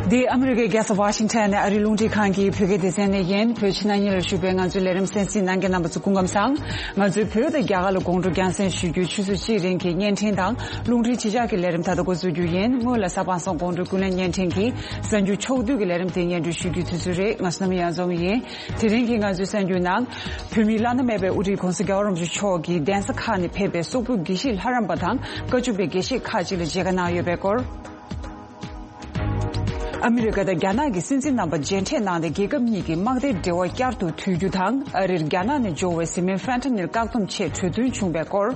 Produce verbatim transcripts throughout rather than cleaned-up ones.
འདི་ཨ་མི་རི་ཀའི་རྒྱལ་ས་ཝ་ཤིང་ཊོན་ནས་ཨ་རིའི་རླུང་འཕྲིན་ཁང་གི་བོད་སྐད་སྡེ་ཚན་ནས་ཡིན། བོད་ཕྱི་ནང་གཉིས་ལ་བཞུགས་པའི་ང་ཚོའི་ལས་རིམ་གསན་གཟིགས་གནང་མཁན་རྣམ་པ་ཚོ་སྐུ་ཁམས་བཟང་། ང་ཚོས་བོད་དང་རྒྱ་གར་ལ་དགོང་དྲོ་རྒྱང་སྲིང་ཞུ་རྒྱུའི་ཆུ་ཚོད་གཅིག་རིང་གི་བརྙན་འཕྲིན་དང་རླུང་འཕྲིན་གཞིས་ཆགས་ཀྱི་ལས་རིམ་ད་ལྟ་འགོ་འཛུགས་རྒྱུ་ཡིན། སྔོན་ལ་གཟའ་པ་སངས་དགོང་དྲོའི་ཀུན་གླེང་བརྙན་འཕྲིན་གྱི་གསར་འགྱུར་ཕྱོགས་བསྡུས་ཀྱི་ལས་རིམ་དེ་སྙན་སྒྲོན་ཞུ་རྒྱུའི་དུས་ཚོད་རེད། ང་བསོད་ནམས་གཡང་འཛོམས་ཡིན། དེ་རིང་གི་ང་ཚོའི་གསར་འགྱུར་ནང་། བོད་མིའི་བླ་ན་མེད་པའི་དབུ་ཁྲིད་༧གོང་ས་༧རྒྱལ་བ་རིན་པོ་ཆེ་མཆོག་གིས་གདན་ས་ཁག་ནས་ཕེབས་པའི་སོག་པོའི་དགེ་བཤེས་ལྷ་རམས་པ་དང་བཀའ་བཅུ་པའི་དགེ་བཤེས་ཁག་ཅིག་ལ་མཇལ་ཁ་གནང་ཡོད་པའི་སྐོར། ཨ་མི་རི་ཀ་དང་རྒྱ་ནག་གི་སྲིད་འཛིན་རྣམ་པ་མཇལ་འཕྲད་གནང་སྟེ་རྒྱལ་ཁབ་གཉིས་ཀྱི་དམག་སྡེའི་འབྲེལ་བ་བསྐྱར་དུ་མཐུད་རྒྱུ་དང་། ཨ་རིར་རྒྱ་ནག་ནས་འབྱོར་བའི་བཟི་སྨན་ཕན་ཐ་ནིལ་བཀག་སྡོམ་ཆེད་གྲོས་མཐུན་བྱུང་བའི་སྐོར།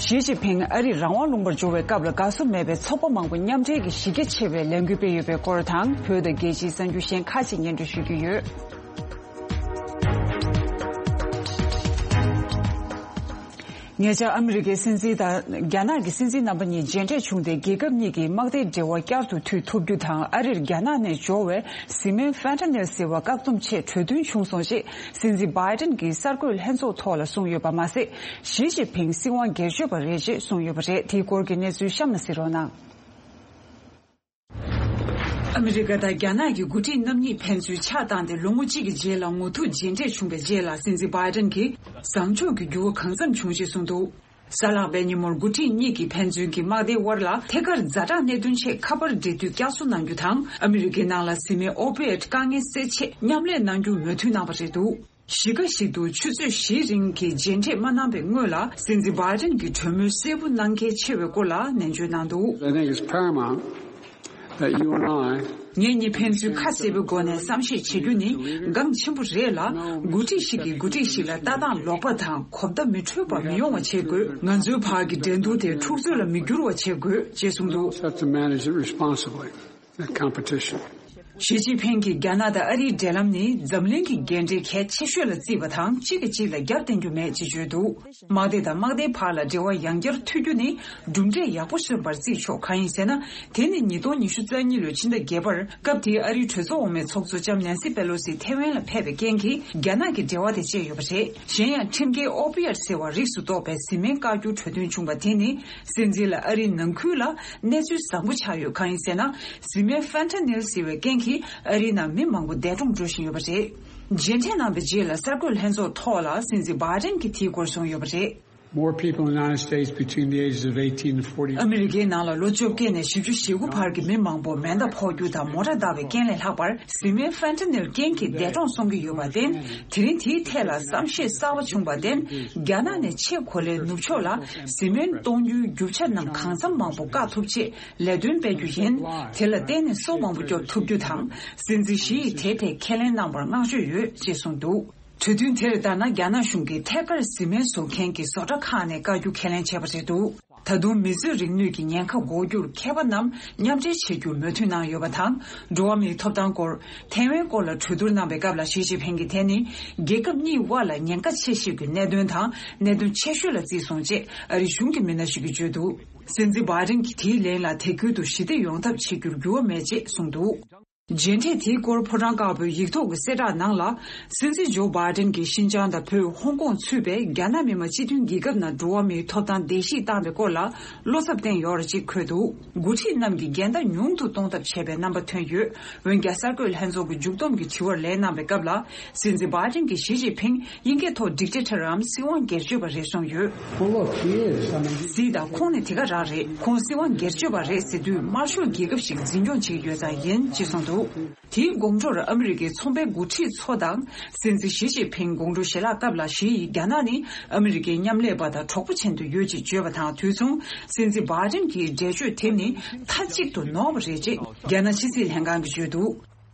ཞི་ཅིན་ཕིང་ཨ་རིར་རང་དབང་ལུང་པར་འབྱོར་བའི་སྐབས་ལ་དགའ་བསུ་མེད་པའི་ཚོགས་པ་མང་པོ་མཉམ་འབྲེལ་གྱིས་གཞི་རྒྱ་ཆེ་བའི་ལས་འགུལ་སྤེལ་ཡོད་པའི་སྐོར་དང་། བོད་དང་རྒྱལ་སྤྱིའི་གསར་འགྱུར་གཞན་ཁག་ཅིག་སྙན་སྒྲོན་ཞུ་རྒྱུ་ཡོད། ཉེ་ཆར་ཨ་མི་རི་ཀའི་སྲིད་འཛིན་དང་རྒྱ་ནག་གི་སྲིད་འཛིན་རྣམ་པ་གཉིས་མཇལ་འཕྲད་བྱུང་སྟེ། རྒྱལ་ཁབ་གཉིས་ཀྱི་དམག་སྡེའི་འབྲེལ་བ་བསྐྱར་དུ་མཐུད་ཐུབ་རྒྱུ་དང་། ཨ་རིར་རྒྱ་ནག་ནས་འབྱོར་བའི་བཟི་སྨན་ཕན་ཐ་ནིལ་ཟེར་བ་བཀག་སྡོམ་ཆེད་གྲོས་མཐུན་བྱུང་སོང་ཞེས་སྲིད་འཛིན་བྷའི་ཏན་གྱིས་གསར་འགོད་ལྷན་ཚོགས་ཐོག་ལ་གསུངས་ཡོད་པ་མ་ཟད། ཞི་ཅིན་ཕིང་སྲིད་དབང་སྒེར་གཅོད་པ་རེད་ཅེས་གསུངས་ཡོད་པ་རེད། དེའི་སྐོར་གྱི་གནས་ཚུལ་གཤམ་ལ་གཟིགས་རོགས་གནང་། ཨ་མི་རི་ཀ་དང་རྒྱ་ནག་གི་འགོ་ཁྲིད་རྣམ་གཉིས་ཕན་ཚུན་ཕྱག་བཏང་སྟེ་ལོ་ངོ་གཅིག་གི་རྗེས་ལ་ངོ་ཐུག་མཇལ་འཕྲད་བྱུང་བའི་རྗེས་ལ། སྲིད་འཛིན་བྷའི་ཏན་གྱིས་བཟང་ཕྱོགས་ཀྱི་འགྱུར་བ་གང་འཚམ་བྱུང་ཞེས་གསུངས་འདུག་གཟའ་ལྷག་པའི་ཉིན་མོར་འགོ་ཁྲིད་གཉིས་ཀྱིས་ཕན་ཚུན་གྱི་དམག་སྡེའི་དབར་ལ་ཐད་ཀར་ཛ་དྲག་གནད་དོན་ཆེད་ཁ་པར་འབྲེལ་མཐུད་བསྐྱར་གསོ་གནང་རྒྱུ་དང་། ཨ་མི་རི་ཀའི་ནང་ལ་བཟི་སྨན་ཨོ་པི་ཡོད་དཀའ་ངལ་སེལ་ཆེད་མཉམ་ལས་གནང་རྒྱུར་མོས་མཐུན་གནང་བ་རེད་འདུག་གཞིས་ཀ་ཞིག་ཏུ་ཆུ་ཚོད་བཞིའི་རིང་གི་མཇལ་འཕྲད་མ་གནང་བའི་སྔོན་ལ། སྲིད་འཛིན་བྷའི་ཏན་གྱིས་གྲོས་མོལ་གསལ་པོ་གནང་གལ་ཆེ་བའི་སྐོར་ལ་ནན་བརྗོད་གནང་འདུག I think it's paramount that you and I ངེད་གཉིས་ཕན་ཚུན་ཁ་གསལ་པོའི་སྒོ་ནས་བསམ་ཤེས་བྱེད་རྒྱུ་ནི་འགངས་ཆེན་པོ་རེད་ལ། འགོ་ཁྲིད་ཞིག་གིས་འགོ་ཁྲིད་ཞིག་ལ་ལྟ་སྟངས་ལོག་པ་དང་གོ་བརྡ་མི་འཕྲོད་པ་མི་ཡོང་བ་བྱེད་དགོས། ང་ཚོའི་བར་གྱི་འགྲན་བསྡུར་དེ་འཁྲུག་རྩོད་ལ་མི་འགྱུར་བ་བྱེད་དགོས་ཅེས་གསུངས་འདུག Have to manage it responsibly. That competition. ཞི་ཅིན་ཕིང་གིས་རྒྱ་ནག་དང་ཨ་རིའི་འབྲེལ་ལམ་ནི་འཛམ་གླིང་གི་འགན་འཁྲི་གལ་ཆེ་ཤོས་ལ་བརྩིས་པ་དང་། གཅིག་གིས་གཅིག་ལ་རྒྱབ་བརྟེན་རྒྱུ་མེད་ཅེས་བརྗོད་འདུག་དམག་སྡེ་དང་དམག་སྡེའི་བར་ལ་འབྲེལ་བ་ཡང་བསྐྱར་མཐུད་རྒྱུ་ནི་གྲུབ་འབྲས་ཡག་པོ་སོན་པར་བརྩིས་ཆོག་གང་ཡིན་ཟེར་ན། དེ་ནི་ཉིས་སྟོང་ཉི་ཤུ་རྩ་གཉིས་ལོའི་ཕྱི་ཟླ་བརྒྱད་པར་སྐབས་དེའི་ཨ་རིའི་གྲོས་ཚོགས་འོག་མའི་ཚོགས་གཙོ་ལྕམ་ནན་སི་པེ་ལོ་སི་ཐེ་ཝན་ལ་ཕེབས་པའི་རྐྱེན་གྱིས་རྒྱ་ནག་གི་འབྲེལ་བ་དེ་བཅད་ཡོད་པ་རེད། གཞན་ཡང་ཁྲིམས་འགལ་ཨོ་པི་ཡོད་ཟེར་བ་རིགས་སུ་གཏོགས་པའི་བཟི་སྨན་བཀག་རྒྱུའི་གྲོས་མཐུན་བྱུང་བ་དེ་ནི། སྲིད་འཛིན་ལ་ཨ་རིའི་ནང་ཁུལ་ལ་གནས་ཚུལ་བཟང་པོ་ཆགས་ཡོད། གང་ཡིན་ཟེར་ན། བཟི་སྨན་ཕན་ཐ་ནིལ་ཟེར་བའི་རྐྱེན་གྱིས་ཨ་རིའི་ནང་མི་མང་པོ་འདས་གྲོངས་འགྲོ་བཞིན་ཡོད་པ་རེད། མཇལ་འཕྲད་གནང་བའི་རྗེས་ལ་གསར་འགོད་ལྷན་ཚོགས་ཐོག་ལ་སྲིད་འཛིན་བྷའི་ཏན་གྱིས་དེའི་སྐོར་གསུངས་ཡོད་པ་རེད། More people in the United States between the ages of eighteen and forty. ཨ་མི་རི་ཀའི་ནང་ལ་ལོ་བཅོ་བརྒྱད་ནས་བཞི་བཅུ་ཞེ་དགུ་བར་གྱི་མི་མང་པོ་མེ་མདའ་ཕོག་རྒྱུ་དང་མོ་ཊ་བརྡབ་པའི་རྐྱེན་ལས་ལྷག་པར། བཟི་སྨན་ཕན་ཐ་ནིལ་རྐྱེན་གྱིས་འདས་གྲོངས་སོང་གི་ཡོད་པར་བརྟེན། དེ་རིང་དེའི་ཐད་ལ་བསམ་ཤེས་གསར་པ་བྱུང་བར་བརྟེན། རྒྱ་ནག་ནས་ཆེས་གོ་ལའི་ནུབ་ཕྱོགས་ལ་བཟི་སྨན་གཏོང་རྒྱུའི་རྒྱུ་ཆ་རྣམས་གང་འཚམ་མང་པོ་བཀག་ཐུབ་ཆེད་ལས་དོན་སྤེལ་རྒྱུ་ཡིན། དེ་ལ་བརྟེན་ནས་སྲོག་མང་པོ་སྐྱོབ་ཐུབ་རྒྱུ་དང་། སྲིད་འཛིན་ཞི་ཡིས་དེའི་ཐད་ཁས་ལེན་གནང་བར་བསྔགས་བརྗོད་ཡོད་ཅེས་གསུངས་འདུག་གྲོས་མཐུན་དེར་ལྟར་ན། རྒྱ་ནག་གཞུང་གིས་ཐད་ཀར་བཟི་སྨན་བཟོ་མཁན་གྱི་བཟོ་གྲྭ་ཁག་ནས་བཀག་རྒྱུ་ཁས་ལེན་བྱས་པ་རེད་འདུག་ད་དུང་མི་གསོད་རིག་ནུས་ཀྱི་ཉེན་ཁ་འགོག་རྒྱུར་མཁས་པ་རྣམས་མཉམ་འབྲེལ་བྱེད་རྒྱུར་མོས་མཐུན་གནང་ཡོད་པ་དང་། འགྲོ་བ་མིའི་ཐོབ་ཐང་སྐོར། ཐའེ་ཝན་སྐོར་ལ་གྲོས་བསྡུར་གནང་བའི་སྐབས་ལ་ཞི་ཅིན་ཕིང་གིས་དེ་ནི་རྒྱལ་ཁབ་གཉིས་དབར་ལ་ཉེན་ཁ་ཆེ་ཤོས་ཀྱི་གནད་དོན་དང་གནད་དོན་ཆེ་ཤོས་ལ་བརྩིས་སོང་ཅེས་ཨ་རི་གཞུང་གི་མི་སྣ་ཞིག་གིས་བརྗོད་འདུག་སྲིད་འཛིན་བྷའི་ཏན་གྱིས་དེའི་ལན་ལ་དེ་ཁུལ་དུ་ཞི་བདེ་ཡོང་ཐབས་བྱེད་རྒྱུར་འགྱུར་བ་མེད་ཅེས་གསུངས་འདུག་མཇལ་འཕྲད་དེའི་སྐོར་ཕོ་བྲང་དཀར་པོའི་ཡིག་ཐོག་གི་གསལ་བསྒྲགས་ནང་ལ། སྲིད་འཛིན་ཇོ་བྷའི་ཏན་གྱིས་ཤིན་ཅང་དང་བོད། ཧོང་ཀོང་ཚུད་པའི་རྒྱ་ནག་མི་དམངས་སྤྱི་མཐུན་རྒྱལ་ཁབ་ནང་འགྲོ་བ་མིའི་ཐོབ་ཐང་བརྡལ་བཤིག་བཏང་བའི་སྐོར་ལ་བློ་འཚབ་བསྟན་ཡོད་རེད་ཅེས་འཁོད་འདུག་འགོ་ཁྲིད་རྣམས་ཀྱིས་འགལ་ཟླ་ཉུང་དུ་གཏོང་ཐབས་བྱས་པའི་རྣམ་པ་ཐོན་ཡོད། འོན་ཀྱང་གསར་འགོད་ལྷན་ཚོགས་ཀྱི་མཇུག་བསྡོམས་ཀྱི་དྲི་བར་ལན་གནང་བའི་སྐབས་ལ། སྲིད་འཛིན་བྷའི་ཏན་གྱིས་ཞི་ཅིན་ཕིང་དབྱིན་སྐད་ཐོག་ཌིག་ཊེ་ཊར་རམ་སྲིད་དབང་སྒེར་གཅོད་པ་རེད་གསུངས་ཡོད། Well, look, he is. I mean, གཟིགས་དང་། ཁོང་ནི་དེ་ག་རང་རེད། ཁོང་སྲིད་དབང་སྒེར་གཅོད་པ་རེད་ཟེར་དུས་དམར་ཤོག་རྒྱལ་ཁབ་ཞིག་འཛིན་སྐྱོང་བྱེད་ཀྱི་ཡོད་ཙང་ཡིན་ཅེས་གསུངས་འདུག་དེའི་དགོང་དྲོར་ཨ་མི་རི་ཀའི་ཚོང་པའི་འགོ་ཁྲིད་ཚོ་དང་། སྲིད་འཛིན་ཞི་ཅིན་ཕིང་དགོང་དྲོ་ཞལ་ལག་སྐབས་ལ་ཞི་ཡིས་རྒྱ་ནག་ནི་ཨ་མི་རི་ཀའི་མཉམ་ལས་པ་དང་གྲོགས་པོ་ཆེན་དུ་ཡོད་ཅེས་བརྗོད་པ་དང་དུས་མཚུངས། སྲིད་འཛིན་བྷའི་ཏན་གྱི་འགྲེལ་བརྗོད་དེ་ནི་མཐའ་གཅིག་ཏུ་ནོར་བ་རེད་ཅེས་རྒྱ་ནག་ཕྱི་སྲིད་ལྷན་ཁང་གིས་བརྗོད་འདུག་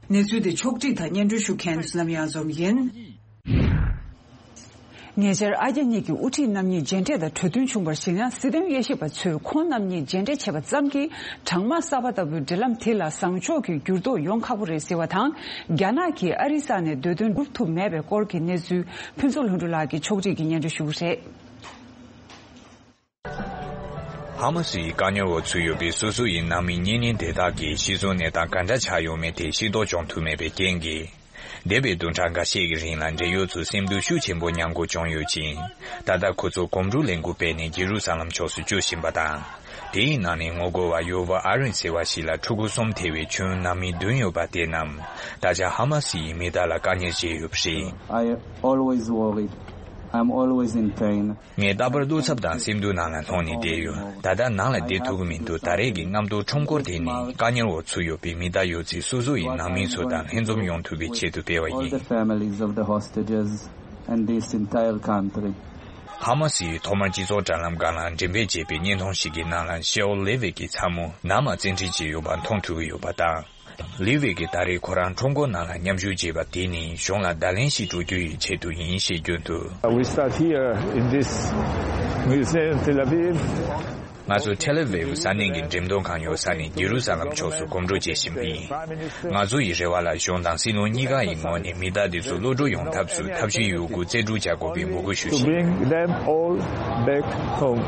གནས་ཚུལ་དེ་ཕྱོགས་སྒྲིག་དང་སྙན་སྒྲོན་ཞུ་མཁན་བསོད་ནམས་གཡང་འཛོམས་ཡིན། ཉེ་ཆར་ཨ་རྒྱ་གཉིས་ཀྱི་དབུ་ཁྲིད་རྣམ་གཉིས་མཇལ་འཕྲད་དང་གྲོས་མཐུན་བྱུང་བར་གཞིགས་ན། སྲིད་དོན་དབྱེ་ཞིབ་པ་ཚོས་ཁོང་རྣམ་གཉིས་མཇལ་འཕྲད་བྱས་པ་ཙམ་གྱིས་གྲང་དམག་གསར་པ་ལྟ་བུའི་འབྲེལ་ལམ་དེ་ལ་བཟང་ཕྱོགས་ཀྱི་འགྱུར་ལྡོག་ཡོང་ཁག་པོ་རེད་ཟེར་བ་དང་། རྒྱ་ནག་གིས་ཨ་རིའི་ས་ནས་འདོད་དོན་སྒྲུབ་ཐུབ་མེད་པའི་སྐོར་གྱི་གནས་ཚུལ་ཕུན་ཚོགས་ལྷུན་གྲུབ་ལགས་ཀྱིས་ཕྱོགས་སྒྲིག་གིས་སྙན་སྒྲོན་ཞུ་གི་རེད། ཧ་མ་སིའི་བཀག་ཉར་འོག་ཚུད་ཡོད་པའི་སོ་སོ་ཡི་ནང་མི་གཉེན་ཉེ་དེ་དག་གི་གཤིས་བཟོ་གནས་སྟངས་ག་འདྲ་ཆགས་ཡོད་མེད་དེ་ཤེས་རྟོགས་བྱུང་ཐུབ་མེད་པའི་རྐྱེན་གྱིས། འདས་པའི་བདུན་ཕྲག་འགའ་ཤས་ཀྱི་རིང་ལ་འབྲེལ་ཡོད་ཚོས་སེམས་སྡུག་ཤུགས་ཆེན་པོ་མྱངས་དགོས་བྱུང་ཡོད་ཅིང་། ད་ལྟ་ཁོ་ཚོ་གོམ་བགྲོད་ལས་འགུལ་སྤེལ་ནས་ཇེ་རུ་ས་ལམ་ཕྱོགས་སུ་བསྐྱོད་བཞིན་པ་དང་། དེའི་ནང་ནས་ངོ་རྒོལ་བ་ཡོ་ཝ་ཨ་རིན་ཟེར་བ་ཞིག་ལ་ཕྲུ་གུ་གསུམ་ཐེ་བའི་ཆུང་ནང་མི་བདུན་ཡོད་པ་དེ་རྣམས་ད་ཆ་ཧ་མ་སི་ཡིས་མི་དག་ལ་བཀག་ཉར་བྱས་ཡོད་པ་རེད། I always worried. I'm always in pain. ངས་རྟག་པར་བློ་འཚབ་དང་སེམས་སྡུག་ནང་ལ་ལྷུང་ནས་བསྡད་ཡོད། ད་ལྟ་ནང་ལ་བསྡད་ཐུབ་ཀྱི་མི་འདུག་ད་རེས་ཀྱི་རྔམ་སྟོན་ཁྲོམ་སྐོར་དེ་ནི་བཀག་ཉར་འོག་ཚུད་ཡོད་པའི་མི་དག་ཡོད་ཚད་སོ་སོ་ཡི་ནང་མི་ཚོ་དང་ལྷན་འཛོམས་ཡོང་ཐུབ་པའི་ཆེད་དུ་སྤེལ་བ་All ཡིན། The families of the hostages and this entire country. ཧ་མ་སི་ཡིས་ཐོག་མར་སྤྱི་ཚོགས་དྲ་ལམ་སྒང་ལ་འགྲེམས་སྤེལ་བྱས་པའི་བརྙན་ཐུང་ཞིག་གི་ནང་ལ་ཤེའོ་ལེ་ཝི་གི་ཚ་མོ་ནང་མ་བཙན་ཁྲིད་བྱས་ཡོད་པ་མཐོང་ཐུབ་ཀྱི་ཡོད་པ་དང་། ལི་ཝེ་གིས་ད་རེས་ཁོ་རང་ཁྲོམ་སྐོར་ནང་ལ་མཉམ་ཞུགས་བྱས་པ་དེ་ནི་གཞུང་ལ་བརྡ་ལན་ཞིག་སྤྲོད་རྒྱུ་ཡི་ཆེད་དུ་ཡིན་ཞེས་བརྗོད་འདུག We start here in this museum in Tel Aviv. ང་ཚོ་ཐེལ་ཨ་ཝིབ་ས་གནས་ཀྱི་འགྲེམས་སྟོན་ཁང་ཡོད་ས་ནས་ཇེ་རུ་ས་ལམ་ཕྱོགས་སུ་གོམ་བགྲོད་བྱེད་བཞིན་པ་ཡིན། ང་ཚོ་ཡི་རེ་བ་ལ་གཞུང་དང་སྲིད་བློན་གཉིས་ཀ་ཡི་ངོས་ནས་མི་དག་དེ་ཚོ་གློད་བཀྲོལ་ཡོང་ཐབས་སུ་ཐབས་ཤེས་ཡོད་རྒུ་རྩལ་སྤྲུགས་བྱ་དགོས་པའི་འབོད་སྐུལ་ཞུ་བཞིན། To bring them all back home.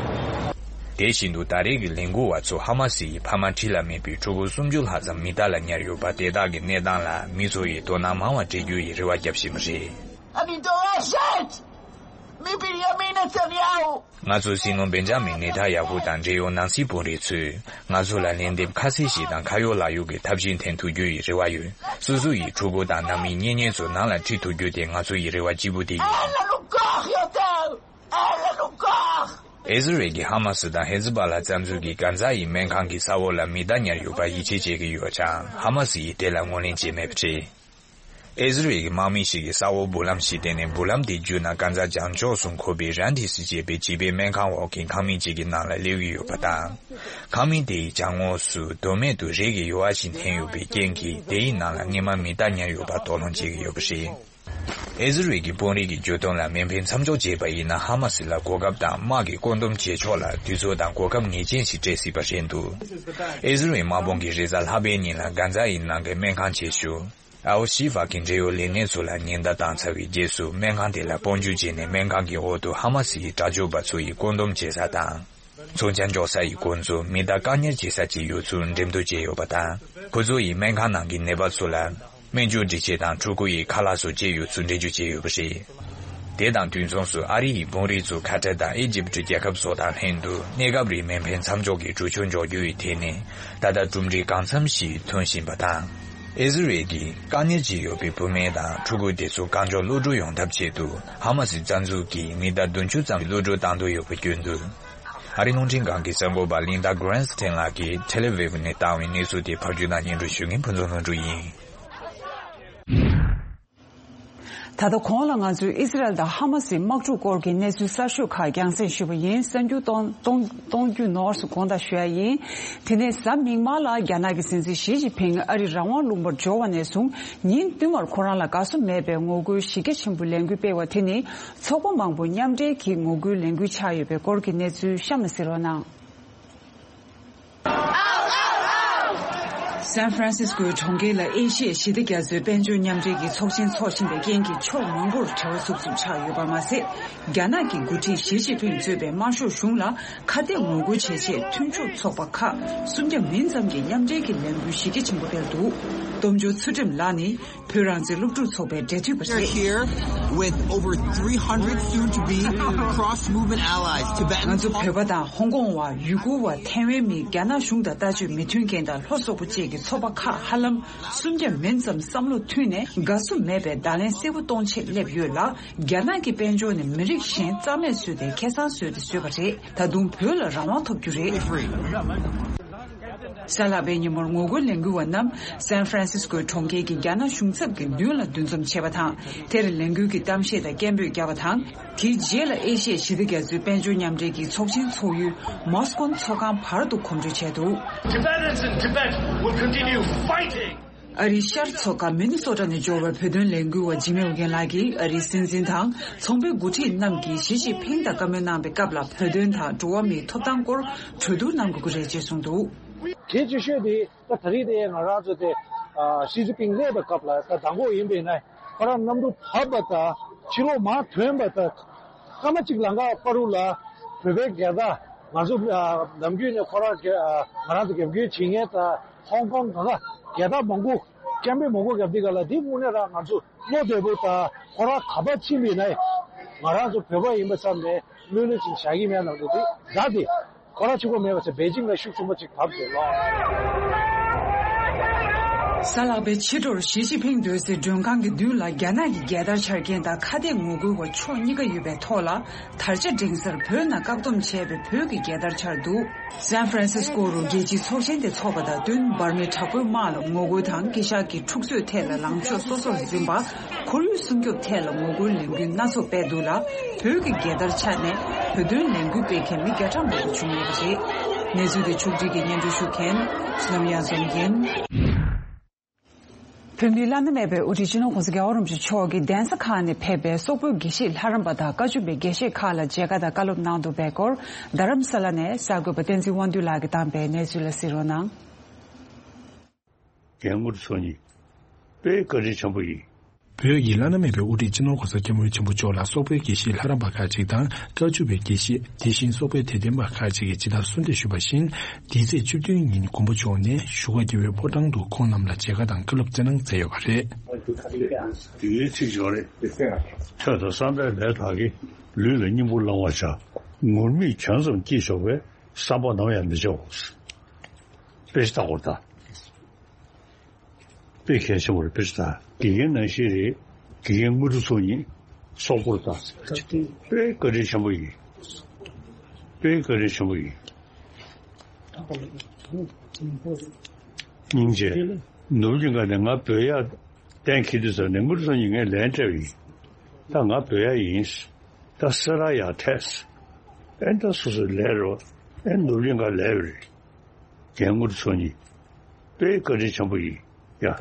དེ་བཞིན་དུ་ད་རེས་ཀྱི་ལས་འགུལ་བ་ཚོ་ཧ་མ་སི་ཡི་ཕ་མ་འཁྲིས་ལ་མེད་པའི་ཕྲུ་གུ་སུམ་ཅུ་ལྷག་ཙམ་མི་དག་ལ་ཉར་ཡོད་པ་དེ་དག་གི་གནས་སྟངས་ལ་མི་ཚོ་ཡིས་དོ་སྣང་མང་བ་སྤྲད་རྒྱུ་ཡི་རེ་བ་བརྒྱབ་བཞིན་པ་རེད། אני דורשת מבנימין נתניהו. ང་ཚོས་སྲིད་བློན་བེན་ཇ་མིན་ནེ་ཐན་ཡ་ཧུ་དང་འབྲེལ་ཡོད་ནང་སྲིད་དཔོན་རིགས་ཚོས་ང་ཚོ་ལ་ལན་འདེབས་ཁ་གསལ་ཞིག་དང་ཁ་ཡོད་ལག་ཡོད་ཀྱི་ཐབས་ཤེས་འཐེན་ཐུབ་རྒྱུ་ཡི་རེ་བ་ཡོད། སོ་སོ་ཡི་ཕྲུ་གུ་དང་ནང་མི་གཉེན་ཉེ་ཚོ་ནང་ལ་ཁྲིད་ཐུབ་རྒྱུ་དེ་ང་ཚོ་ཡི་རེ་བ་གཅིག་པུ་དེ་ཡིན། אין לנו כוח יותר! אין לנו כוח! ཨི་ཟི་རེལ་གྱིས་ཧ་མ་སི་དང་ཧེ་ཛི་བ་ལ་རྩ་འཛུགས་ཀྱི་གྷ་ཛ་ཡི་སྨན་ཁང་གི་ས་འོག་ལ་མི་དག་ཉར་ཡོད་པར་ཡིད་ཆེས་བྱེད་ཀྱི་ཡོད་ཀྱང་ཧ་མ་སི་ཡིས་དེ་ལ་ངོས་ལེན་བྱས་མེད་པ་རེད། ཨི་ཟི་རེལ་གྱི་དམག་མི་ཞིག་གིས་ས་འོག་འབུ་ལམ་ཞིག་བཏོན་ནས་འབུ་ལམ་དེ་བརྒྱུད་ན་གྷ་ཛ་བྱང་ཕྱོགས་སུ་འཁོར་བའི་རན་ཏི་སི་ཅེས་པའི་བྱིས་པའི་སྨན་ཁང་འོག་གི་ཁང་མིག་ཅིག་གི་ནང་ལ་སླེབས་ཀྱི་ཡོད་པ་དང་། ཁང་མིག་དེའི་བྱང་ངོས་སུ་དོན་མེད་དུ་རས་ཀྱི་ཡོལ་བ་ཞིག་འཐེན་ཡོད་པའི་རྐྱེན་གྱིས་དེའི་ནང་ལ་སྔོན་མ་མི་དག་ཉར་ཡོད་པ་དོགས་སློང་བྱེད་ཀྱི་ཡོད་པ་རེད། ཨི་ཟི་རེལ་གྱི་དཔོན་རིགས་ཀྱི་བརྗོད་དོན་ལ་མེ་འཕེན་མཚམས་འཇོག་བྱས་པ་ཡིན་ན་ཧ་མ་སི་ལ་གོ་སྐབས་དང་དམག་གི་བཀོད་འདོམས་བྱེད་ཕྱོགས་ལ་དུས་ཚོད་དང་གོ་སྐབས་ངེས་ཅན་ཞིག་སྤྲད་སྲིད་པ་རེད་འདུག་ཨི་ཟི་རེལ་དམག་དཔུང་གིས་རེས་གཟའ་ལྷག་པའི་ཉིན་ལ་གྷ་ཛ་ཡི་ནང་གི་སྨན་ཁང་ཆེ་ཤོས་ཨལ་ཤི་ཧྥ་གི་འབྲེལ་ཡོད་ལས་སྣེ་ཚོ་ལ་ཉེན་བརྡ་བཏང་ཚར་བའི་རྗེས་སུ་སྨན་ཁང་དེ་ལ་དཔུང་འཇུག་བྱས་ནས་སྨན་ཁང་གི་འོག་ཏུ་ཧ་མ་སི་ཡི་དྲག་སྤྱོད་པ་ཚོ་ཡི་བཀོད་འདོམས་བྱེད་ས་དང་། མཚོན་ཆ་འཇོག་ས་ཡི་སྐོར་ཚོ་མི་དག་བཀག་ཉར་བྱེད་ས་བཅས་ཡོད་ཚུལ་འགྲེམས་སྟོན་བྱས་ཡོད་པ་དང་། ཁོ་ཚོ་ཡིས་སྨན་ཁང་ནང་གི་ནད་པ་ཚོ་ལ་སྨན་བཅོས་སྒྲིག་ཆས་དང་ཕྲུ་གུ་ཡི་ཁ་ལག་སོགས་བཅས་ཡོད་ཚུལ་འགྲེལ་བརྗོད་བྱས་ཡོད་པ་རེད། དེ་དང་དུས་མཚུངས་སུ་ཨ་རི་ཡི་དཔོན་རིགས་ཚོ་ཁ་ཏར་དང་ཨི་ཇིབ་རྒྱལ་ཁབ་སོགས་དང་ལྷན་དུ་གནས་སྐབས་རིང་མེ་འཕེན་མཚམས་འཇོག་གི་གྲོས་ཆོད་འཇོག་རྒྱུ་ཡི་ཐད་ནས་ད་ལྟ་གྲུབ་འབྲས་གང་འཚམ་ཞིག་ཐོན་བཞིན་པ་དང་། ཨི་ཟི་རེལ་གྱིས་དཀའ་ངལ་ཅིག་ཡོད་པའི་བུད་མེད་དང་ཕྲུ་གུ་དེ་ཚོ་གང་མགྱོགས་གློད་བཀྲོལ་ཡོང་ཐབས་ཆེད་དུ་ཧ་མ་སི་རྩ་འཛུགས་ཀྱིས་མི་ཟླ་བདུན་ཅུ་ཙམ་གློད་བཀྲོལ་བཏང་འདོད་ཡོད་པ་བརྗོད་འདུག་ཨ་རིའི་རླུང་འཕྲིན་ཁང་གི་གསར་འགོད་པ་ལིན་ཌ་གྷ་རན་སི་ཐན་ལགས་ཀྱིས་ཐེལ་ཨ་ཝིབ་ནས་བཏང་བའི་གནས་ཚུལ་དེ་ཕབ་སྒྱུར་དང་སྙན་སྒྲོན་ཞུ་མཁན་ཕུན་ཚོགས་ལྷུན་གྲུབ་ཡིན། ད་ལྟ་གོང་ལ་ང་ཚོས་ཨི་སི་རལ་དང་ཧ་མ་སིའི་དམག་འཁྲུག་སྐོར་གྱི་གནས་ཚུལ་གསར་ཤོས་ཁག་རྒྱང་སྲིང་ཞུས་པ་ཡིན། གསར་འགྱུར་གཏོང་གཏོང་གཏོང་རྒྱུ་ནོར་སུ་དགོངས་དག་ཞུ་ཡ་ཡིན། དེ་ནས་གཟའ་མིག་དམར་ལ་རྒྱ་ནག་གི་སྲིད་འཛིན་ཞི་ཅིན་ཕིང་ཨ་རི་རང་དབང་ལུང་པར་འབྱོར་བ་ནས་བཟུང་ཉིན་བསྟུད་མར་ཁོ་རང་ལ་དགའ་བསུ་མེད་པའི་ངོ་རྒོལ་གཞི་རྒྱ་ཆེན་པོའི་ལས་འགུལ་སྤེལ་བ་དེ་ནི། ཚོགས་པ་མང་པོ་མཉམ་འབྲེལ་གྱིས་ངོ་རྒོལ་ལས་འགུལ་ཆགས་ཡོད་པའི་སྐོར་གྱི་གནས་ཚུལ་གཤམ་ལ་གཟིགས་རོགས་གནང་། སན་ཧྥ་རན་སིས་ཀོའི་གྲོང་ཁྱེར་ལ་ཨེ་ཤི་ཡའི་ཞི་བདེ་རྒྱ་མཚོའི་དཔལ་འབྱོར་མཉམ་འབྲེལ་གྱི་ཚོགས་ཆེན་འཚོགས་བཞིན་པའི་རྐྱེན་གྱིས་ཕྱོགས་མང་པོར་བྲེལ་བ་འཚུབ་འཚུབ་ཆགས་ཡོད་པ་མ་ཟད། རྒྱ་ནག་གི་འགོ་ཁྲིད་ཞི་ཅིན་ཕིང་གཙོས་པའི་དམར་ཤོག་གཞུང་ལ་ཁ་གཏད་ངོ་རྒོལ་བྱེད་ཆེད་མཐུན་ཕྱོགས་ཚོགས་པ་ཁག་སུམ་བརྒྱ་མིན་ཙམ་གྱིས་མཉམ་འབྲེལ་གྱི་ལས་འགུལ་གཞི་རྒྱ་ཆེན་པོ་སྤེལ་འདུག་སྟོབས་འབྱོར་ཚུལ་ཁྲིམས་ལགས་ནི། བོད་རང་བཙན་སློབ་ཕྲུག་ཚོགས་པའི་འབྲེལ་མཐུད་པ་We're རེད། Here with over three hundred soon to be cross movement allies, Tibetans. ང་ཚོ་བོད་པ་དང་ཧོང་ཀོང་བ། ཡུ་གུར་བ། ཐའེ་ཝན་མི། རྒྱ་ནག་གཞུང་དང་ལྟ་སྤྱོད་མི་མཐུན་རྐྱེན་དང་ལྷོ་སོག་པོ་བཅས་ཀྱི་ཚོགས་པ་ཁག་ཧ་ལམ་སུམ་བརྒྱ་མིན་ཙམ་བསམ་བློ་མཐུན་ནས་དགའ་བསུ་མེད་པའི་བརྡ་ལན་གསལ་པོ་གཏོང་ཆེད་སླེབས་ཡོད་ལ། རྒྱ་ནག་གི་དཔལ་འབྱོར་ནི་མི་རིགས་གཞན་རྩ་མེད་བཟོས་ཏེ་ཁེ་བཟང་བཟོས་ཏེ་བཟོས་པ་རེད། ད་དུང་བོད་ལ་རང་དབང་ཐོབ་རྒྱུ་རེད། གཟའ་ལྷག་པའི་ཉིན་མོར་ངོ་རྒོལ་ལས་འགུལ་བ་རྣམས་སན་ཧྥ་རན་སིས་ཀོའི་གྲོང་ཁྱེར་གྱི་རྒྱ་ནག་གཞུང་ཚབ་ཀྱི་མདུན་ལ་འདུ་འཛོམས་བྱས་པ་དང་། དེར་ལས་འགུལ་གྱི་གཏམ་བཤད་དང་སྐད་འབོད་བརྒྱབ་པ་དང་། དེའི་རྗེས་ལ་ཨེ་ཤི་ཡའི་ཞི་བདེ་རྒྱ་མཚོའི་དཔལ་འབྱོར་མཉམ་འབྲེལ་གྱི་ཚོགས་ཆེན་ཚོགས་ཡུལ་མོ་སི་ཀོན་ཚོགས་ཁང་བར་དུ་གོམ་བགྲོད་བྱས་འདུག Tibetans in Tibet will continue fighting. ཨ་རིའི་ཤར་མཚོ་ཁ་མི་ནི་སོ་ཊ་ནས་འབྱོར་བའི་བོད་དོན་ལས་འགུལ་བ་འཇིགས་མེད་ཨོ་རྒྱན་ལགས་ཀྱིས་ཨ་རིའི་སྲིད་འཛིན་དང་ཚོང་པའི་འགོ་ཁྲིད་རྣམས་ཀྱིས་ཞི་ཅིན་ཕིང་དང་བཀའ་མོལ་གནང་པའི་སྐབས་ལ་བོད་དོན་དང་འགྲོ་བ་མིའི་ཐོབ་ཐང་སྐོར་གྲོས་བསྡུར་གནང་དགོས་ཀྱི་རེད་ཅེས་གསུངས་འདུག་གལ་ཆེ་ཤོས་དེ་ད་ད་རེས་དེ་ང་རང་ཚོ་དེ་ཞི་ཅིན་ཕིང་སླེབས་པའི་སྐབས་ལ་ད་དང་པོ་ཡིན་པས་ན་ཁོ་རང་གནམ་གྲུ་བབས་པ་དང་ཕྱི་ལོགས་མར་ཐོན་པ་དང་སྐར་མ་གཅིག་ལམ་ཁ་བར་དུ་ལ་བོད་པའི་རྒྱལ་དར་ང་ཚོ་ནམ་རྒྱུན་ནས་ཁོ་རང་ང་རང་ཚོ་རྒྱབ་སྐྱོར་བྱེད་མཁན་དང་ཧོང་ཀོང་གང་ག་རྒྱལ་དར་མང་པོ། སྐད་འབོད་མང་པོ་བརྒྱབ་དུས་ག་ལ་དེ་དངོས་གནས་རང་ང་ཚོ་བློ་བདེ་པོ་དང་ཁོ་རང་ག་པར་ཕྱིན་པ་ཡིན་ན་ང་རང་ཚོ་བོད་པ་ཡིན་པ་ཙམ་ནས་ལྷོད་ལྷོད་ཅིག་བཞག་གི་མེད་ལབ་འདུག་དེ་ད་དེ་ཁོ་རང་གཅིག་པོ་མེད་པ་ཚེ་པེ་ཅིང་ལ་ཤུགས་ཆེན་པོ་ཅིག་བབས་ཡོད་ལོ། གཟའ་ལྷག་པའི་ཕྱི་དྲོར་ཞི་ཅིན་ཕིང་སྡོད་སའི་མགྲོན་ཁང་གི་མདུན་ལ་རྒྱ་ནག་གི་རྒྱལ་དར་འཕྱར་མཁན་དང་ཁ་གཏད་ངོ་རྒོལ་བ་ཕྱོགས་གཉིས་ཀ་ཡོད་པའི་ཐོག་ལ་དར་ཆ་སྒྲེང་སར་བོད་ནང་བཀག་སྡོམ་བྱས་པའི་བོད་ཀྱི་རྒྱལ་དར་འཕྱར་འདུག་སན་ཧྥ་རན་སིས་ཀོ་རུ་རྒྱལ་སྤྱིའི་ཚོགས་ཆེན་དེ་འཚོགས་པ་དང་བསྟུན་འབར་མའི་དྲག་པོའི་དམག་ལ་ངོ་རྒོལ་དང་སྐད་ཆ་གི་འཁྲུག་རྩོད་ཐད་ལ་ལངས་ཕྱོགས་སོ་སོར་འཛིན་པ། ཁོར་ཡུག་སྲུང་སྐྱོབ་ཐད་ལ་ངོ་རྒོལ་ལས་འགུལ་སྣ་ཚོགས་སྤེལ་འདུག་ལ། བོད་ཀྱི་རྒྱལ་དར་འཕྱར་ནས་བོད་དོན་ལས་འགུལ་སྤེལ་མཁན་མི་བརྒྱ་ཕྲག་མང་པོ་བྱུང་ཡོད་པ་རེད། གནས་ཚུལ་དེ་ཕྱོགས་སྒྲིག་གིས་སྙན་སྒྲོན་ཞུ་མཁན་བསོད་ནམས་གཡང་འཛོམས་ཡིན། བོད་མིའི་བླ་ན་མེད་པའི་དབུ་ཁྲིད་སྤྱི་ནོར་༸གོང་ས་༸རྒྱལ་བ་རིན་པོ་ཆེ་མཆོག་གིས་གདན་ས་ཁག་ནས་ཕེབས་པའི་སོག་པོའི་དགེ་བཤེས་ལྷ་རམས་པ་དང་བཀའ་བཅུ་པའི་དགེ་བཤེས་ཁག་ལ་མཇལ་ཁ་དང་བཀའ་སློབ་གནང་འདུག་པའི་སྐོར་རྡ་རམ་ས་ལ་ནས་གསར་འགོད་པ་བསྟན་འཛིན་དབང་འདུས་ལགས་ཀྱིས་བཏང་པའི་གནས་ཚུལ་ལ་གཟིགས་རོགས་གནང་། རྒན་དངོས་གྲུབ་མཚོ་གཉིས། དཔེ་བཀའ་དྲིན་ཆེན་པོ་ཡིན། བོད་ཀྱི་བླ་ན་མེད་པའི་དབུ་ཁྲིད་སྤྱི་ནོར་༸གོང་ས་༸སྐྱབས་མགོན་ཆེན་པོ་མཆོག་ལ་སོག་པོའི་དགེ་བཤེས་ལྷ་རམས་པ་ཁག་ཅིག་དང་བཀའ་བཅུ་པའི་དགེ་བཤེས། དེ་བཞིན་སོག་པོའི་དད་ལྡན་པ་ཁག་ཅིག་གིས་ཇི་ལྟར་གསོལ་འདེབས་ཞུས་པ་བཞིན། འདི་ཚེས་བཅུ་བདུན་ཉིན་མགོན་པོ་མཆོག་ནས་བཞུགས་སྒར་རྒྱལ་བའི་ཕོ་བྲང་དུ་ཁོང་རྣམས་ལ་མཇལ་ཁ་དང་བཀའ་སློབ་སྩལ་གནང་མཛད་ཡོད་པ་རེད། དེའི་ཚིག་ཅིག་རེད། ཐོས་དང་བསམ་པའི་ལས་དག་གིས། ལུས་ལ་སྙིང་པོ་བླང་བར་བྱ། ངུར་སྨྲིག་གྱོང་ཙམ་སྐྱེས་ཆོག་པའི། བསམ་པ་ནམ་ཡང་མི་བྱའོ། དཔེ་ཆ་ལྟ་དགོས་ད། དཔེ་གལ་ཆེན་པོ་རེད། དཔེ་ཆ་ལྟ། དགེ་རྒན་ནང་བཞིན་རེད། དགེ་རྒན་དངོས་གྲུབ་མཚོ་གཉིས་སོག་པོར་ལྟ། དཔེ་བཀའ་དྲིན་ཆེན་པོ་ཡིན། དཔེ་བཀའ་དྲིན་ཆེན་པོ་ཡིན། སྙིང་རྗེ། ནོར་བུ་གླིང་ག་ནས་ང་བོད་ཡར་གཏན་འཁེལ་དུས་ཙམ་ནས་དངོས་གྲུབ་མཚོ་གཉིས་ངས་ལན་སྤྲད་པ་ཡིན། ད་ང་བོད་ཡར་ཡིན། ད་སེ་ར་ཡར་ཐད། ཨེ་ད་སོ་སོའི་ལས་རོ། ཨེ་ནོར་བུ་གླིང་ག་ལས་རེད། རྒན་དངོས་གྲུབ་མཚོ་གཉིས། དཔེ་བཀའ་དྲིན་ཆེན་པོ་ཡིན། ཡ།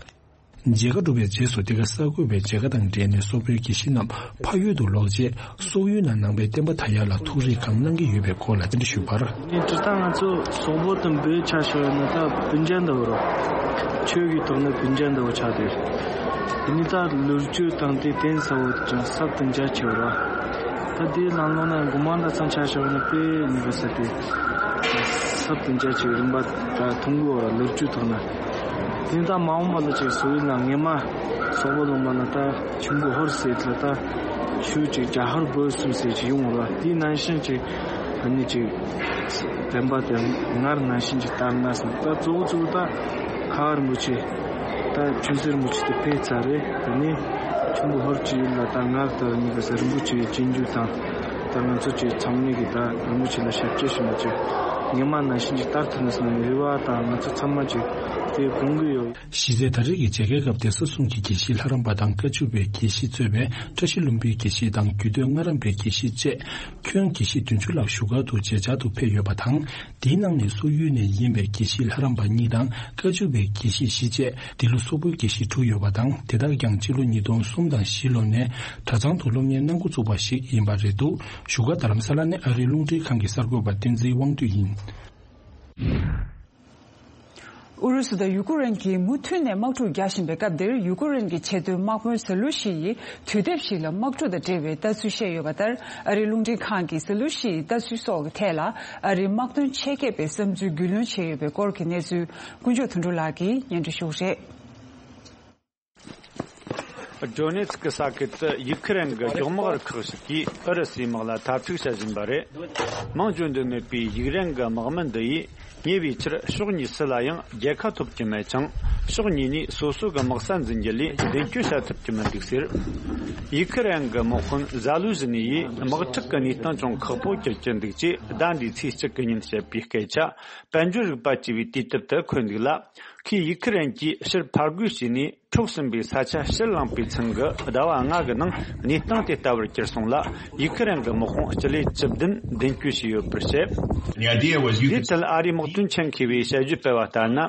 མཇལ་ཁ་གྲུབ་པའི་རྗེས་སུ་འདི་ག་གསར་འགོད་པས་མཇལ་ཁ་དང་འབྲེལ་ནས་སོག་པོའི་དགེ་བཤེས་རྣམས་ཕ་ཡུལ་དུ་ལོག་རྗེས་སོག་ཡུལ་ནང་ནང་པའི་བསྟན་པ་དར་ཡག་ལ་ཐུགས་རེ་གང་གནང་གི་ཡོད་པའི་སྐོར་ལ་བཅར་འདྲི་ཞུས་པར། ངས་དྲི་བཏང་ང་ཚོ་སོག་པོ་དང་བོད་ཆ་བཞག་ཡོད་ན་ད་སྤུན་ཀྱག་འདྲ་བོ་རོ། ཆོས་ཀྱི་ཐོག་ནས་སྤུན་ཀྱག་འདྲ་བོ་ཆགས་ཏེ། དེ་ནི་ད་ལོ་རྒྱུས་དང་དེ་བསྟན་ས་བོ་ཀྱང་ཟབ་ཏུ་འཇའ་ཆེ་བ་ར། ད་དེའི་ནང་ལོགས་ན་དགོང་མོ་འདྲ་ཚང་ཆ་བཞག་ཡོད་ན་དཔེ་ཉེས་པ་ཟེར་ཏེ། ཟབ་ཏུ་འཇའ་ཆེ་རིམ་པ་ད་མཐོང་གི་ཡོད་ར་ལོ་རྒྱུས་ཐོག་ན། དེ་ད་མ་འོངས་པ་ལ་ཅིག་སོག་ཡུལ་ལ་སྔས་མ་སོག་པོ་ལུང་པ་ན་ད་ཆུན་པོ་ཧོར་ཟེར་ལ་ད་ཆུ་ཅིག་རྒྱ་ཧོར་བོད་གསུམ་ཟེར་ཅིག་ཡོང་བ་ལ་དེའི་ནང་བཞིན་ཅིག་ཨ་ནི་ཅིག་བསྟན་པ་དེ་སྔར་ནང་བཞིན་ཅིག་དར་ན་ཟེར་ད་གཙོ་བོ་གཙོ་བོ་ད་ཁ་བ་རིན་པོ་ཆེ་ད་ཆུན་སྲིད་རིན་པོ་ཆེ་དེ་ཕེབས་ཚར་རེད། དེ་ནས་ཆུན་པོ་ཧོར་གྱི་ཡུལ་ལ་ད་སྔར་ལྟར་ཉིད་ཀྱི་ཟེར་རིན་པོ་ཆེའི་རྗེས་འཇུག་དང་ད་ང་ཚོ་ཅིག་ཚང་མས་ཀྱི་ད་རིན་པོ་ཆེ་ལ་ཞབས་ཕྱི་ཞུ་ན་ཅིག་སྔས་མ་ནང་བཞིན་ཅིག་དར་ཐུབ་ན་ཟེར་ནས་རེ་བ་དང་ང་ཚོ་ཚང་མ་ཅིག་དེ་དགོངས་ཀྱི་ཡོད། གཞི་རྩའི་ད་རེས་ཀྱི་མཇལ་ཁའི་སྐབས་དེ་ས་གསུམ་གྱི་དགེ་བཤེས་ལྷ་རམས་པ་དང་བཀའ་བཅུ་པའི་དགེ་བཤེས་གཙོས་པའི་བཀྲ་ཤིས་ལྷུན་པོའི་དགེ་བཤེས་དང་རྒྱུད་སྟོད་སྔགས་རམས་པའི་དགེ་བཤེས་བཅས་ཁྱོན་དགེ་བཤེས་བདུན་ཅུ་ལྷག་བཞུགས་སྒར་དུ་མཇལ་བཅར་དུ་ཕེབས་ཡོད་པ་དང་། དེའི་ནང་ནས་སོག་ཡུལ་ནས་ཡིན་པའི་དགེ་བཤེས་ལྷ་རམས་པ་གཉིས་དང་བཀའ་བཅུ་པའི་དགེ་བཤེས་བཞི་བཅས་འདི་ལོ་སོག་པོའི་དགེ་བཤེས་དྲུག་ཡོད་པ་དང་། དེ་དག་ཀྱང་སྤྱི་ལོ་ཉིས་སྟོང་གསུམ་དང་བཞི་ལོ་ནས་གྲྭ་ཚང་དུ་སློབ་གཉེར་གནང་འགོ་བཙུགས་པ་ཞིག་ཡིན་པ་རེད་འདུག་བཞུགས་སྒར་རྡ་རམ་ས་ལ་ནས་ཨ་རིའི་རླུང་འཕྲིན་ཁང་གི་གསར་འགོད་པ་བསྟན་འཛིན་དབང་འདུས་ཡིན། ཨུ་རུ་སུ་དང་ཡུ་ཀེ་རེན་གྱིས་མུ་མཐུད་ནས་དམག་འཁྲུག་རྒྱག་བཞིན་པའི་སྐབས་འདིར་ཡུ་ཀེ་རེན་གྱི་ཆེས་མཐོའི་དམག་དཔོན་ཟ་ལུ་ཤི་ཡིས་དུས་དེབ་ཞིག་ལ་དམག་འཁྲུག་དང་འབྲེལ་བའི་ལྟ་ཚུལ་བཤད་ཡོད་པ་ལྟར། ཨ་རིའི་རླུང་འཕྲིན་ཁང་གིས་ཟ་ལུ་ཤི་ཡི་ལྟ་ཚུལ་སོགས་ཀྱི་ཐད་ལ་ཨ་རིའི་དམག་དོན་ཆེད་མཁས་པའི་བསམ་ཚུལ་རྒྱུས་ལོན་བྱས་ཡོད་པའི་སྐོར་གྱི་གནས་ཚུལ་དཀོན་མཆོག་དོན་གྲུབ་ལགས་ཀྱིས་སྙན་སྒྲོན་ཞུ་གི་རེད། ཌོ་ནེ་ཚི་ཀི་ས་ཁུལ་དུ་ཡུ་ཁི་རན་གྱི་སྒྱོགས་མག་རུ་ཁག་ཞིག་གིས་ཨུ་རུ་སུའི་དམག་ལ་འཐབ་འཁྲུག་བྱ་བཞིན་པ་རེད། མང་བརྗོད་འདོད་མེད་པའི་ཡུཀ་རེན་གྱི་དམག་མི་འདི་ཡིས་ཉེ་བའི་ཆར་ཕྱོགས་གཉིས་སུ་ལ་ཡང་རྒྱལ་ཁ་ཐོབ་ཀྱི་མེད་ཅིང་། ཕྱོགས་གཉིས་ནས་སོ་སོ་གི་དམག་ས་འཛིན་རྒྱུ་ལས་མདུན་སྐྱོད་བྱ་ཐུབ་ཀྱི་མི་འདུག་ཟེར། ཡུ་ཁི་རན་གྱི་དམག་དཔོན་ཟ་ལུ་ཟི་ནི་ཡིས་དམག་འཁྲུག་གི་གནས་སྟངས་ཅུང་ཁག་པོ་གྱུར་གྱི་འདུག་ཅེས་ཟླ་འདིའི་ཚེས་གཅིག་གི་ཉིན་བཤད་པའི་སྐད་ཆ་དཔལ་འབྱོར་རིག་པ་ཅེས་པའི་དུས་དེབ་ཏུ་འཁོད་འདུག་ལ། ཁོས་ཡུ་ཁི་རན་གྱིས་ཕྱིར་ཕར་རྒོལ་བྱས་ནས། འཕྲོག་ཟིན་པའི་ས་ཆ་ཕྱིར་བླངས་པའི་ཚུན་གྱི་ཟླ་བ་ལྔ་གི་ནང་གནས་སྟངས་དེ་ལྟ་བུར་གྱུར་སོང་ལ། ཡུ་ཁི་རན་གྱི་དམག་དཔུང་སྤྱི་ལེ་བཅུ་བདུན་མདུན་སྐྱོད་བྱས་ཡོད་པར་བཤད། དེའི་ཐད་ཨ་རིའི་དམག་དོན་ཆེད་མཁས་པས་དཔྱད་བརྗོད་སྤེལ་བ་ལྟར་ན།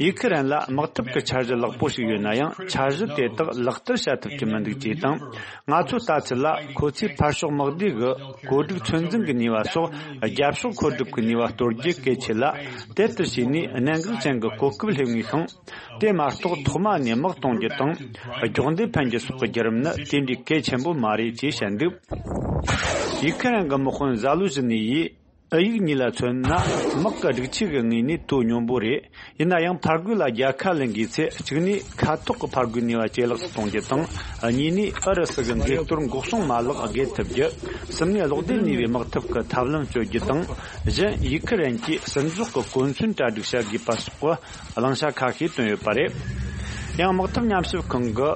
ཡུ་ཁི་རན་ལ་དམག་འཐབ་ཀྱི་འཆར་གཞི་ལེགས་པོ་ཞིག་ཡོད་ན་ཡང་། འཆར་གཞི་དེ་དག་ལག་བསྟར་བྱ་ཐུབ་ཀྱི་མི་འདུག་ཅེས་དང་། ང་ཚོའི་ལྟ་ཚུལ་ལ། ཁོ་ཚོས་ཕར་ཕྱོགས་དམག་སྡེ་གི་བཀོད་སྒྲིག་ཚོད་འཛིན་གྱི་ནུས་པ་སོགས། རྒྱབ་ཕྱོགས་མཁོ་སྒྲུབ་ཀྱི་ནུས་པ་གཏོར་རྒྱུ་གལ་ཆེ་ལ། དེ་ལྟར་བྱས་ནས་གནད་འགག་ཅན་གྱི་གོ་སྐབས་སླེབས་ངེས་ཤིང་། དེ་མ་གཏོགས་ཐོག་མ་ནས་དམག་གཏོང་རྒྱུ་དང་། སྒྱོགས་མདེལ་འཕེན་རྒྱུ་སོགས་ཀྱི་བརྒྱུད་རིམ་ནི་དེ་འདྲའི་གལ་ཆེན་པོ་མ་རེད་ཅེས་བཤད་འདུག་ཡུ་ཁི་རན་གྱི་དམག་དཔོན་ཟ་ལུ་ཟི་ནི་ཡིས། ཨུ་ཡིག་གཉིས་ལ་མཚོན་ན། དམག་གི་སྒྲིག་ཆས་ཀྱི་ངོས་ནས་དོ་སྙོམས་པོ་རེད། ཡིན་ན་ཡང་ཕར་རྒོལ་ལ་རྒྱལ་ཁ་ལེན་དགོས་ཚེ། གཅིག་ནས་མཁའ་ཐོག་གི་ཕར་རྒོལ་ནུས་པ་ཇེ་ལེགས་སུ་གཏོང་རྒྱུ་དང་། གཉིས་ནས་ཨུ་རུ་སུ་གི་འགས་གཏོར་འགོག་སྲུང་མ་ལག་རྒལ་ཐུབ་རྒྱུ། གསུམ་ནས་གློག་ལྡན་ནུས་པའི་དམག་འཐབ་ཀྱི་ཐབས་ལམ་སྤྱོད་རྒྱུ་དང་། བཞི། ཡུ་ཁི་རན་གྱིས་ཟིན་རྫོགས་ཀྱི་གོ་མཚོན་གྲ་སྒྲིག་བྱ་དགོས་པ་སོགས་ཀྱི་གླེང་བྱ་ཁ་ཤས་བཏོན་ཡོད་པ་རེད། ཡང་དམག་འཐབ་ཉམས་ཞིབ་ཁང་གི་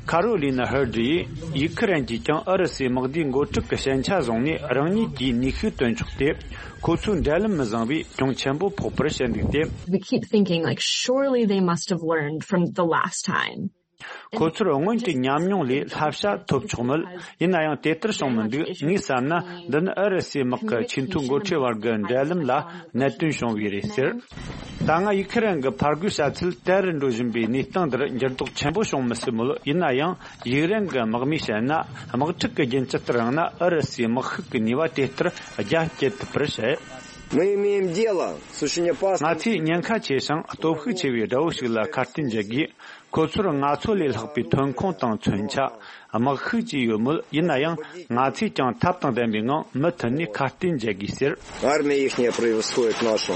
ཁ་རོ་ལི་ན་ཧར་ཌི་ཡིས། ཡུ་ཁི་རན་གྱིས་ཀྱང་ཨུ་རུ་སུའི་དམག་སྡེའི་འགོ་ཁྲིད་ཀྱི་ཞན་ཆ་བཟུང་ནས། རང་ཉིད་ཀྱིས་ནུས་ཤུགས་བཏོན་ཆོག་སྟེ། ཁོ་ཚོའི་འབྲེལ་ལམ་མི་བཟང་བས་གྱོང་ཆེན་པོ་ཕོག་པར་བཤད་འདུག་སྟེ། We keep thinking, like, surely they must have learned from the last time. ཁོ་ཚོར་སྔོན་གྱི་ཉམས་མྱོང་ལས་བསླབ་བྱ་ཐོབ་ཆོག་མོད། ཡིན་ན་ཡང་དེ་ལྟར་བྱུང་མི་འདུག་ངས་བསམ་ན། འདི་ནི་ཨུ་རུ་སུའི་དམག་གི་ཆེས་མཐོའི་འགོ་ཁྲིད་བར་གྱི་འབྲེལ་ལམ་ལ་གནད་དོན་བྱུང་བས་རེད་ཟེར། ད་སྔ་ཡུ་ཁི་རན་གྱི་ཕར་རྒོལ་བྱ་ཚུལ་དལ་རུ་འགྲོ་བཞིན་པའི་གནས་སྟངས་འདིར་འགྱུར་ལྡོག་ཆེན་པོ་བྱུང་མི་སྲིད་མོད། ཡིན་ན་ཡང་ཡུཀ་རེན་གྱི་དམག་མིས་བཤད་ན། དམག་འཁྲུག་གི་རྒྱུན་ཇི་ལྟར་རིང་ན། ཨུ་རུ་སུའི་དམག་ཤུགས་ཀྱི་ནུས་པ་དེ་ལྟར་རྒྱ་སྐྱེད་ཐུབ་པར་བཤད། Мы имеем дело с очень опасным. ང་ཚོས་ཉེན་ཁ་ཆེ་ཞིང་སྟོབས་ཤུགས་ཆེ་བའི་དགྲ་བོ་ཞིག་ལ་ཁ་གཏད་འཇལ་དགོས། ཁོ་ཚོར་ང་ཚོ་ལས་ལྷག་པའི་ཐོན་ཁུངས་དང་མཚོན་ཆ། དམག་ཤུགས་བཅས་ཡོད་མོད། ཡིན་ན་ཡང་ང་ཚོས་ཀྱང་ཐབས་དང་ལྡན་པའི་ངང་མུ་མཐུད་ནས་ཁ་གཏད་འཇལ་དགོས་ཟེར། Армия ихняя превосходит нашу.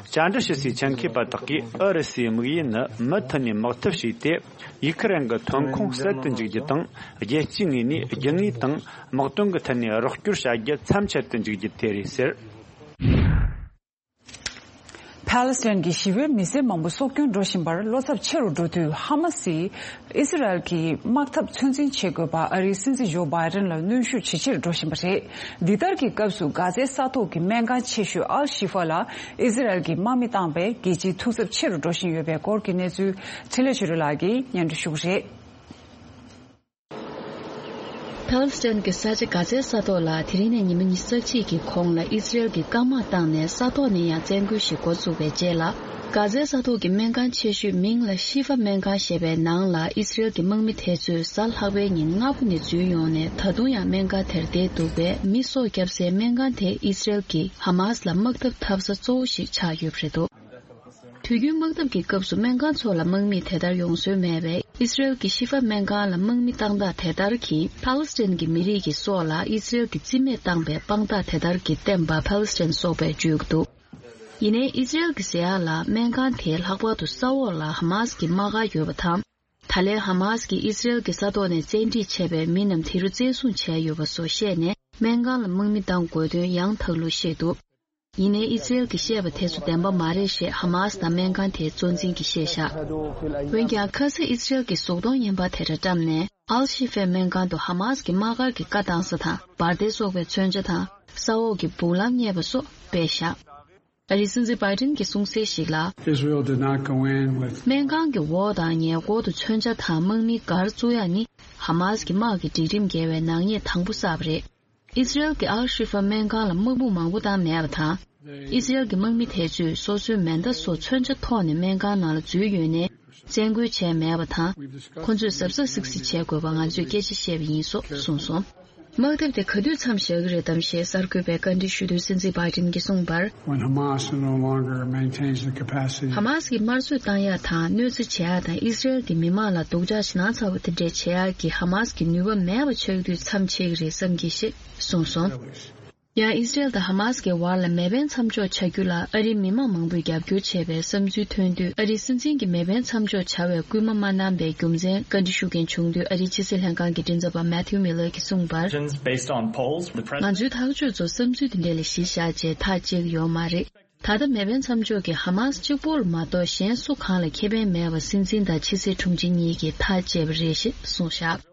བཅར་འདྲི་ཞུ་སའི་ཆེད་མཁས་པ་དག་གིས་ཨུ་རུ་སུའི་དམིགས་ཡུལ་ནི་མུ་མཐུད་ནས་དམག་འཐབ་བྱས་ཏེ། ཡུ་ཁི་རན་གྱི་ཐོན་ཁུངས་ཟད་དུ་འཇུག་རྒྱུ་དང་། རྒྱལ་སྤྱིའི་ངོས་ནས་རྒྱུ་དངོས་དང་དམག་དོན་གྱི་ཐད་ནས་རོགས་སྐྱོར་བྱ་རྒྱུ་མཚམས་ཆད་དུ་འཇུག་རྒྱུ་དེ་རེད་ཟེར། ཕཱ་ལེ་སི་ཐན་གྱི་ཞི་བའི་མི་སེར་མང་པོ་སྲོག་སྐྱོན་འགྲོ་བཞིན་པར་བློ་འཚབ་ཆེ་རུ་འགྲོ་དུས། ཧ་མ་སིས་ཨི་སི་རལ་གྱི་དམག་འཐབ་ཚོད་འཛིན་བྱེད་དགོས་པ་ཨ་རིའི་སྲིད་འཛིན་ཇོ་བྷའི་ཏན་ལ་གནོན་ཤུགས་ཇེ་ཆེར་འགྲོ་བཞིན་པ་རེད། འདི་ལྟར་གྱི་སྐབས་སུ་གྷ་ཛའི་ས་ཐོག་གི་སྨན་ཁང་ཆེ་ཤོས་ཨལ་ཤི་ཧྥ་ལ་ཨི་སི་རལ་གྱིས་དམག་མི་བཏང་བས་རྒྱལ་སྤྱིའི་ཐུགས་འཚབ་ཆེ་རུ་འགྲོ་བཞིན་ཡོད་པའི་སྐོར་གྱི་གནས་ཚུལ་འཕྲིན་ལས་ཆོས་སྒྲོན་ལགས་ཀྱིས་སྙན་སྒྲོན་ཞུ་གི་རེད། ཕཱ་ལེ་སི་ཐན་གྱི་ས་ཆ་གྷ་ཛའི་ས་ཐོག་ལ་དེ་རིང་ནས་ཉི་མ་ཉི་ཤུ་རྩ་གཅིག་གི་གོང་ལ་ཨི་སི་རེལ་གྱིས་སྐམ་དམག་བཏང་ནས་ས་ཐོག་ནས་ཡང་བཙན་རྒོལ་ཞིག་འགོ་བཙུགས་པའི་རྗེས་ལ། གྷ་ཛའི་ས་ཐོག་གི་སྨན་ཁང་ཆེ་ཤོས་མིང་ལ་ཤི་ཧྥ་སྨན་ཁང་ཞེས་པའི་ནང་ལ་ཨི་སི་རེལ་གྱི་དམག་མི་དེ་ཚོས་གཟའ་ལྷག་པའི་ཉིན་སྔ་པོ་ནས་འཛུལ་ཡོང་ནས་ད་དུང་ཡང་སྨན་ཁང་དེར་བསྡད་འདུག་པས། མི་སྲོག་བསྐྱབས་སའི་སྨན་ཁང་དེ་ཨི་སི་རེལ་གྱིས་ཧ་མ་སི་ལ་དམག་འཐབ་འཐབ་ས་གཙོ་བོ་ཞིག་ཆགས་ཡོད་པ་རེད་འདུག་དུས་རྒྱུན་དམག་འཐབ་ཀྱི་སྐབས་སུ་སྨན་ཁང་ཚོ་ལ་དམག་མིས་དེ་ལྟར་ཡོང་སྲོལ་མེད་པས། ཨི་སི་རེལ་གྱི་ཤི་ཧྥ་སྨན་ཁང་ལ་དམག་མི་བཏང་སྟངས་དེ་ལྟར་གྱིས་ཕཱ་ལེ་སི་ཐན་གྱི་མི་རིགས་ཀྱི་སྲོག་ལ་ཨི་སི་རེལ་གྱིས་རྩིས་མེད་བཏང་པའི་དཔང་རྟགས་དེ་ལྟར་གྱིས་བསྟན་པ་ཕཱ་ལེ་སི་ཐན་སོགས་པས་བརྗོད་ཀྱི་འདུག་ཡིན་ནའི་ཨི་སི་རེལ་གྱི་ཟེར་ཡག་ལ་སྨན་ཁང་དེའི་ལྷག་པར་དུ་ས་འོག་ལ་ཧ་མ་སི་གི་དམག་སྒར་ཡོད་པ་དང་། ད་ལན་ཧ་མ་སི་གིས་ཨི་སི་རེལ་གྱི་ས་ཐོག་ནས་བཙན་ཁྲིད་བྱས་པའི་མི་རྣམས་དེ་རུ་བཙན་བཟུང་བྱས་ཡོད་པ་སོགས་བཤད་ནས། སྨན་ཁང་ལ་དམག་མི་བཏང་དགོས་དོན་ཡང་དག་ལུགས་བཤད་འདུག་ཡིན་ནའི་ཨི་སི་རེལ་གྱིས་བཤད་པ་དེ་ཚོ་བདེན་པ་མ་རེད་ཞེས་ཧ་མ་སི་དང་སྨན་ཁང་དེའི་གཙོ་འཛིན་གྱིས་བཤད་བཞག་འོན་ཀྱང་ཁ་སང་ཨི་སི་རེལ་གྱིས་གཟུགས་མཐོང་བརྙན་པར་དེ་འདྲ་བཀྲམ་ནས། ཨལ་ཤི་ཧྥའི་སྨན་ཁང་དུ་ཧ་མ་སི་གི་དམག་སྒར་གྱི་བཀའ་བཏང་ས་དང་འབར་མདེལ་སོགས་པའི་མཚོན་ཆ་དང་། ས་འོག་གི་སྦུག་ལམ་རྙེད་པ་སོགས་སྤེལ་བཞག་ཨ་རིའི་སྲིད་འཛིན་བྷའི་ཏིན་གྱིས་གསུངས་གསལ་ཞིག་ལ། Israel did not go in with སྨན་ཁང་གི་འོག་དང་ཉེ་འཁོར་དུ་མཚོན་ཆ་དང་དམག་མི་སྒར་བཙུགས་ཡག་ནི་ཧ་མ་སི་གི་དམག་གི་སྒྲིག་ཁྲིམས་འགལ་བའི་ནག་ཉེས་དང་པོ་བསགས་པ་རེད། ཨི་སི་རེལ་གྱི་ཨལ་ཤི་ཧྥ་སྨན་ཁང་ལ་དམག་དཔུང་མང་པོ་བཏང་མེད་པ་དང་། ཨི་སི་རེལ་གྱི་དམག་མི་དེ་ཚོས་སོ་སོའི་མེ་མདའ་སོགས་མཚོན་ཆ་ཐོགས་ནས་སྨན་ཁང་ནང་ལ་འཛུལ་ཡོད་ནའི་བཙན་རྒོལ་བྱས་མེད་པ་དང་། ཁོ་ཚོས་གཟབ་གཟབ་སིག་སིག་བྱེད་དགོས་པ་ང་ཚོས་སྐད་ཆ་བཤད་པ་ཡིན་སོགས་གསུངས་སོང་། དམག་འཐབ་དེ་ག་དུས་མཚམས་བཞག་གི་རེད་དམ་ཞེས་གསར་འགོད་པས་བཀའ་འདྲི་ཞུ་དུས་སྲིད་འཛིན་བྷའི་ཏིན་གྱིས་གསུངས་པར། When Hamas no longer maintains the capacity ཧ་མ་སི་གིས་དམར་གསོད་བཏང་ཡག་དང་གནོད་འཚེ་བྱེད་ཡག་དང་ཨི་སི་རེལ་གྱི་མི་མང་ལ་སྡུག་ཅག་ཞེད་སྣང་ཚ་བོ་དེ་འདྲས་བྱེད་ཡག་གི་ཧ་མ་སི་གི་ནུས་པ་མེད་པ་ཆགས་དུས་མཚམས་ཆད་ཀྱི་རེད་བསམ་གྱི་ཞེས་གསུངས་སོང་། ཡང་ཨི་སི་རེལ་དང་ཧ་མ་སི་གི་བར་ལ་མེ་འཕེན་མཚམས་འཇོག་བྱ་རྒྱུ་ལ་ཨ་རིའི་མི་མང་མང་པོས་རྒྱབ་སྐྱོར་བྱས་པའི་བསམ་ཚུལ་ཐོན་དུས། ཨ་རིའི་སྲིད་འཛིན་གྱིས་མེ་འཕེན་མཚམས་འཇོག་བྱ་བའི་སྐུལ་མ་མ་གནང་པའི་རྒྱུ་མཚན་བཀའ་འདྲི་ཞུ་མཁན་བྱུང་དུས། ཨ་རིའི་ཕྱི་སྲིད་ལྷན་ཁང་གི་མགྲིན་ཚབ་པ་Matthew Miller གྱིས་གསུངས་པར། Based on polls, the president ང་ཚོའི་ཐག་གཅོད་ཚོ་བསམ་ཚུལ་དེ་འདྲ་ལ་གཞི་བཞག་བྱས་ཐག་བཅད་ཀྱི་ཡོད་མ་རེད། ད་ལྟ་མེ་འཕེན་མཚམས་འཇོག་གིས་ཧ་མ་སི་གཅིག་པོར་མ་གཏོགས་གཞན་སུ་གང་ལ་ཁེ་ཕན་མེད་པ་སྲིད་འཛིན་དང་ཕྱི་སྲིད་དྲུང་ཆེ་གཉིས་ཀྱིས་ཐག་བཅད་པ་རེད་ཞེས་གསུངས་བཞག་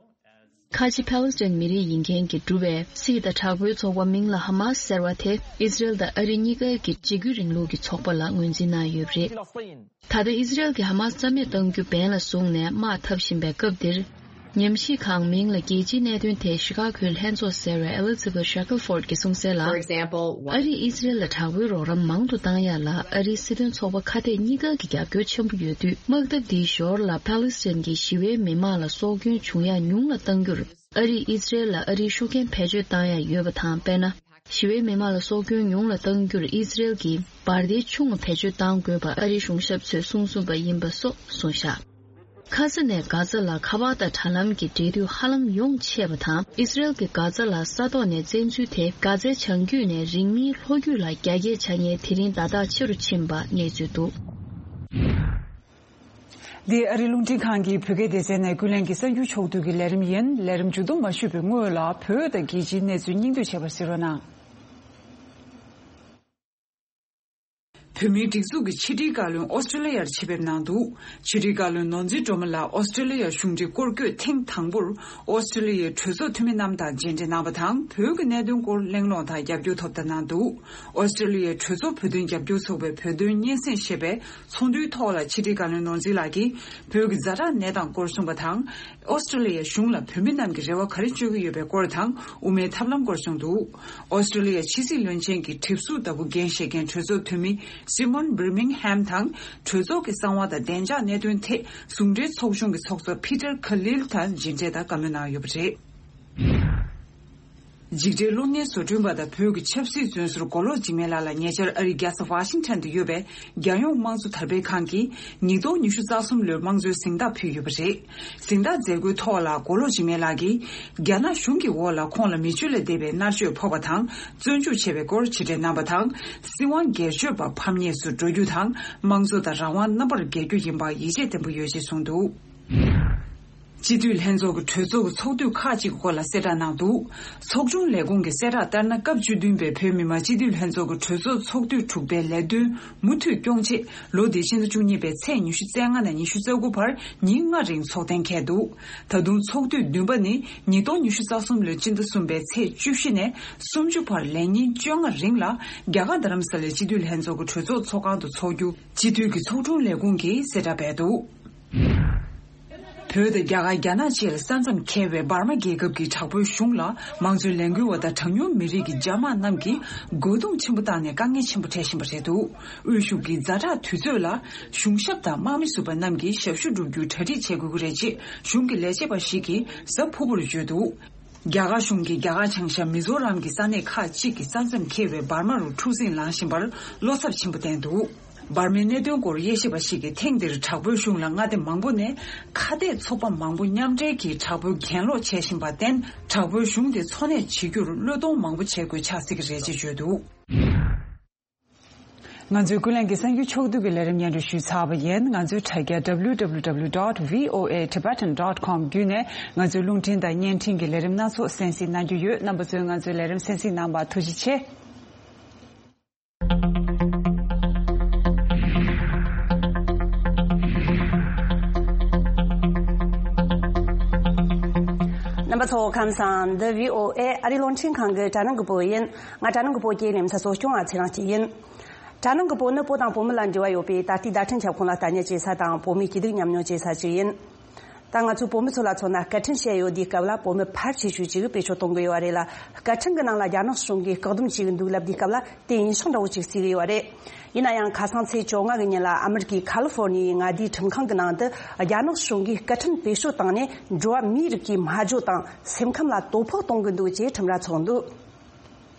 ཁ་ཆེ་ཕཱ་ལེ་སི་ཐན་མི་རིགས་ཡིན་མཁན་གྱིས་བསྒྲུབས་པའི་སྲིད་དང་དྲག་པོའི་ཚོགས་པ་མིང་ལ་ཧ་མ་སི་ཟེར་བ་དེ་ཨི་སི་རེལ་དང་ཨ་རི་གཉིས་ཀའི་གི་འཇིགས་སྐུལ་རིང་ལུགས་ཀྱི་ཚོགས་པ་ལ་ངོས་འཛིན་གནང་ཡོད་པ་རེད། ད་ལྟ་ཨི་སི་རེལ་གྱིས་ཧ་མ་སི་རྩ་མེད་གཏང་རྒྱུ་འབེན་ལ་བཟུང་ནས་དམག་འཐབ་བཞིན་པའི་སྐབས་འདིར། ཉམས་ཞིབ་ཁང་མིང་ལ་རྒྱལ་སྤྱིའི་གནད་དོན་ཐད་ཤི་ཀ་གོའི་ལྷན་ཚོགས་ཟེར་བའི་Elizabeth Shackelford གྱིས་གསུངས་གསལ་ལ། For example, ཨ་རིས་ཨི་སི་རེལ་ལ་དྲག་པོའི་རོགས་རམ་མང་དུ་བཏང་ཡག་ལ་ཨ་རིའི་སྲིད་དོན་ཚོགས་པ་ཁ་གཏད་གཉིས་ཀ་གི་རྒྱབ་སྐྱོར་ཆེན་པོ་ཡོད་དུས། དམག་འཐབ་འདིའི་ཞོར་ལ་ཕཱ་ལེ་སི་ཐན་གྱི་ཞི་བའི་མི་མང་ལ་སྲོག་སྐྱོན་བྱུང་ཡག་ཉུང་ལ་གཏང་རྒྱུར། ཨ་རིས་ཨི་སི་རེལ་ལ་ཨ་རིའི་ཤུགས་རྐྱེན་བེད་སྤྱོད་བཏང་ཡག་ཡོད་པ་དང་། དཔེར་ན། ཞི་བའི་མི་མང་ལ་སྲོག་སྐྱོན་ཉུང་ལ་གཏང་རྒྱུར་ཨི་སི་རེལ་གྱིས་འབར་མདེལ་ཆུང་བ་བེད་སྤྱོད་གཏང་དགོས་པ་ཨ་རིའི་གཞུང་ཞབས་ཚོས་གསུང་གསུངས་པ་ཡིན་པ་སོགས་གསུངས་བཞག་ཁ་ས་ནས་གྷ་ཛ་ལ་ཁ་པར་དང་དྲ་ལམ་གྱི་འབྲེལ་མཐུད་ཧ་ལམ་ཡོངས་ཆད་པ་དང་། ཨི་སི་རེལ་གྱིས་གྷ་ཛ་ལ་ས་ཐོག་ནས་བཙན་འཛུལ་དེ་གྷ་ཛའི་བྱང་རྒྱུད་ནས་རིང་མིན་ལྷོ་རྒྱུད་ལ་རྒྱ་སྐྱེད་བྱ་མཁན་དེ་རིང་ཟླ་དག་ཆེ་རུ་ཕྱིན་པ་གནས་ཚུལ་འདུག། འདི་ཨ་རིའི་རླུང་འཕྲིན་ཁང་གི་བོད་སྐད་སྡེ་ཚན་ནས་ཀུན་གླེང་གི་གསར་འགྱུར་ཕྱོགས་བསྡུས་ཀྱི་ལས་རིམ་ཡིན། ལས་རིམ་མཇུག་བསྡོམས་མ་ཞུས་པའི་སྔོན་ལ་བོད་དང་རྒྱལ་སྤྱིའི་གནས་ཚུལ་སྙིང་བསྡུས་བྱས་པ་གཟིགས་རོགས་གནང་། བོད་མིའི་སྒྲིག་འཛུགས་ཀྱི་ཕྱི་དྲིལ་བཀའ་བློན་ཨོ་སི་ཀྲི་ལི་ཡར་ཆེད་ཕེབས་གནང་འདུག། ཕྱི་དྲིལ་བཀའ་བློན་ནོར་འཛིན་སྒྲོལ་མ་ལགས་ཨོ་སི་ཀྲི་ལི་ཡར་གཞུང་འབྲེལ་སྐོར་སྐྱོད་ཐེངས་དང་པོར་ཨོ་སི་ཀྲི་ལི་ཡའི་གྲོས་ཚོགས་འཐུས་མི་རྣམས་དང་མཇལ་འཕྲད་གནང་བ་དང་། བོད་ཀྱི་གནད་དོན་སྐོར་གླེང་སློང་དང་རྒྱབ་སྐྱོར་ཐོབ་ཐང་གནང་འདུག། ཨོ་སི་ཀྲི་ལི་ཡའི་གྲོས་ཚོགས་བོད་དོན་རྒྱབ་སྐྱོར་ཚོགས་པའི་བོད་དོན་སྙན་སེང་ཞེས་པའི་ཚོགས་འདུའི་ཐོག་ལ་ཕྱི་དྲིལ་བཀའ་བློན་ནོར་འཛིན་ལགས་ཀྱིས་བོད་ཀྱི་ཛ་དྲག་གནས་སྟངས་སྐོར་གསུངས་པ་དང་། ཨོ་སི་ཀྲི་ལི་ཡའི་གཞུང་ལ་བོད་མི་རྣམས་ཀྱིས་རེ་བ་ག་རེ་བཅོལ་གྱི་ཡོད་པའི་སྐོར་དང་། དབུ་མའི་ཐབས་ལམ་སྐོར་གསུངས་འདུག། ཨོ་སི་ཀྲི་ལི་ཡ་ཕྱི་སྲིད་བློན་ཆེན་གྱི་གྲིབ་གཟུགས་ལྟ་བུ་འགན་བཞེས་མཁན་གྲོས་ཚོགས་འཐུས་མི་སི་མོན་བྷིར་མིང་ཧེམ་དང་། གྲོས་ཚོགས་ཀྱི་གསང་བ་དང་བདེ་འཇགས་གནད་དོན་ཐད་ཟུང་འབྲེལ་ཚོགས་ཆུང་གི་ཚོགས་གཙོ་ཕི་ཏར་ཁ་ལིལ་དང་མཇལ་འཕྲད་དང་བཀའ་མོལ་གནང་ཡོད་པ་རེད། འཇིགས་བྲལ་གློག་བརྙན་བཟོ་སྐྲུན་པ་དང་བོད་ཀྱི་ཆབ་སྲིད་བཙོན་ཟུར་མགོ་ལོག་འཇིགས་མེད་ལགས་ལ་ཉེ་ཆར་ཨ་རིའི་རྒྱལ་ས་ཝ་ཤིང་ཊོན་དུ་ཡོད་པའི་རྒྱལ་ཡོངས་དམངས་གཙོ་དར་སྤེལ་ཁང་གིས་ཉིས་སྟོང་ཉི་ཤུ་རྩ་གསུམ་ལོའི་དམངས་གཙོའི་གཟེངས་རྟགས་ཕུལ་ཡོད་པ་རེད། གཟེངས་རྟགས་མཛད་སྒོའི་ཐོག་ལ་མགོ་ལོག་འཇིགས་མེད་ལགས་ཀྱིས་རྒྱ་ནག་གཞུང་གི་འོག་ལ་ཁོང་ལ་མི་སྤྱོད་ལ་འདས་པའི་མནར་གཅོད་ཕོག་པ་དང་བཙོན་འཇུག་བྱས་པའི་སྐོར་ཕྱི་དྲན་གནང་བ་དང་། སྲིད་དབང་སྒེར་གཅོད་པ་ཕམ་ཉེས་སུ་འགྲོ་རྒྱུ་དང་དམངས་གཙོ་དང་རང་དབང་རྣམ་པར་རྒྱལ་རྒྱུ་ཡིན་པར་ཡིད་ཆེས་བརྟན་པོ་ཡོད་ཅེས་གསུངས་འདུག། སྤྱི་འཐུས་ལྷན་ཚོགས་ཀྱི་གྲོས་ཚོགས་ཀྱི་ཚོགས་དུས་ཁག་ཅིག་གི་སྐོར་ལ་གསལ་བསྒྲགས་གནང་འདུག། ཚོགས་དྲུང་ལས་ཁུངས་ཀྱིས་གསལ་བསྒྲགས་ལྟར་ན། སྐབས་བཅུ་བདུན་པའི་བོད་མི་མང་སྤྱི་འཐུས་ལྷན་ཚོགས་ཀྱི་གྲོས་ཚོགས་ཚོགས་དུས་དྲུག་པའི་ལས་དོན་མུ་མཐུད་སྐྱོང་ཆེད། ལོ་འདིའི་སྤྱི་ཟླ་བཅུ་གཉིས་པའི་ཚེས་ཉི་ཤུ་རྩ་ལྔ་ནས་ཉི་ཤུ་རྩ་དགུ་བར་ཉིན་ལྔ་རིང་ཚོགས་གཏན་འཁེལ་འདུག། ད་དུང་ཚོགས་དུས་བདུན་པ་ནི་ཉིས་སྟོང་ཉི་ཤུ་རྩ་གསུམ་ལོའི་སྤྱི་ཟླ་གསུམ་པའི་ཚེས་བཅུ་བཞི་ནས་སུམ་ཅུ་བར་ལས་ཉིན་བཅོ་ལྔ་རིང་ལ་རྒྱ་གར་རྡ་རམ་ས་ལའི་སྤྱི་འཐུས་ལྷན་ཚོགས་ཀྱི་གྲོས་ཚོགས་ཚོགས་ཁང་དུ་འཚོགས་རྒྱུ་སྤྱི་འཐུས་ཀྱི་ཚོགས་དྲུང་ལས་ཁུངས་ཀྱིས་གསལ་བསྒྲགས་བྱས་འདུག། བོད་དང་རྒྱ་གར། རྒྱ་ནག་བཅས་ལ་ས་མཚམས་འཁེལ་བའི་འབར་མ་རྒྱལ་ཁབ་ཀྱི་དྲག་པོའི་གཞུང་ལ་དམངས་གཙོའི་ལས་འགུལ་བ་དང་གྲངས་ཉུང་མི་རིགས་ཀྱི་རྒྱ་དམག་རྣམས་ཀྱིས་རྒོལ་རྡུང་ཆེན་པོ་བཏང་ནས་དཀའ་ངལ་ཆེན་པོ་འཕྲད་བཞིན་པ་རེད་འདུག། དབུས་གཞུང་གིས་ཛ་དྲག་དུས་ཚོད་ལ་གཞུང་ཞབས་དང་དམག་མི་ཟུར་པ་རྣམས་ཀྱིས་ཞབས་ཞུ་བསྒྲུབ་རྒྱུར་གྲ་སྒྲིག་བྱེད་དགོས་ཀྱི་རེད་ཅེས་གཞུང་གི་ལས་བྱེད་པ་ཞིག་གིས་གཟའ་ཕུར་བུར་བརྗོད་འདུག། རྒྱ་གར་གཞུང་གིས་རྒྱ་གར་བྱང་ཤར་མི་ཛོ་རམ་གྱི་ས་གནས་ཁག་ཅིག་གི་ས་མཚམས་འཁེལ་བའི་འབར་མ་རུ་འཁྲུག་འཛིང་ལངས་བཞིན་པར་བློ་འཚབ་ཆེན་པོ་བསྟན་འདུག། འབར་མའི་གནད་དོན་སྐོར་དབྱེ་ཞིབ་པ་ཞིག་གིས་ཐེངས་འདིར་དྲག་པོའི་གཞུང་ལ་མངའ་སྡེ་མང་པོ་ནས་ཁ་གཏད་ཚོགས་པ་མང་པོ་མཉམ་འབྲེལ་གྱིས་དྲག་པོའི་གྱེན་ལོག་བྱེད་བཞིན་པར་བརྟེན། དྲག་པོའི་གཞུང་དེ་འཚོ་གནས་བྱེད་རྒྱུར་བློས་གཏོང་མང་པོ་བྱེད་དགོས་ཆགས་སྲིད་ཀྱི་རེད་ཅེས་བརྗོད་འདུག། ང་ཚོའི་ཀུན་གླེང་གི་གསར་འགྱུར་ཕྱོགས་བསྡུས་ཀྱི་ལས་རིམ་སྙན་སྒྲོན་ཞུས་ཚར་བ་ཡིན། ང་ཚོའི་དྲ་རྒྱ་W W W dot V O A Tibetan dot com བརྒྱུད་ནས་ང་ཚོའི་རླུང་འཕྲིན་དང་བརྙན་འཕྲིན་གྱི་ལས་རིམ་སྣ་ཚོགས་གསན་གཟིགས་གནང་རྒྱུ་ཡོད། རྣམ་པ་ཚོས་ང་ཚོའི་ལས་རིམ་གསན་གཟིགས་གནང་བར་ཐུགས་རྗེ་ཆེ། རྣམ་པ་ཚོ་ཁམས་བཟང་། འདི་V O A ཨ་རིའི་རླུང་འཕྲིན་ཁང་གི་དྲ་སྣང་གི་པོ་ཡིན། ང་དྲ་སྣང་གི་པོ་སྐྱེས་ལེམ་ས་སོ་སྐྱོང་ཨ་ཚེ་རིང་སྐྱིད་ཡིན། དྲ་སྣང་གི་པོ་ནི་བོད་དང་བོད་མི་ལ་འབྲེལ་བ་ཡོད་པའི་ད་ལྟའི་བརྡ་འཕྲིན་ཁྱབ་ཁོངས་ལ་ལྟ་ཉན་བྱེད་ས་དང་བོད་མིའི་སྐྱིད་སྡུག་མཉམ་མྱོང་བྱེད་ས་ཞིག་ཡིན། ད་ང་ཚོས་བོད་མི་ཚོ་ལ་མཚོན་ན་སྐད་འཕྲིན་བཤད་ཡོད་དུས་སྐབས་ལ་བོད་མི་ཕལ་ཆེ་ཤོས་ཅིག་བེད་སྤྱོད་གཏོང་གི་ཡོད་རེད་ལ། སྐད་འཕྲིན་གྱི་ནང་ལ་རྒྱ་ནག་གཞུང་གིས་བཀག་སྡོམ་བྱེད་ཀྱི་འདུག་ལབ་དུས་སྐབས་ལ་དེ་ཡིན་ཤག་འདྲ་བོ་ཅིག་བརྩི་གི་ཡོད་རེད། ཡིན་ན་ཡང་ཁ་སང་ཚེས་བཅོ་ལྔ་གི་ཉིན་ལ་ཨ་མི་རི་ཀའི་ཁ་ལི་ཧྥོར་ནི་ཡའི་མངའ་སྡེའི་ཁྲིམས་ཁང་གི་ནང་དུ་རྒྱ་ནག་གཞུང་གིས་སྐད་འཕྲིན་བེད་སྤྱོད་བཏང་ནས་འགྲོ་བ་མིའི་རིགས་ཀྱི་སྨྲ་བརྗོད་དང་སེམས་ཁམས་ལ་དོ་ཕོག་གཏོང་གི་འདུག་ཅེས་ཁྲིམས་ར་ཚོགས་འདུག།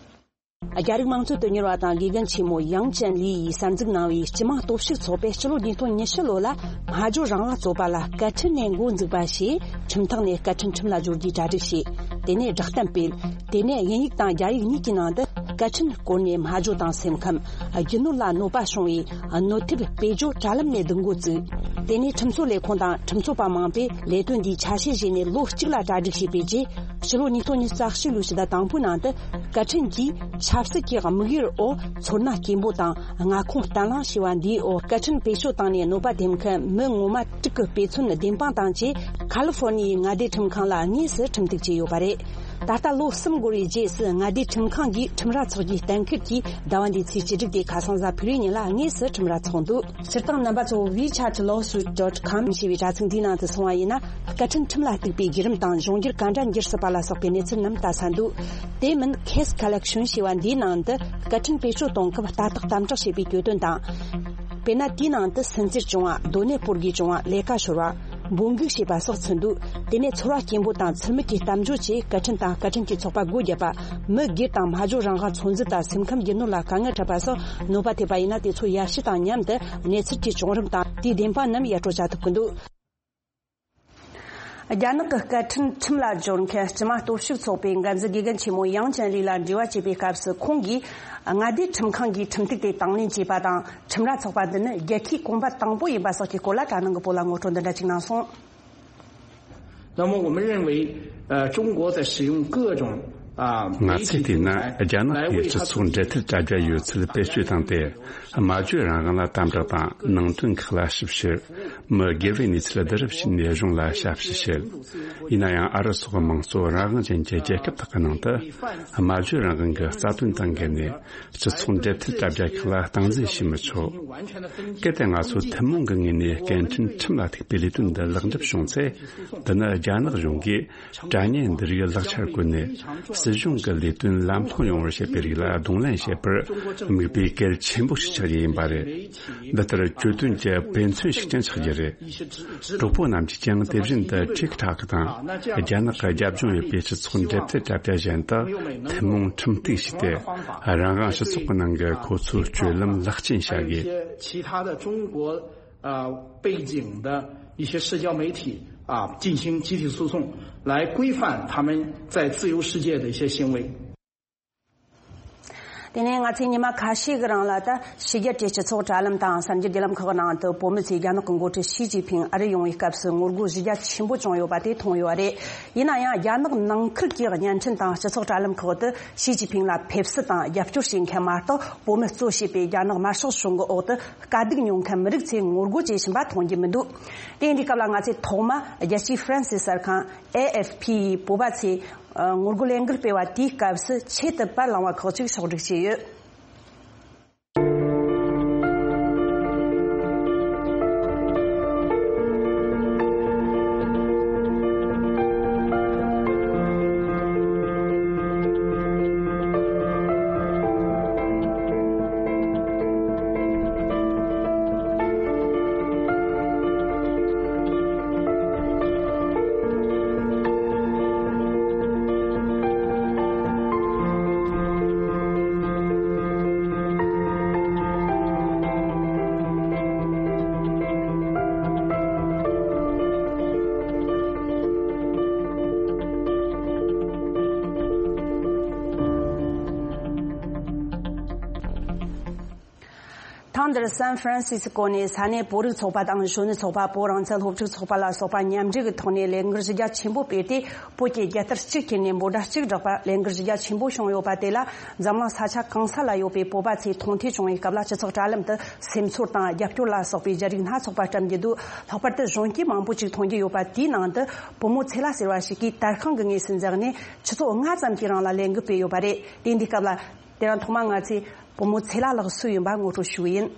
རྒྱ་རིགས་དམངས་གཙོའི་དོན་གཉེར་བ་དང་དགེ་རྒན་ཆེན་མོ་ཡང་ཅན་ལི་ཡིས་གསར་འཛུགས་གནང་བའི་སྤྱི་དམངས་སྟོབས་ཤུགས་ཚོགས་པས་སྤྱི་ལོ་ཉིས་སྟོང་ཉི་ཤུ་ལོ་ལ་སྨྲ་བརྗོད་རང་དབང་རྩོད་པ་ལ་སྐད་འཕྲིན་ནས་འགོ་འཛུགས་པ་ཞེས་ཁྲིམས་ཐོག་ནས་སྐད་འཕྲིན་ཁྲིམས་ལ་སྦྱོར་རྒྱུའི་གྲ་སྒྲིག་བྱས། དེ་ནས་བསྒྲགས་གཏམ་སྤེལ། དེ་ནས་དབྱིན་ཡིག་དང་རྒྱ་ཡིག་གཉིས་ཀྱི་ནང་དུ་སྐད་འཕྲིན་བཀོལ་ནས་སྨྲ་བརྗོད་དང་སེམས་ཁམས། རྒྱུ་ནོར་ལ་གནོད་པ་བྱུང་བའི་གནོད་ཐེབས་བེད་སྤྱོད་དྲ་ལམ་ནས་སྡུད་འགོ་བཙུགས། དེ་ནས་ཁྲིམས་བཟོ་ལས་ཁུངས་དང་ཁྲིམས་རྩོད་པ་མང་པོས་ལས་དོན་འདིའི་ཆ་ཤས་བཞེས་ནས་ལོ་གཅིག་ལ་གྲ་སྒྲིག་བྱས་པའི་རྗེས། ཕྱི་ལོ་ཉིས་སྟོང་ཉི་ཤུ་རྩ་གཅིག་ལོའི་ཕྱི་ཟླ་དང་པོའི་ནང་དུ་སྐད་འཕྲིན་གྱིས་ཆབ་སྲིད་ཀྱི་དམིགས་ཡུལ་འོག་ཚོར་སྣང་སྐྱེན་པོ་དང་མངའ་ཁོངས་བརྟན་ལྷིང་ཞེས་པ་འདིའི་འོག་སྐད་འཕྲིན་བེད་སྤྱོད་བཏང་ནས་གནོད་པ་ཐེབས་མཁན་མི་ངོ་མ་དྲུག་གི་དཔེ་མཚོན་བདེན་དཔང་བཏང་རྗེས། ཁ་ལི་ཧྥོར་ནི་ཡའི་མངའ་སྡེའི་ཁྲིམས་ཁང་ལ་དངོས་སུ་ཁྲིམས་གཏུག་བྱས་ཡོད་པ་རེད། ད་ལྟ་ལོ་གསུམ་འགོར་བའི་རྗེས་སུ་མངའ་སྡེའི་ཁྲིམས་ཁང་གིས་ཁྲིམས་ར་ཚོགས་རྒྱུའི་གཏན་འཁེལ་གྱིས་ཟླ་བ་འདིའི་ཚེས་བཅུ་དྲུག་སྟེ་ཁ་སང་གཟའ་ཕུར་བུའི་ཉིན་ལ་དངོས་སུ་ཁྲིམས་ར་ཚོགས་འདུག། སྤྱིར་བཏང་རྣམ་པ་ཚོ་WeChat lawsuit dot com ཞེས་པའི་དྲ་ཚིགས་འདིའི་ནང་དུ་སོང་བ་ཡིན་ན། སྐད་འཕྲིན་ཁྲིམས་ལ་གཏུགས་པའི་བརྒྱུད་རིམ་དང་གཞུང་འགྱུར་ག་འདྲ་འགྱུར་སྲིད་པ་ལ་སོགས་པའི་གནས་ཚུལ་རྣམས་ལྟ་ས་འདུག། དེ་མིན་Case Collection ཞེས་པ་འདིའི་ནང་དུ་སྐད་འཕྲིན་བེད་སྤྱོད་གཏོང་སྐབས་ལྟ་རྟོག་དམ་དྲག་བྱེད་པའི་གྱོད་དོན་དང་། དཔེར་ན། དེའི་ནང་དུ་སུན་གཙེར་བྱུང་བ། སྡོད་གནས་སྤོར་དགོས་བྱུང་བ། ལས་ཀ་ཤོར་བ། འབོད་འགུག་བྱས་པ་སོགས་ཚུད་འདུག། དེ་ནས་ཚོར་བ་སྐྱེན་པོ་དང་ཚུལ་མིན་གྱི་གཏམ་བརྗོད་ཀྱིས་སྐད་འཕྲིན་དང་སྐད་འཕྲིན་གྱི་ཚོགས་པ་སྒོ་བརྒྱབ་པ། མི་སྒེར་དང་སྨྲ་བརྗོད་རང་དབང་ཚོད་འཛིན་དང་སེམས་ཁམས་རྒྱུ་ནོར་ལ་དཀའ་ངལ་འཕྲད་པ་སོགས་གནོད་པ་ཐེབས་པ་ཡིན་ན། དེ་ཚོ་ཡར་ཞུ་དང་མཉམ་དུ་གནས་ཚུལ་གྱི་བྱུང་རིམ་དང་དེའི་བདེན་དཔང་རྣམས་ཡར་སྤྲོད་བྱ་ཐུབ་ཀྱི་འདུག། རྒྱ་ནག་གི་སྐད་འཕྲིན་ཁྲིམས་ལ་སྦྱོར་མཁན་སྤྱི་དམངས་སྟོབས་ཤུགས་ཚོགས་པའི་འགན་འཛིན་དགེ་རྒན་ཆེན་མོ་ཡང་ཅན་ལི་ལ་འབྲེལ་བ་བྱས་པའི་སྐབས་སུ། ཁོང་གིས་མངའ་སྡེའི་ཁྲིམས་ཁང་གིས་ཁྲིམས་ཐིག་དེ་དང་ལེན་བྱས་པ་དང་། ཁྲིམས་ར་ཚོགས་པ་འདི་ནི་རྒྱལ་ཁའི་གོམ་པ་དང་པོ་ཡིན་པ་སོགས་ཀྱི་སྐོར་ལ་གྲྭ་ནང་གི་བོད་ལ་ངོ་སྤྲོད་འདི་འདྲ་ཅིག་གནང་སོང་། 那么我们认为，呃，中国在使用各种，啊， ང་ཚོས་བལྟས་ན། རྒྱ་ནག་གིས་སྤྱི་ཚོགས་འབྲེལ་མཐུད་དྲ་རྒྱ་ཡོད་ཚད་བེད་སྤྱོད་བཏང་སྟེ། སྨྲ་བརྗོད་རང་དབང་ལ་དམ་དྲག་དང་། ནང་དོན་ཁག་ལ་ཞིབ་བཤེར། མི་སྒེར་བའི་གནས་ཚུལ་བསྡུ་རུབ་བྱས་ནས་གཞུང་ལ་ཞབས་ཕྱི་བྱེད། ཡིན་ན་ཡང་། ཨ་རི་སོགས་མང་གཙོ་རང་དབང་ཅན་གྱི་རྒྱལ་ཁབ་དག་གི་ནང་དུ། སྨྲ་བརྗོད་རང་དབང་གི་རྩ་དོན་དང་འགལ་ནས། སྤྱི་ཚོགས་འབྲེལ་མཐུད་དྲ་རྒྱ་ཁག་ལ་སྟངས་འཛིན་བྱེད་མི་ཆོག། གལ་ཏེ་ང་ཚོ་ཐུན་མོང་གི་ངོས་ནས་སྐད་འཕྲིན་ཁྲིམས་ལ་ཐུག་པའི་ལས་དོན་འདི་ལེགས་འགྲུབ་བྱུང་ཚེ། འདི་ནི་རྒྱ་ནག་གཞུང་གིས་དྲ་བརྙན་འདི་རིགས་ལག་ཆར་བཀོལ་ནས། སྲིད་གཞུང་གི་ལས་དོན་ལམ་ལྷོང་ཡོང་བར་བྱེད་པའི་རིགས་ལ་གདོང་ལེན་བྱེད་པར་དམིགས་པའི་གལ་ཆེན་པོ་ཞིག་ཆགས་རྒྱུ་ཡིན་པ་རེད། འདི་ལྟར་གྱོད་དོན་གྱི་དཔེ་མཚོན་ཞིག་ཀྱང་ཆགས་རྒྱུ་རེད། གྲོགས་པོ་རྣམས་ཀྱིས་ཀྱང་དེ་བཞིན་དུ་ཁྲིག་ཁྲག་གི་དང་། རྒྱ་ནག་གི་རྒྱབ་ལྗོངས་ཡོད་པའི་སྤྱི་ཚོགས་འབྲེལ་མཐུད་དྲ་རྒྱ་གཞན་དག་ཐུན་མོང་ཁྲིམས་གཏུག་བྱས་ཏེ། རང་དབང་སྤྱི་ཚོགས་ཀྱི་ནང་གི་ཁོ་ཚོའི་སྤྱོད་ལམ་ལེགས་བཅོས་བྱ་དགོས། 其他的中国，呃，背景的一些社交媒体，啊，进行集体诉讼，来规范他们在自由世界的一些行为。 དེ་ནས་ང་ཚོས་ཉི་མ་ཁ་ཤས་ཀྱི་རིང་ལ། ད་ཕྱི་རྒྱལ་གྱི་སྤྱི་ཚོགས་དྲ་ལམ་དང་གསར་འགྱུར་བརྒྱུད་ལམ་ཁག་གི་ནང་དུ། བོད་མི་ཚོས་རྒྱ་ནག་གི་འགོ་ཁྲིད་ཞི་ཅིན་ཕིང་ཨ་རི་ཡོང་བའི་སྐབས་སུ་ངོ་རྒོལ་གཞི་རྒྱ་ཆེན་པོ་བྱུང་ཡོད་པ་དེ་མཐོང་ཡོད་རེད། ཡིན་ན་ཡང་། རྒྱ་ནག་ནང་ཁུལ་གྱི་བརྙན་འཕྲིན་དང་སྤྱི་ཚོགས་དྲ་ལམ་ཁག་ཏུ་ཞི་ཅིན་ཕིང་ལ་ཕེབས་བསུ་དང་རྒྱབ་སྐྱོར་བྱེད་མཁན་མ་གཏོགས། བོད་མི་གཙོ་བྱས་པའི་རྒྱ་ནག་དམར་ཤོག་གཞུང་གི་འོག་ཏུ་དཀའ་སྡུག་མྱོང་མཁན་མི་རིགས་ཚོས་ངོ་རྒོལ་བྱེད་བཞིན་པ་མཐོང་རྒྱུ་མི་འདུག། དེ་ཡིན་དུས་སྐབས་ལ། ང་ཚོས་ཐོག་མ་རྒྱལ་སྤྱིའི་ཧྥ་རན་སི་གསར་ཁང་ཨེ་ཨེཕ་ཕི་ཡིས་བོད་པ་ཚོས་ངོ་རྒོལ་ལས་འགུལ་སྤེལ་བ་དེའི་སྐབས་སུ་ཆེད་དུ་པར་བླངས་པ་ཁག་ཅིག་ཕྱོགས་སྒྲིག་བྱས་ཡོད། ཐེངས་འདིར་སན་ཧྥ་རན་སི་སི་ཀོ་ནས་ས་གནས་བོད་རིགས་ཚོགས་པ་དང་གཞོན་ནུ་ཚོགས་པ། བོད་རང་བཙན་སློབ་ཕྲུག་ཚོགས་པ་ལ་སོགས་པ་མཉམ་འབྲེལ་གྱི་ཐོག་ནས་ལས་འགུལ་གཞི་རྒྱ་ཆེན་པོ་སྤེལ་ཏེ། བོད་ཀྱི་རྒྱལ་དར་གཅིག་ཁྱེར་ནས་འབོད་སྒྲ་གཅིག་བསྒྲགས་པ། ལས་འགུལ་གཞི་རྒྱ་ཆེན་པོ་བྱུང་ཡོད་པ་དེ་ལ། འཛམ་གླིང་ས་ཆ་གང་ས་ལ་ཡོད་པའི་བོད་པ་ཚོས་མཐོང་ཐོས་བྱུང་བའི་སྐབས་ལ། སྤྱི་ཚོགས་དྲ་ལམ་དུ་སེམས་ཚོར་དང་རྒྱབ་སྐྱོར་ལ་སོགས་པའི་བརྗོད་རིགས་སྣ་ཚོགས་པ་བཀྲམ་རྒྱུ་འདུག། ལྷག་པར་དུ་གཞོན་སྐྱེས་མང་པོ་ཅིག་མཐོང་རྒྱུ་ཡོད་པ་དེའི་ནང་དུ། བུ་མོ་ཚེ་ལ་ཟེར་བ་ཞིག་གིས་དར་ཤིང་གི་ངོས་སུ་འཛེགས་ནས་ཆུ་ཚོད་ལྔ་ཙམ་གྱི་རིང་ལ་ལས་འགུལ་སྤེལ་ཡོད་པ་རེད། དེ་འདི་སྐབས་ལ། དེ་རིང་ཐོག་མ་ང་ཚོས་བུ་མོ་ཚེ་ལ་ལགས་སུ་ཡིན་པ་ངོ་སྤྲོད་ཞུ་གི་ཡིན།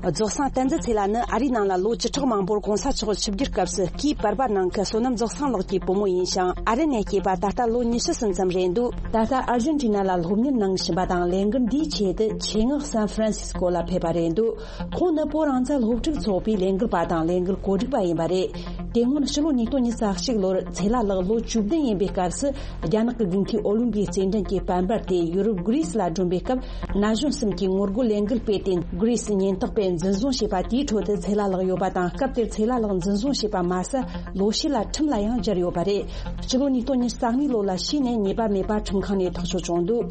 རྫོགས་སངས་བསྟན་འཛིན་ཚེ་ལ་ནི་ཨ་རིའི་ནང་ལ་ལོ་བཅུ་ཕྲག་མང་པོར་གོང་ས་མཆོག་ཆིབས་བསྒྱུར་སྐབས་སུ་སྐུའི་པར་པ་ནང་གི་བསོད་ནམས་རྫོགས་སངས་ལགས་ཀྱི་བུ་མོ་ཡིན་ཞིང་། ཨ་རི་ནས་སྐྱེས་པ་ད་ལྟ་ལོ་ཉི་ཤུ་ཙམ་ཙམ་རེད་འདུག། ད་ལྟ་ཨར་ཇེན་ཊི་ན་ལ་སློབ་གཉེར་གནང་བཞིན་པ་དང་། ལས་འགུལ་འདིའི་ཆེད་དུ་ཆེད་མངགས་སན་ཧྥ་རན་སིས་ཀོ་ལ་ཕེབས་པ་རེད་འདུག། ཁོང་ནི་བོད་རང་བཙན་སློབ་ཕྲུག་ཚོགས་པའི་ལས་འགུལ་པ་དང་ལས་འགུལ་གོ་སྒྲིག་པ་ཡིན་པ་རེད། དེ་སྔོན་ཕྱི་ལོ་ཉིས་སྟོང་ཉི་ཤུ་རྩ་གཅིག་ལོར་ཚེ་ལ་ལགས་ལོ་བཅུ་བདུན་ཡིན་པའི་སྐབས་སུ། རྒྱ་ནག་གི་དགུན་ཁའི་ཨོ་ལིམ་པིག་རྩེད་འགྲན་གྱི་པར་འབར་དེ་ཡུ་རོབ་གྷི་རི་སི་ལ་བསྒྲོན་པའི་སྐབས། ན་གཞོན་གསུམ་གྱིས་ངོ་རྒོལ་ལས་འགུལ་སྤེལ་ཏེ། གྷི་རི་སི་ཉེན་རྟོག་པས་འཛིན་བཟུང་བྱས་པ་དེའི་ཁྲོད་དུ་ཚེ་ལ་ལགས་ཡོད་པ་དང་། སྐབས་དེར་ཚེ་ལ་ལགས་འཛིན་བཟུང་བྱས་པ་མ་ཟད། ལོ་ཤས་ལ་ཁྲིམས་ལ་ཡང་སྦྱར་ཡོད་པ་རེད། སྤྱི་ལོ་ཉིས་སྟོང་ཉི་ཤུ་རྩ་གཉིས་ལོ་ལ་ཕྱིས་ནས་ཉེས་པ་མེད་པ་ཁྲིམས་ཁང་ནས་ཐག་གཅོད་བྱུང་འདུག།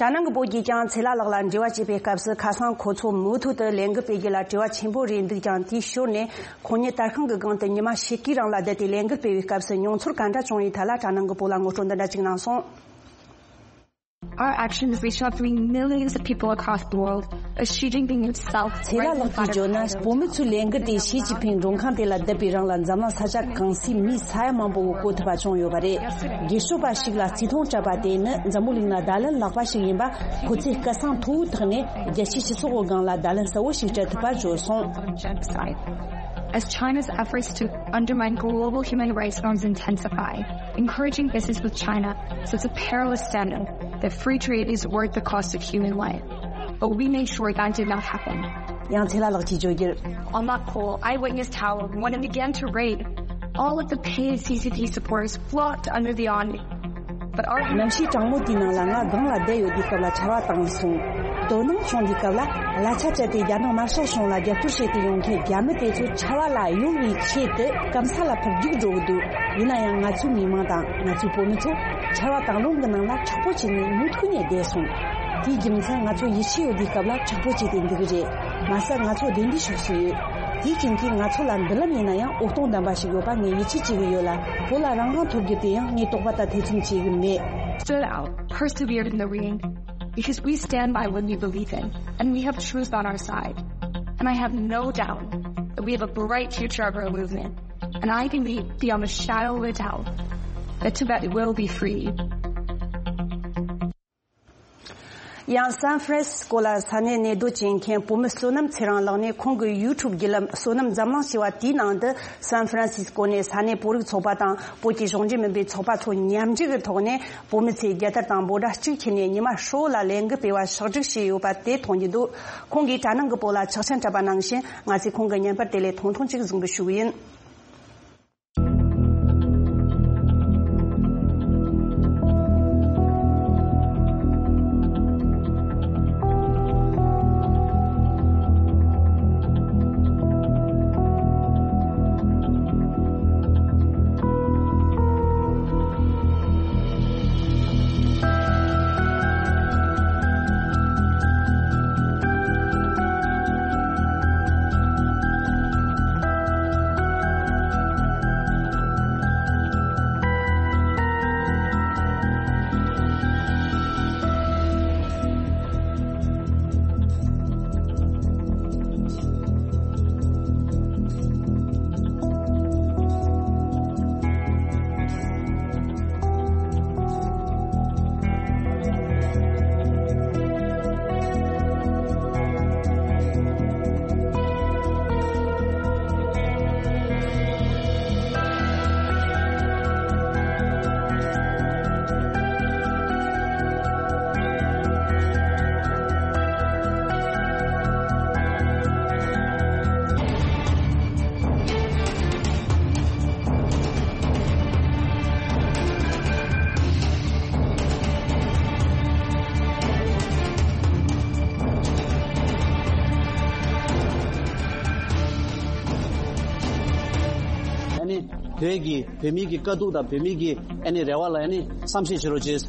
གྲྭ་ནང་གི་བོད་ཀྱིས་ཀྱང་ཚེ་ལ་ལགས་ལ་འབྲེལ་བ་བྱེད་པའི་སྐབས་སུ། ཁ་སང་ཁོ་ཚོ་མུ་མཐུད་དུ་ལས་འགུལ་སྤེལ་རྒྱུ་ལ་དྲི་བ་ཆེན་པོ་རེད་འདུག་ཀྱང་། དེའི་ཞོར་ནས་ཁོང་ཉིད་དར་ཤིང་གི་སྒང་དུ་ཉི་མ་ཕྱེད་ཀའི་རིང་ལ་བསྡད་དེ་ལས་འགུལ་སྤེལ་བའི་སྐབས་སུ་མྱོང་ཚོར་ག་འདྲ་བྱུང་བའི་ཐད་ལ་གྲྭ་ནང་གི་བོད་ལ་ངོ་སྤྲོད་འདི་འདྲ་ཅིག་གནང་སོང་། Our actions reached out to millions of people across the world, as Xi Jinping himself. ཚེ་ལ་ལགས་ཀྱིས་བརྗོད་ན། བོད་མི་ཚོའི་ལས་འགུལ་དེས་ཞི་ཅིན་ཕིང་མགྲོན་ཁང་དེ་ལ་བསྡད་པའི་རིང་ལ། འཛམ་གླིང་ས་ཆ་གང་སའི་མིའི་ས་ཡ་མང་པོ་གི་གོ་ཐུབ་པ་བྱུང་ཡོད་པ་རེད། རྒྱས་ཤོས་པ་ཞིག་ལ་བརྩི་མཐོང་སྤྲད་པ་དེ་ནི་འཛམ་བུ་གླིང་ལ་བརྡ་ལན་བརླག་པ་ཞིག་ཡིན་པ། ཁོ་ཚོས་སྐད་གསང་མཐོ་བོའི་ཐོག་ནས་རྒྱལ་སྤྱིའི་སྤྱི་ཚོགས་ཀྱི་སྒང་ལ་བརྡ་ལན་གསལ་བོ་ཞིག་སྤྲད་ཐུབ་པ་བརྗོད་སོང་། Genocide. As China's efforts to undermine global human rights norms intensify, encouraging business with China sets a perilous standard that free trade is worth the cost of human life. But we made sure that did not happen. ཡང་ཚེ་ལ་ལགས་ཀྱིས་བརྗོད་རྒྱུར། On that call, I witnessed how, when it began to rain, all of the paid C C P supporters flocked under the awning. But our གནམ་གཤིས་གྲང་མོ་དེའི་ནང་ལ་ང་སྒང་ལ་བསྡད་ཡོད་དུས་སྐབས་ལ་ཆར་པ་བཏང་སོང་། དོ་སྣང་བྱུང་དུས་སྐབས་ལ་གླ་ཆ་སྤྲད་དེ་རྒྱ་ནག་དམར་ཤོག་གཞུང་ལ་རྒྱབ་སྐྱོར་བྱེད་དུ་ཡོང་མཁན་རྒྱ་མི་དེ་ཚོ་ཆར་པ་ལ་གཡོལ་བའི་ཆེད་དུ་སྐམ་ས་ལ་འཕུར་རྒྱུག་འགྲོ་གི་འདུག་ཡིན་ན་ཡང་ང་ཚོའི་མི་མང་དང་ང་ཚོའི་བུད་མེད་ཚོ་ཆར་པ་དང་རླུང་གི་ནང་ལ་དྲག་པོ་བྱས་ནས་མུ་མཐུད་ནས་བསྡད་སོང་། དེའི་རྒྱུ་མཚན་ང་ཚོ་ཡིད་ཆེས་ཡོད་དུས་སྐབས་ལ་དྲག་པོ་བྱས་ཏེ་འདུག་གི་རེད། མ་ཟད་ང་ཚོ་བདེ་འདིའི་ཕྱོགས་སུ་ཡོད། དེའི་རྐྱེན་གྱིས་ང་ཚོ་ལ་མདུན་ལམ་ཡིན་ན་ཡང་འོད་སྟོང་ལྡན་པ་ཞིག་ཡོད་པ་ངས་ཡིད་ཆེས་བྱེད་ཀྱི་ཡོད་ལ། བོད་ལ་རང་ལ་ཐོབ་རྒྱུ་དེ་ཡང་ངས་དོགས་པ་དང་ཐེ་ཚོམ་བྱེད་ཀྱི་མེད། Stood out, persevered in the rain, because we stand by what we believe in, and we have truth on our side. And I have no doubt that we have a bright future of our movement, and I can be beyond a shadow of a doubt that Tibet will be free. ཡང་སན་ཧྥ་རན་སི་སྐོ་ལ་ས་གནས་གནས་སྡོད་བྱེད་མཁན་བོད་མི་བསོད་ནམས་ཚེ་རིང་ལགས་ནས་ཁོང་གི་ཡུ་ཊུབ་བརྒྱུད་ལམ་བསོད་ནམས་འཛམ་གླིང་ཞེས་པ་དེའི་ནང་དུ་སན་ཧྥ་རན་སི་སྐོ་ནས་ས་གནས་བོད་རིགས་ཚོགས་པ་དང་བོད་ཀྱི་གཞུང་འབྲེལ་མིན་པའི་ཚོགས་པ་ཚོ་མཉམ་འབྲེལ་གྱི་ཐོག་ནས་བོད་མི་ཚོས་རྒྱལ་དར་དང་འབོད་སྒྲ་གཅིག་ཁྱེར་ནས་ཉི་མ་ཧྲིལ་བོ་ལ་ལས་འགུལ་སྤེལ་བ་ཕྱོགས་བསྒྲིགས་བྱས་ཡོད་པ་དེ་མཐོང་རྒྱུ་འདུག་ཁོང་གིས་དྲ་ནང་གི་བོད་ལ་ཕྱག་ཆེན་འཁྲབ་པ་ནང་བཞིན་ང་ཚོས་ཁོང་གི་བརྙན་པར་དེ་ལས་ཐུང་ཐུང་ཅིག་གཟིགས་འབུལ་ཞུ་གི་ཡིན། ཨ་ནི་བོད་ཀྱི་བོད་མི་གི་དཀའ་སྡུག་དང་བོད་མི་གི་ཨ་ནི་རེ་བ་ལ་ཨ་ནི་བསམ་ཤེས་བྱེད་རོགས་བྱེད།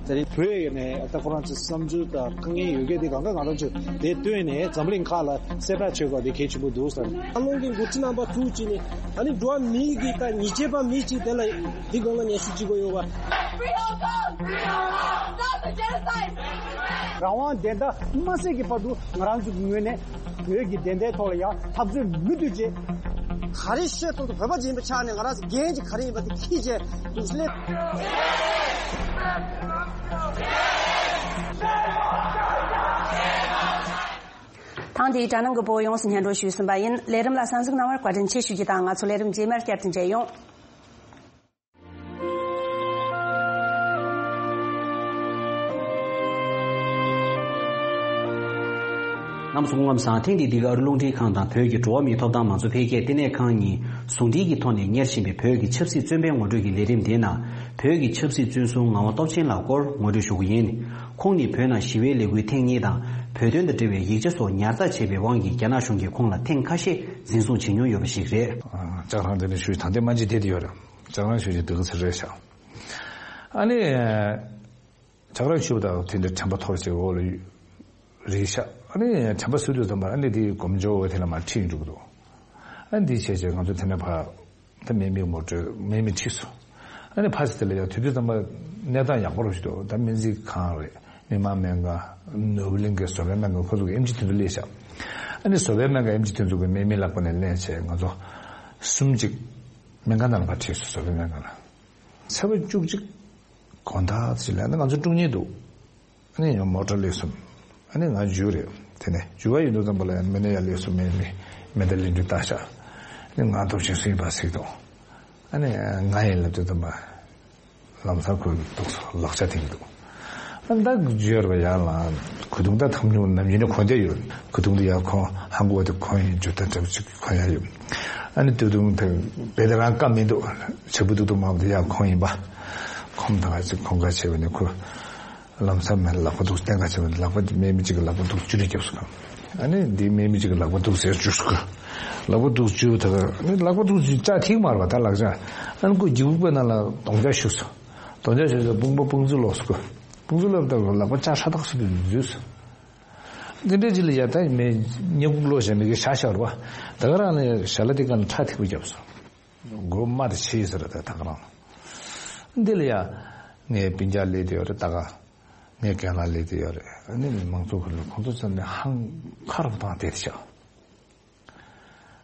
དེ་རིང་བོད་ནས་ད་ཁོ་རང་ཚོའི་བསམ་ཚུལ་དང་དཀའ་ངལ་ཡོད་མཁན་དེ་གང་ག་ང་རང་ཚོས་དེ་བཏོན་ནས་འཛམ་གླིང་ཁག་ལ་གསལ་བསྒྲགས་བྱེད་དགོས་དེ་གལ་ཆེན་པོ་འདུག་ཟེར། ཨ་ལོང་གི་འགོ་ཁྲིད་རྣམ་པ་ཐུག་ཅིག་ནས་ཨ་ནི་འགྲོ་བ་མིའི་གི་ད་ཉེས་ཆད་པ་མི་གཅིག་དེ་ལ་འདི་སྒང་ལ་ངས་ཞུ་བྱེད་དགོས་ཡོད་པ། Free Hong Kong! Free Hong Kong! Stop the genocide! རང་དབང་བདེན་མཐའ་མ་གསལ་གྱི་བར་དུ་ང་རང་ཚོ་གི་ངོས་ནས་བོད་ཀྱི་བདེན་མཐའི་ཐོག་ལ་ཡང་འཐབ་རྩོད་མུ་མཐུད་བྱེད། ག་རེ་བཤད་ཐུབ་ཐུབ་བོད་པ་ཅིག་ཡིན་པའི་ཆ་ནས་ང་རང་ཚོ་འགན་ཅིག་ག་རེ་ཡིན་པ་དེ་འཁྱེར་བྱས་འདུག་སླེབས། ཐེངས་འདིའི་དྲ་ནང་གི་བོད་ཡོངས་སུ་སྙན་སྒྲོན་ཞུས་ཟིན་པ་ཡིན། ལས་རིམ་ལ་གསན་གཟིགས་གནང་བར་བཀའ་དྲིན་ཆེ་ཞུ་རྒྱུ་དང་། ང་ཚོ་ལས་རིམ་རྗེས་མར་བསྐྱར་དུ་མཇལ་ཡོང་། རྣམ་པ་ཚོ་སྐུ་ཁམས་བཟང་། ཐེངས་འདིའི་འདི་ག་ཨ་རི་རླུང་འཕྲིན་ཁང་དང་བོད་ཀྱི་འགྲོ་བ་མིའི་ཐོབ་ཐང་མང་གཙོ་འཕེལ་རྒྱས་ལྟེ་གནས་ཁང་གཉིས་ཟུང་འབྲེལ་གྱི་ཐོག་ནས་གཉེར་བཞིན་པའི་བོད་ཀྱི་ཆབ་སྲིད་བཙོན་པའི་ངོ་སྤྲོད་ཀྱི་ལས་རིམ་འདིའི་ནང་། བོད་ཀྱི་ཆབ་སྲིད་བཙོན་སྲུང་ངག་དབང་སྟོབས་ཆེན་ལགས་སྐོར་ངོ་སྤྲོད་ཞུ་གི་ཡིན། ཁོང་ནི་བོད་ནང་ཞི་བའི་ལས་འགུལ་ཐེངས་གཉིས་དང་། བོད་དོན་དང་འབྲེལ་བའི་ཡིག་ཆ་སོགས་ཉར་ཚགས་བྱས་པའི་དབང་གིས་རྒྱ་ནག་གཞུང་གིས་ཁོང་ལ་ཐེངས་ཁ་ཤས་འཛིན་བཟུང་བྱེད་མྱོང་ཡོད་པ་ཞིག་རེད། ཨ། ལྕགས་རང་དེ་ནས་ཞུས་ད་ལྟའི་སྨན་རྗེས་དེ་དེ་ཡོད་རེད། ལྕགས་རང་ཞུས་ཀྱི་འདུག་ཚེ་རེད་ཤག་ཨ་ནི། ལྕགས་རང་ཞུས་པ་དང་དེ་འདྲ་དྲན་པ་ཐོར་བྱས་འོག་ལ་རེད་ཤག་ཨ་ནི་དྲན་པ་གསོས་དུས་ཙམ་པ་ཨ་ནི་དེ་སྒོམ་སྦྱོར་འོག་དེ་ལ་མར་ཁྲིད་འགྲོ་གི་འདུག་ཨ་ནི་དེ་བྱས་བྱས་ང་ཚོ་དེ་ནས་ཕར་ད་དམིགས་མེད་ངོ་སྤྲོད་དམིགས་མེད་ཁྲིད་སོང་། ཨ་ནི་ཕར་ཚུར་དེ་ལ་ཡང་དུས་དུས་ཙམ་པ་གནས་སྟངས་ཡག་པོ་རུ་ཞིག་འདུག་ད་སྨན་རྩིས་ཁང་རེད། མི་དམངས་སྨན་ཁང་། ནོར་བུ་གླིང་གི་བཟོ་པའི་སྨན་ཁང་ཁོ་ཚོ་གི་ཨེམ་ཆི་དེ་ཚོ་སླེབས་ཤག་ཨ་ནི་བཟོ་པའི་སྨན་ཁང་ཨེམ་ཆི་དེ་ཚོ་གི་དམིགས་མེད་ལག་པ་ནས་ལེན་བྱས་ང་ཚོ་གསུམ་གཅིག་སྨན་ཁང་ནང་ལ་ཕར་ཁྲིད་སོང་། བཟོ་པའི་སྨན་ཁང་ལ། ཚེས་པ་བཅུ་གཅིག་དགོང་དག་ཅིག་ལ་ཨ་ནི་ང་ཚོ་དཀྲུག་ཉེ་འདུག་ཨ་ནི་ཡང་མོ་ཊ་སླེབས་སོང་། ཨ་ནི་ང་འཇུ་རེད། དེ་ནས་འཇུ་བ་ཡིན་དུས་ཙམ་པ་ལ་ཡང་མི་སྣ་ཡར་སླེབས་སོང་། མི་མི་མི་སྣ་ལེན་དུས་ལྟ་ཤག་ཨ་ནི་ང་སྟོབས་ཆེན་སུ་ཡིན་པ་གཟིགས་དང་། ཨ་ནི་ང་ཡིན་ལབ་དུས་ཙམ་པ་ལམ་སང་ཁོས་འདུག་ལག་ཆ་འཐེན་གྱི་འདུག་ཨ་ནི་ད་འཇུ་ཡར་བ་ཡར་ལ་གོས་ཐུང་ད་ཐམ་ཉུང་ནམ་ཡིན་ན་གོན་བསྡད་ཡོད། གོས་ཐུང་དེ་ཡར་གོན། ཧང་གོ་བ་དེ་གོན་ཡིན། འཇུ་ད་འདྲ་པོ་ཅིག་གོན་ཡ་ཡོད། ཨ་ནི་དུས་ཐུང་དེ་བེ་དེ་རང་བཀའ་མི་འདུག་ཆ་བུ་ཏུ་ཏུ་མ་བུ་དེ་ཡར་གོན་ཡིན་པ། ཁོམ་ད་ག་ཅིག་གོན་ག་བྱས་པ་ནི་ཁོ། ལམ་སང་མེད་ལག་པ་འདུག་སྟེང་ག་བྱས་པ་ལག་པ་དེ་སྨན་མི་གཅིག་གི་ལག་པ་འདུག་བཅུ་ནས་བརྒྱབ་སོང་། ཨ་ནི་འདི་སྨན་མི་གཅིག་གི་ལག་པ་འདུག་ཟེར་བཅུག་སོང་། ལག་པ་འདུག་བཅུ་ད་ག་ནི་ལག་པ་འདུག་བཅུ་ལྕགས་ཐིག་མར་བ་ད་ལག་ཆ། ཨ་ནི་ཁོ་སྒྱིད་ཕུག་པའི་ནང་ལ་རྡོག་རྒྱག་ཞུགས་སོང་། རྡོག་རྒྱག་ཞུགས་སོང་དཔུང་པ་དཔུང་ཚོས་ལོག་སོང་ཁོ། དཔུང་ཚོས་ལོག་ད་ལག་པ་ལྕགས་ཧྲ་ཐག་སུ་དུ་འཛུལ་སོང་། འདི་འདྲའི་ཅི་ལ་ཡ་ད་མེ་ཉེ་གུག་ལོ་ཞེས་མི་གི་ཤ་ཤ་རུ་བ། ད་ག་རང་ནས་ཞལ་ལ་དེ་ག་ནས་ཁྲག་ཐིགས་པ་བརྒྱབ་སོང་། སྒོ་མ་དེ་ཕྱེས་ཟེར་ད་ད་ག་རང་། འདི་ལ་ཡ་ངའི་སྤུན་ཀྱག་སླེབས་དེ་ཡོད་རེད་ད་ག། ངའི་རྒན་ལགས་སླེབས་དེ་ཡོད་རེད། ཨ་ནི་མི་མང་ཚོགས་ཁོ་ལ་ཁོང་ཚོ་ཚོ་ནས་ཧང་ཁ་རུ་བཏང་དེ་ཤག་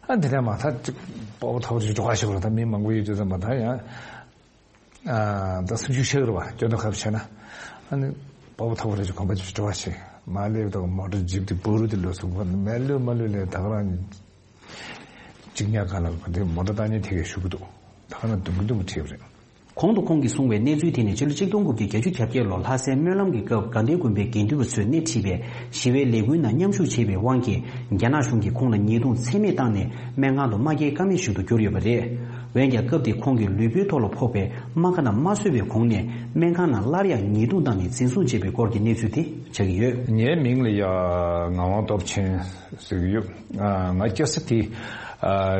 ཨ་འདི་ནས་མ་ཐག་ཅིག་སྤོ་བོ་ཐོག་ཅིག་འགྲོ་ག་ཞིག་རེད་ད་མི་མང་པོ་ཡོད་དུས་ཙམ་པ་ད་ཡང་། ཨ་ད་སུམ་ཅུ་ཤག་རེད་བ་སྐྱོ་དོ་ཁབ་བྱས་ན། ཨ་ནི་སྤོ་བོ་ཐོག་རེ་ཅིག་གོམ་པ་ཅིག་འགྲོ་བ་ཞིག་མ་སླེབས་ད་མོ་ཊ་ཇིབ་དེ་བུ་རུ་དེ་ལོས་སུ་མེ་ལུས་མ་ལུས་ལས་ད་ག་རང་། གཅིག་ཉག་ག་ལ་གོ་དེ་མོ་ཊ་བཏང་ཉིན་དེ་གས་ཞུ་གི་འདུག་ད་ག་ན་དུམ་གི་དུམ་གི་ཁྲིད་པ་རེད། གོང་དུ་ཁོང་གིས་གསུངས་པའི་གནས་ཚུལ་དེ་ནི་ཕྱི་ལོ་གཅིག་སྟོང་དགུ་བརྒྱ་བརྒྱད་ཅུ་གྱ་བརྒྱད་ལོ་ལྷ་སའི་སྨོན་ལམ་གྱི་སྐབས་དགའ་ལྡན་དགོན་པའི་དགེ་འདུན་པ་ཚོས་སྣེ་ཁྲིད་པའི་ཞི་བའི་ལས་འགུལ་ནང་མཉམ་ཞུགས་བྱས་པའི་དབང་གིས་རྒྱ་ནག་གཞུང་གིས་ཁོང་ལ་ཉེས་རྡུང་ཚད་མེད་བཏང་ནས་སྨན་ཁང་དུ་མ་སྐྱེལ་ཀ་མེད་ཞིག་ཏུ་གྱུར་ཡོད་པ་རེད། འོན་ཀྱང་སྐབས་དེ་ཁོང་གི་ལུས་པོའི་ཐོག་ལ་ཕོག་པའི་རྨ་ཁ་རྣམས་མ་གསོས་པའི་གོང་ནས་སྨན་ཁང་ནང་སླར་ཡང་ཉེས་རྡུང་བཏང་ནས་འཛིན་བཟུང་བྱས་པའི་སྐོར་གྱི་གནས་ཚུལ་དེ་ཆགས་ཀྱི་ཡོད། ངའི་མིང་ལ་ཡ་ངག་དབང་སྟོབས་ཆེན་ཟེར་གྱི་ཡོད། ང་སྐྱེས་ས་དེ་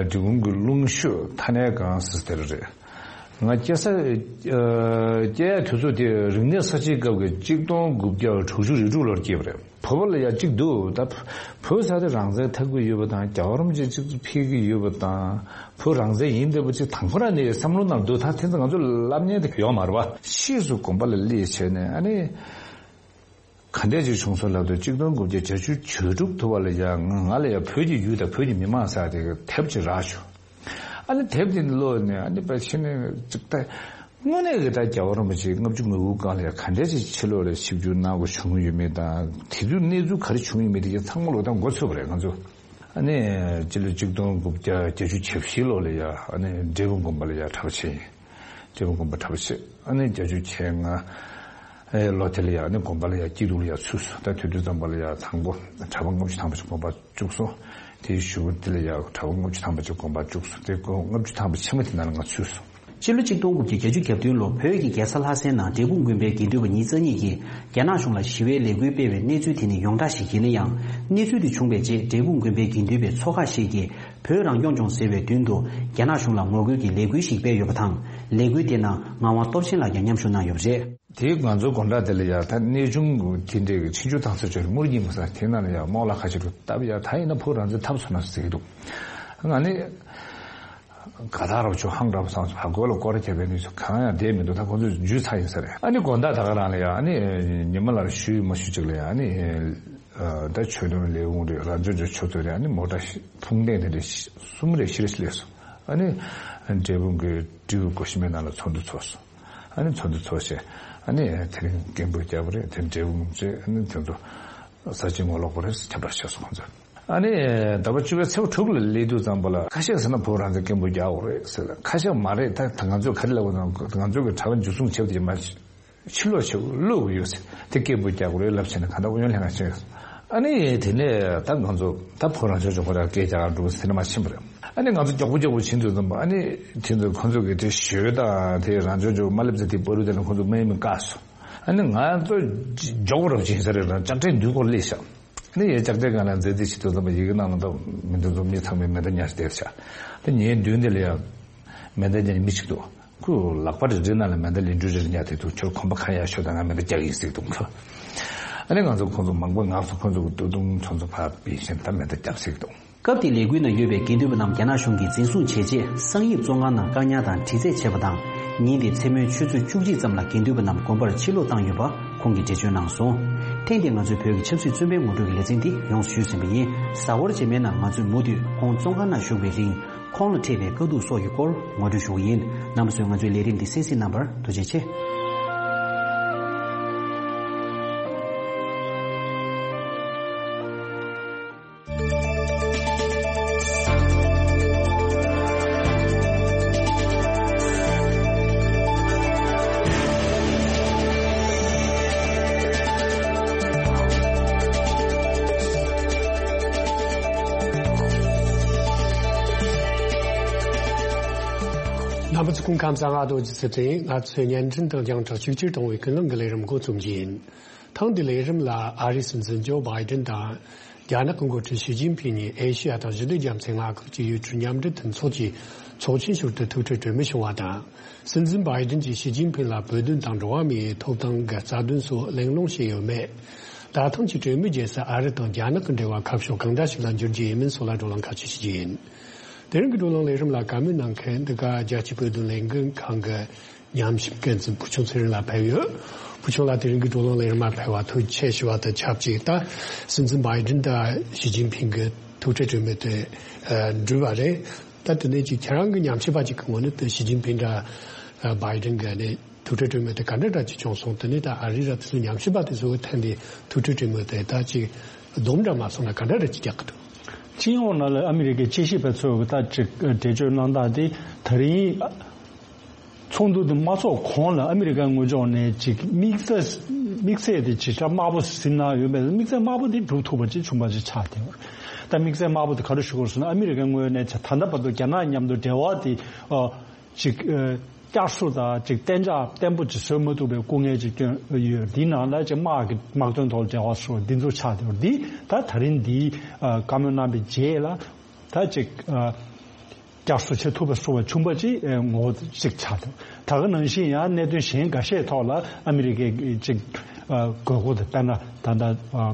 འབྲི་གུང་གི་ལུང་ཤོད་ཐ་ནའི་སྒང་ཟེར་དེར་རེད། ང་སྐྱེས་ས་སྐྱེས་ཡ་དུས་ཚོད་དེ་རིག་གནས་གསར་བརྗེའི་སྐབས་ཀྱི་གཅིག་སྟོང་དགུ་བརྒྱ་དྲུག་ཅུ་རེ་དྲུག་ལོར་སྐྱེས་པ་རེད། བོད་པ་ལ་ཡ་གཅིག་འདུག་ད་བོད་ས་དེ་རང་བཙན་འཐབ་ཀྱི་ཡོད་པ་དང་རྒྱལ་བ་རིན་པོ་ཆེ་གཅིག་ཏུ་ཕེབས་ཀྱི་ཡོད་པ་དང་བོད་རང་བཙན་ཡིན་བསྡད་པ་ཅིག་དང་པོ་རང་ནས་བསམ་བློ་ནང་འདུག་ད་དེ་ཚོ་ང་ཚོ་ལབ་མཁན་དེ་ཡོད་མ་རེད་པ། ཕྱིས་སུ་དགོན་པ་ལ་སླེབས་བྱས་ནས་ཨ་ནི་ག་འདྲས་ཅིག་བྱུང་སོང་ལབ་དུས་གཅིག་སྟོང་དགུ་བརྒྱ་བརྒྱད་ཅུ་གྱ་དྲུག་ཐུབ་པ་ལ་ཡ་ང་ང་ལ་ཡ་བོད་ཀྱི་ཡུལ་དང་བོད་ཀྱི་མི་མང་ཟེར་དེ་དེབ་ཅིག་རག་བྱུང་། ཨ་ནི་དེབ་དེ་ཀློག་ནས་ཨ་ནི་ཕལ་ཆེར་ནས་ཅིག་ད་དངོས་གནས་ཀྱི་ད་རྒྱལ་བ་རིན་པོ་ཆེ་ལྔ་བཅུ་ང་དགུ་སྒང་ལ་ཡ་ག་འདྲས་ཅིག་ཕྱི་ལོགས་ལ་ཆིབས་བསྒྱུར་གནང་དགོས་བྱུང་ཡོད་མེད་དང་དེ་དུས་གནས་ཚུལ་ག་རེ་བྱུང་ཡོད་མེད་དེ་ཚང་མ་ལོག་སྟངས་མགོ་ཚོས་པ་རེད་ང་ཚོ། ཨ་ནི་སྤྱི་ལོ་གཅིག་སྟོང་དགུ་བརྒྱ་བརྒྱད་ཅུ་གྱ་བཞི་ལོ་ལ་ཡ་ཨ་ནི་འབྲས་སྤུངས་དགོན་པ་ལ་ཡ་གྲྭ་པ་བྱས་ཡིན། འབྲས་སྤུངས་དགོན་པ་གྲྭ་པ་བྱས་ཨ་ནི་བརྒྱད་ཅུ་གྱ་ལྔ་ལོ་དེ་ལ་ཡ་ཨ་ནི་དགོན་པ་ལ་ཡ་སྐྱིད་སྡུག་ལ་ཡ་ཚུད་སོང་ད་དུས་དུས་ཙམ་པ་ལ་ཡ་དང་པོ་གྲྭ་པ་ལྔ་བཅུ་ཐམ་པ་ཅིག་དགོན་པ་བཅུག་སོང་། དེའི་གཞུག་གུ་དེ་ལ་ཡ་གྲྭ་པ་ལྔ་བཅུ་ཐམ་པ་ཅིག་དགོན་པ་བཅུག་སོང་དེ་ལྔ་བཅུ་ཐམ་པ་ཕྱི་མ་དེ་ནང་ལ་ང་ཚུད་སོང་། སྤྱི་ལོ་གཅིག་སྟོང་དགུ་བརྒྱ་བརྒྱད་ཅུ་གྱ་བདུན་ལོ་བོད་ཀྱི་རྒྱལ་ས་ལྷ་སའི་ནང་འབྲས་སྤུངས་དགོན་པའི་དགེ་འདུན་པ་ཉིས་རྩ་གཉིས་ཀྱིས་རྒྱ་ནག་གཞུང་ལ་ཞི་བའི་ལས་འགུལ་སྤེལ་བའི་གནས་ཚུལ་དེ་ནི་ཡོངས་གྲགས་ཤིག་ཡིན་ན་ཡང་། གནས་ཚུལ་དེ་བྱུང་བའི་རྗེས་འབྲས་སྤུངས་དགོན་པའི་དགེ་འདུན་པའི་ཚོགས་ཁག་ཞིག་གིས་བོད་རང་སྐྱོང་ལྗོངས་ཟེར་བའི་མདུན་དུ་རྒྱ་ནག་གཞུང་ལ་ངོ་རྒོལ་གྱི་ལས་འགུལ་ཞིག་སྤེལ་ཡོད་པ་དང་། ལས་འགུལ་དེ་ནང་ངག་དབང་སྟོབས་ཆེན་ལགས་ཀྱང་མཉམ་ཞུགས་གནང་ཡོད་པ་རེད། དེ་ང་ཚོ་དགོང་དག་དེ་ལ་ཡ་ད་གནས་ཆུང་དེ་འདྲའི་ཆིབས་བསྒྱུར་བཏང་ས་ཆོས་རེད་དམུ་རྒྱུད་མི་ས་དེ་ནང་ལ་ཡ་རྨོག་ལ་ཁ་ཆེ་རུ་སྟབས་ཡ་ད་ཡིན་ན་བོད་རང་བཙན་ཐབས་བཟོ་ན་ཟེར་གྱི་འདུག་ང་ནི་ག་ད་རོ་ཆུ་ཧང་རབ་སང་ཕ་གོ་ལ་སྐོར་རྒྱབ་པའི་ནུས་ཚོད་གང་ཡང་བསྡད་མི་འདུག་ད་ཁོ་ཚོས་འཇུས་ཚར་ཡིན་ས་རེད། ཨ་ནི་དགོང་དག་ད་ག་རང་ལ་ཡ་ཨ་ནི་ཉི་མ་ལ་ཞུས་མ་ཞུས་ཅིག་ལ་ཡ་ཨ་ནི་ད་ཆོས་དོན་ལས་ཁུངས་རེད་རང་སྐྱོང་ལྗོངས་ཆུ་ཚོད་རེད་ཨ་ནི་མོ་ཊ་ཕུང་ལྡན་དེ་འདྲ་གསུམ་རེ་བཞི་རེ་སླེབས་སོང་། ཨ་ནི་འབྲས་སྤུངས་ཀྱི་སྤྲེའུ་སྒོ་ཤེས་མའི་ནང་ལ་ཚོགས་འདུ་ཚོགས་སོང་། ཨ་ནི་ཚོགས་འདུ་ཚོགས་བྱས་ཨ་ནི་དེ་རིང་སྐད་འབོད་རྒྱག་པ་རེད་དེ་འབྲས་སྤུངས་ཚོས་ཨ་ནི་དེ་ཚོ་ས་ཆེན་ངོ་ལོག་པ་རེད་ཁྱབ་བསྒྲགས་བྱས་སོང་ཁོང་ཚོས། ཨ་ནི་ཟླ་བ་བཅུ་པའི་ཚེས་པ་དྲུག་ལ་སླེབས་དུས་ཙམ་པ་ལ་ཁ་ཤས་ཟེར་ན་བོད་རང་བཙན་སྐད་འབོད་རྒྱག་དགོས་རེད་ཟེར་ཁ་ཤས་མ་རེད་ད་ང་ཚོས་ག་རེ་ལབ་དགོས་ན་ང་ཚོ་གི་གྲྭ་པ་འཇུ་བཟུང་བྱས་པ་དེ་མ་ཕྱིར་ལོག་བྱེད་དགོས་ལོག་དགོས་ཡོད་ཟེར་དེ་སྐད་འབོད་རྒྱག་དགོས་རེད་ལབ་བྱས་ནས་གང་ལྟར་ཨུ་ཡོན་ལྷན་ཁང་ཕྱིན། ཨ་ནི་དེ་ནས་ད་ང་ཚོ་ད་བོད་རང་སྐྱོང་ལྗོངས་ཁོ་རང་སྐད་རྒྱག་གར་འགྲོ་ཟེར་ནས་མ་ཕྱིན་པ་རེད། ཨ་ནི་ང་ཚོ་མགྱོགས་པོ་མགྱོགས་པོ་ཕྱིན་དུས་ཙམ་པ་ཨ་ནི་དེ་ཚོ་ཁོ་ཚོ་གི་དེ་ཞོལ་དང་དེ་རང་སྐྱོང་ལྗོངས་མ་སླེབས་ཚེ་དེ་བར་དུ་དེ་ལ་ཁོ་ཚོ་སྨན་མི་བཀག་སོང་། ཨ་ནི་ང་ཚོ་མགྱོགས་པོ་རབ་ཕྱིན་ས་རེད་རང་ལྕགས་ཁྲའི་མདུན་སྐོར་སླེབས་ཤག་ཨ་ནི་ཡ་ལྕགས་ཁྲའི་སྒང་ལ་མཛད་རྗེས་ཞིག་ཏུ་ཙམ་པ་ཡི་གེ་ནང་ལ་འདུག་མི་འདི་ཚོ་མི་ཚང་མས་མེ་མདའ་ཉར་བསྡད་ཤག་ཨ་ནི་ངའི་མདུན་དེ་ལ་ཡ་མེ་མདའ་ཉར་མི་ཞིག་འདུག་ཁོས་ལག་པ་རེ་རེ་ནང་ལ་མེ་མདའ་ལན་ཀྲུའུ་རེ་རེ་ཉར་བསྡད་འདུག་ཁྱོད་གོམ་པ་གང་ཡར་ཤོར་དང་ང་མེ་མདའ་རྒྱག་གི་ཡིན་ཟེར་འདུག་ཁོ། ཨ་ནི་ང་ཚོ་ཁོང་ཚོ་མང་པོ་ངག་ཚོ་ཁོང་ཚོ་གི་སྟོད་ཐུང་ཁྱོད་ཚོ་ཕར་ཕུད་བཞིན་ད་མེ་མདའ་རྒྱག་ཟེར་འདུག་སྐབས་དེའི་ལས་འགུལ་ནང་ཡོད་པའི་དགེ་འདུན་པ་རྣམས་རྒྱ་ནག་གཞུང་གིས་འཛིན་བཟུང་བྱས་རྗེས་སང་ཉིན་བཙོན་ཁང་ནང་བཀག་ཉར་དང་དྲི་རྩད་བྱས་པ་དང་། ཉིན་དེའི་མཚན་མོའི་ཆུ་ཚོད་བཅུ་གཅིག་ཙམ་ལ་དགེ་འདུན་པ་རྣམས་དགོན་པར་ཕྱིར་ལོག་བཏང་ཡོད་པ་ཁོང་གིས་འགྲེལ་བརྗོད་གནང་སོང་། ཐེངས་འདིའི་ང་ཚོའི་བོད་ཀྱི་ཆབ་སྲིད་བཙོན་པའི་ངོ་སྤྲོད་ཀྱི་ལེ་ཚན་འདི་ཡོངས་སུ་ཞུས་ཟིན་པ་ཡིན། གཟའ་འཁོར་རྗེས་མའི་ནང་ང་ཚོས་མུ་མཐུད་ཁོང་བཙོན་ཁང་ནང་བཞུགས་པའི་རིང་། ཁོང་ལ་འཕྲད་པའི་དཀའ་སྡུག་སོགས་ཀྱི་སྐོར་ངོ་སྤྲོད་ཞུ་གི་ཡིན། རྣམ་པ་ཚོས་ང་ཚོའི་ལས་རིམ་འདི་གསན་གཟིགས་གནང་བར་ཐུགས་རྗེ་ཆེ། རྣམ་པ་ཚོ་སྐུ་ཁམས་བཟང་། ང་རྡོ་རྗེ་ཚེ་བརྟན། ང་ཚོས་བརྙན་འཕྲིན་དང་རྒྱང་བསྒྲགས་གཅིག་གྱུར་གཏོང་བའི་ཀུན་གླེང་གི་ལས་རིམ་འགོ་རྩོམ་གྱི་ཡིན། ཐེངས་འདིའི་ལས་རིམ་ལ་ཨ་རིའི་སྲིད་འཛིན་ཇོ་བྷའི་ཏིན་དང་རྒྱ་ནག་གི་འགོ་ཁྲིད་ཞི་ཅིན་ཕིང་གཉིས་ཨེ་ཤི་ཡ་དང་ཞི་བདེ་རྒྱ་མཚོའི་མངའ་ཁུལ་གྱི་ཡུལ་གྲུ་མཉམ་འབྲེལ་མཐུན་ཚོགས་ཀྱི་ཚོགས་ཆེན་ཞུགས་ཏེ་ཐུག་འཕྲད་གྲོས་མོལ་བྱུང་བ་དང་། སྲིད་འཛིན་བྷའི་ཏིན་གྱིས་ཞི་ཅིན་ཕིང་ལ་བོད་དོན་དང་འགྲོ་བ་མིའི་ཐོབ་ཐང་གི་རྩ་དོན་སོགས་གླེང་སློང་བྱས་ཡོད་མེད། ད་ཐེངས་ཀྱི་གྲོས་མོལ་རྗེས་སུ་ཨ་རི་དང་རྒྱ་ནག་གི་འབྲེལ་བ་ཁ་ཕྱོགས་གང་འདྲ་ཞིག་ལ་འགྱུར་རྒྱུ་ཡིན་མིན་སོགས་ལ་བགྲོ་གླེང་ཁ་ཕྱོགས་ཞུ་རྒྱུ་ཡིན། དེ་རིང་གི་བགྲོ་གླེང་ལས་རིམ་ལ་བཀའ་མོལ་གནང་མཁན་འདི་ག་རྒྱལ་སྤྱིའི་བོད་དོན་ལས་འགུལ་ཁང་གི་ཉམས་ཞིབ་འགན་འཛིན་བུ་ཆུང་ཚེ་རིང་ལགས་ཕེབས་ཡོད། བུ་ཆུང་ལགས་དེ་རིང་གི་བགྲོ་གླེང་ལས་རིམ་ལ་ཕེབས་པར་ཐུགས་རྗེ་ཆེ་ཞུ་བ་དང་ཆབས་ཅིག་ད་སྲིད་འཛིན་བྷའི་ཏིན་དང་ཞི་ཅིན་ཕིང་གི་ཐུག་འཕྲད་གྲོས་མོལ་དེ་གྲུབ་པ་རེད། ད་དེ་ནས་ཅིག་ཁྱེད་རང་གི་ཉམས་ཞིབ་པ་ཅིག་གི་ངོས་ནས་དེ་ཞི་ཅིན་ཕིང་དང་བྷའི་ཏིན་གི་ནས་ཐུག་འཕྲད་གྲོས་མོལ་དེ་ག་འདྲ་འདྲ་ཅིག་བྱུང་སོང་། དེ་ནས་ད་ཨ་རི་ར་དེ་ཚོ་ཉམས་ཞིབ་པ་དེ་ཚོ་གི་ཐད་ནས་ཐུག་འཕྲད་གྲོས་མོལ་དེ་ད་ཅིག་སྡོམ་འདྲ་མ་སོང་ན་ག་འདྲ་འདྲ་ཅིག་རྒྱག་གི་འདུག་སྤྱི་ཡོངས་ནང་ལ་ཨ་མི་རི་ཀའི་དཔྱད་ཞིབ་པ་ཚོས་ད་ཅིག་འགྲེལ་བརྗོད་གནང་སྟངས་དེ་ད་རིང་ཚོགས་འདུ་དེ་མ་ཚོགས་གོང་ལ་ཨ་མི་རི་ཀའི་དངོས་ཕྱོགས་ནས་ཅིག་དམིགས་བསལ་དམིགས་བསལ་དེ་ཅིག་ཁྲ་དམར་པོ་ཟིན་གནང་ཡོད་པས། དམིགས་བསལ་དམར་པོ་དེ་འགྲུབ་ཐུབ་པ་ཅིག་བྱུང་པ་ཅིག་ཆགས་བསྡད་པ་རེད། ད་དམིགས་བསལ་དམར་པོ་དེ་ག་རེ་ཞུ་དགོས་ཟེར་ན། ཨ་མི་རི་ཀའི་ངོས་ནས་ད་ལྟ་བར་དུ་རྒྱ་ནག་མཉམ་དུ་འབྲེལ་བ་དེ་ཨ་ཅིག་ཨ་བསྐྱར་གསོ་དང་ཅིག་གཏན་འཇགས་བརྟན་པོ་ཅིག་བཟོ་མ་ཐུབ་པའི་སྐུ་ངལ་ཅིག་བསྐྱོན་ཡོད། འདིའི་ནང་ལ་ཅིག་དམག་གི་དམག་དོན་ཐོག་འབྲེལ་བ་སོགས་འདི་ཚོ་ཆགས་བསྡད་པ་རེད། འདི་ད་ད་རིང་འདི་ཨ་བཀའ་མོལ་གནང་བའི་རྗེས་ལ་ད་ཅིག་ཨ་བསྐྱར་གསོ་བྱེད་ཐུབ་པ་སོགས་པ་བྱུང་པ་ཅིག་ཨེ་ངོ་བོ་གཅིག་ཆགས་འདུག་ད་ག་ནང་བཞིན་ཡང་གནད་དོན་གཞན་འགའ་ཤས་ཐོག་ལ་ཨ་མི་རི་ཀའི་ཅིག་ཨ་དགོས་མཁོ་དང་། དཔེར་ན་ད་ལྟ་ཨ་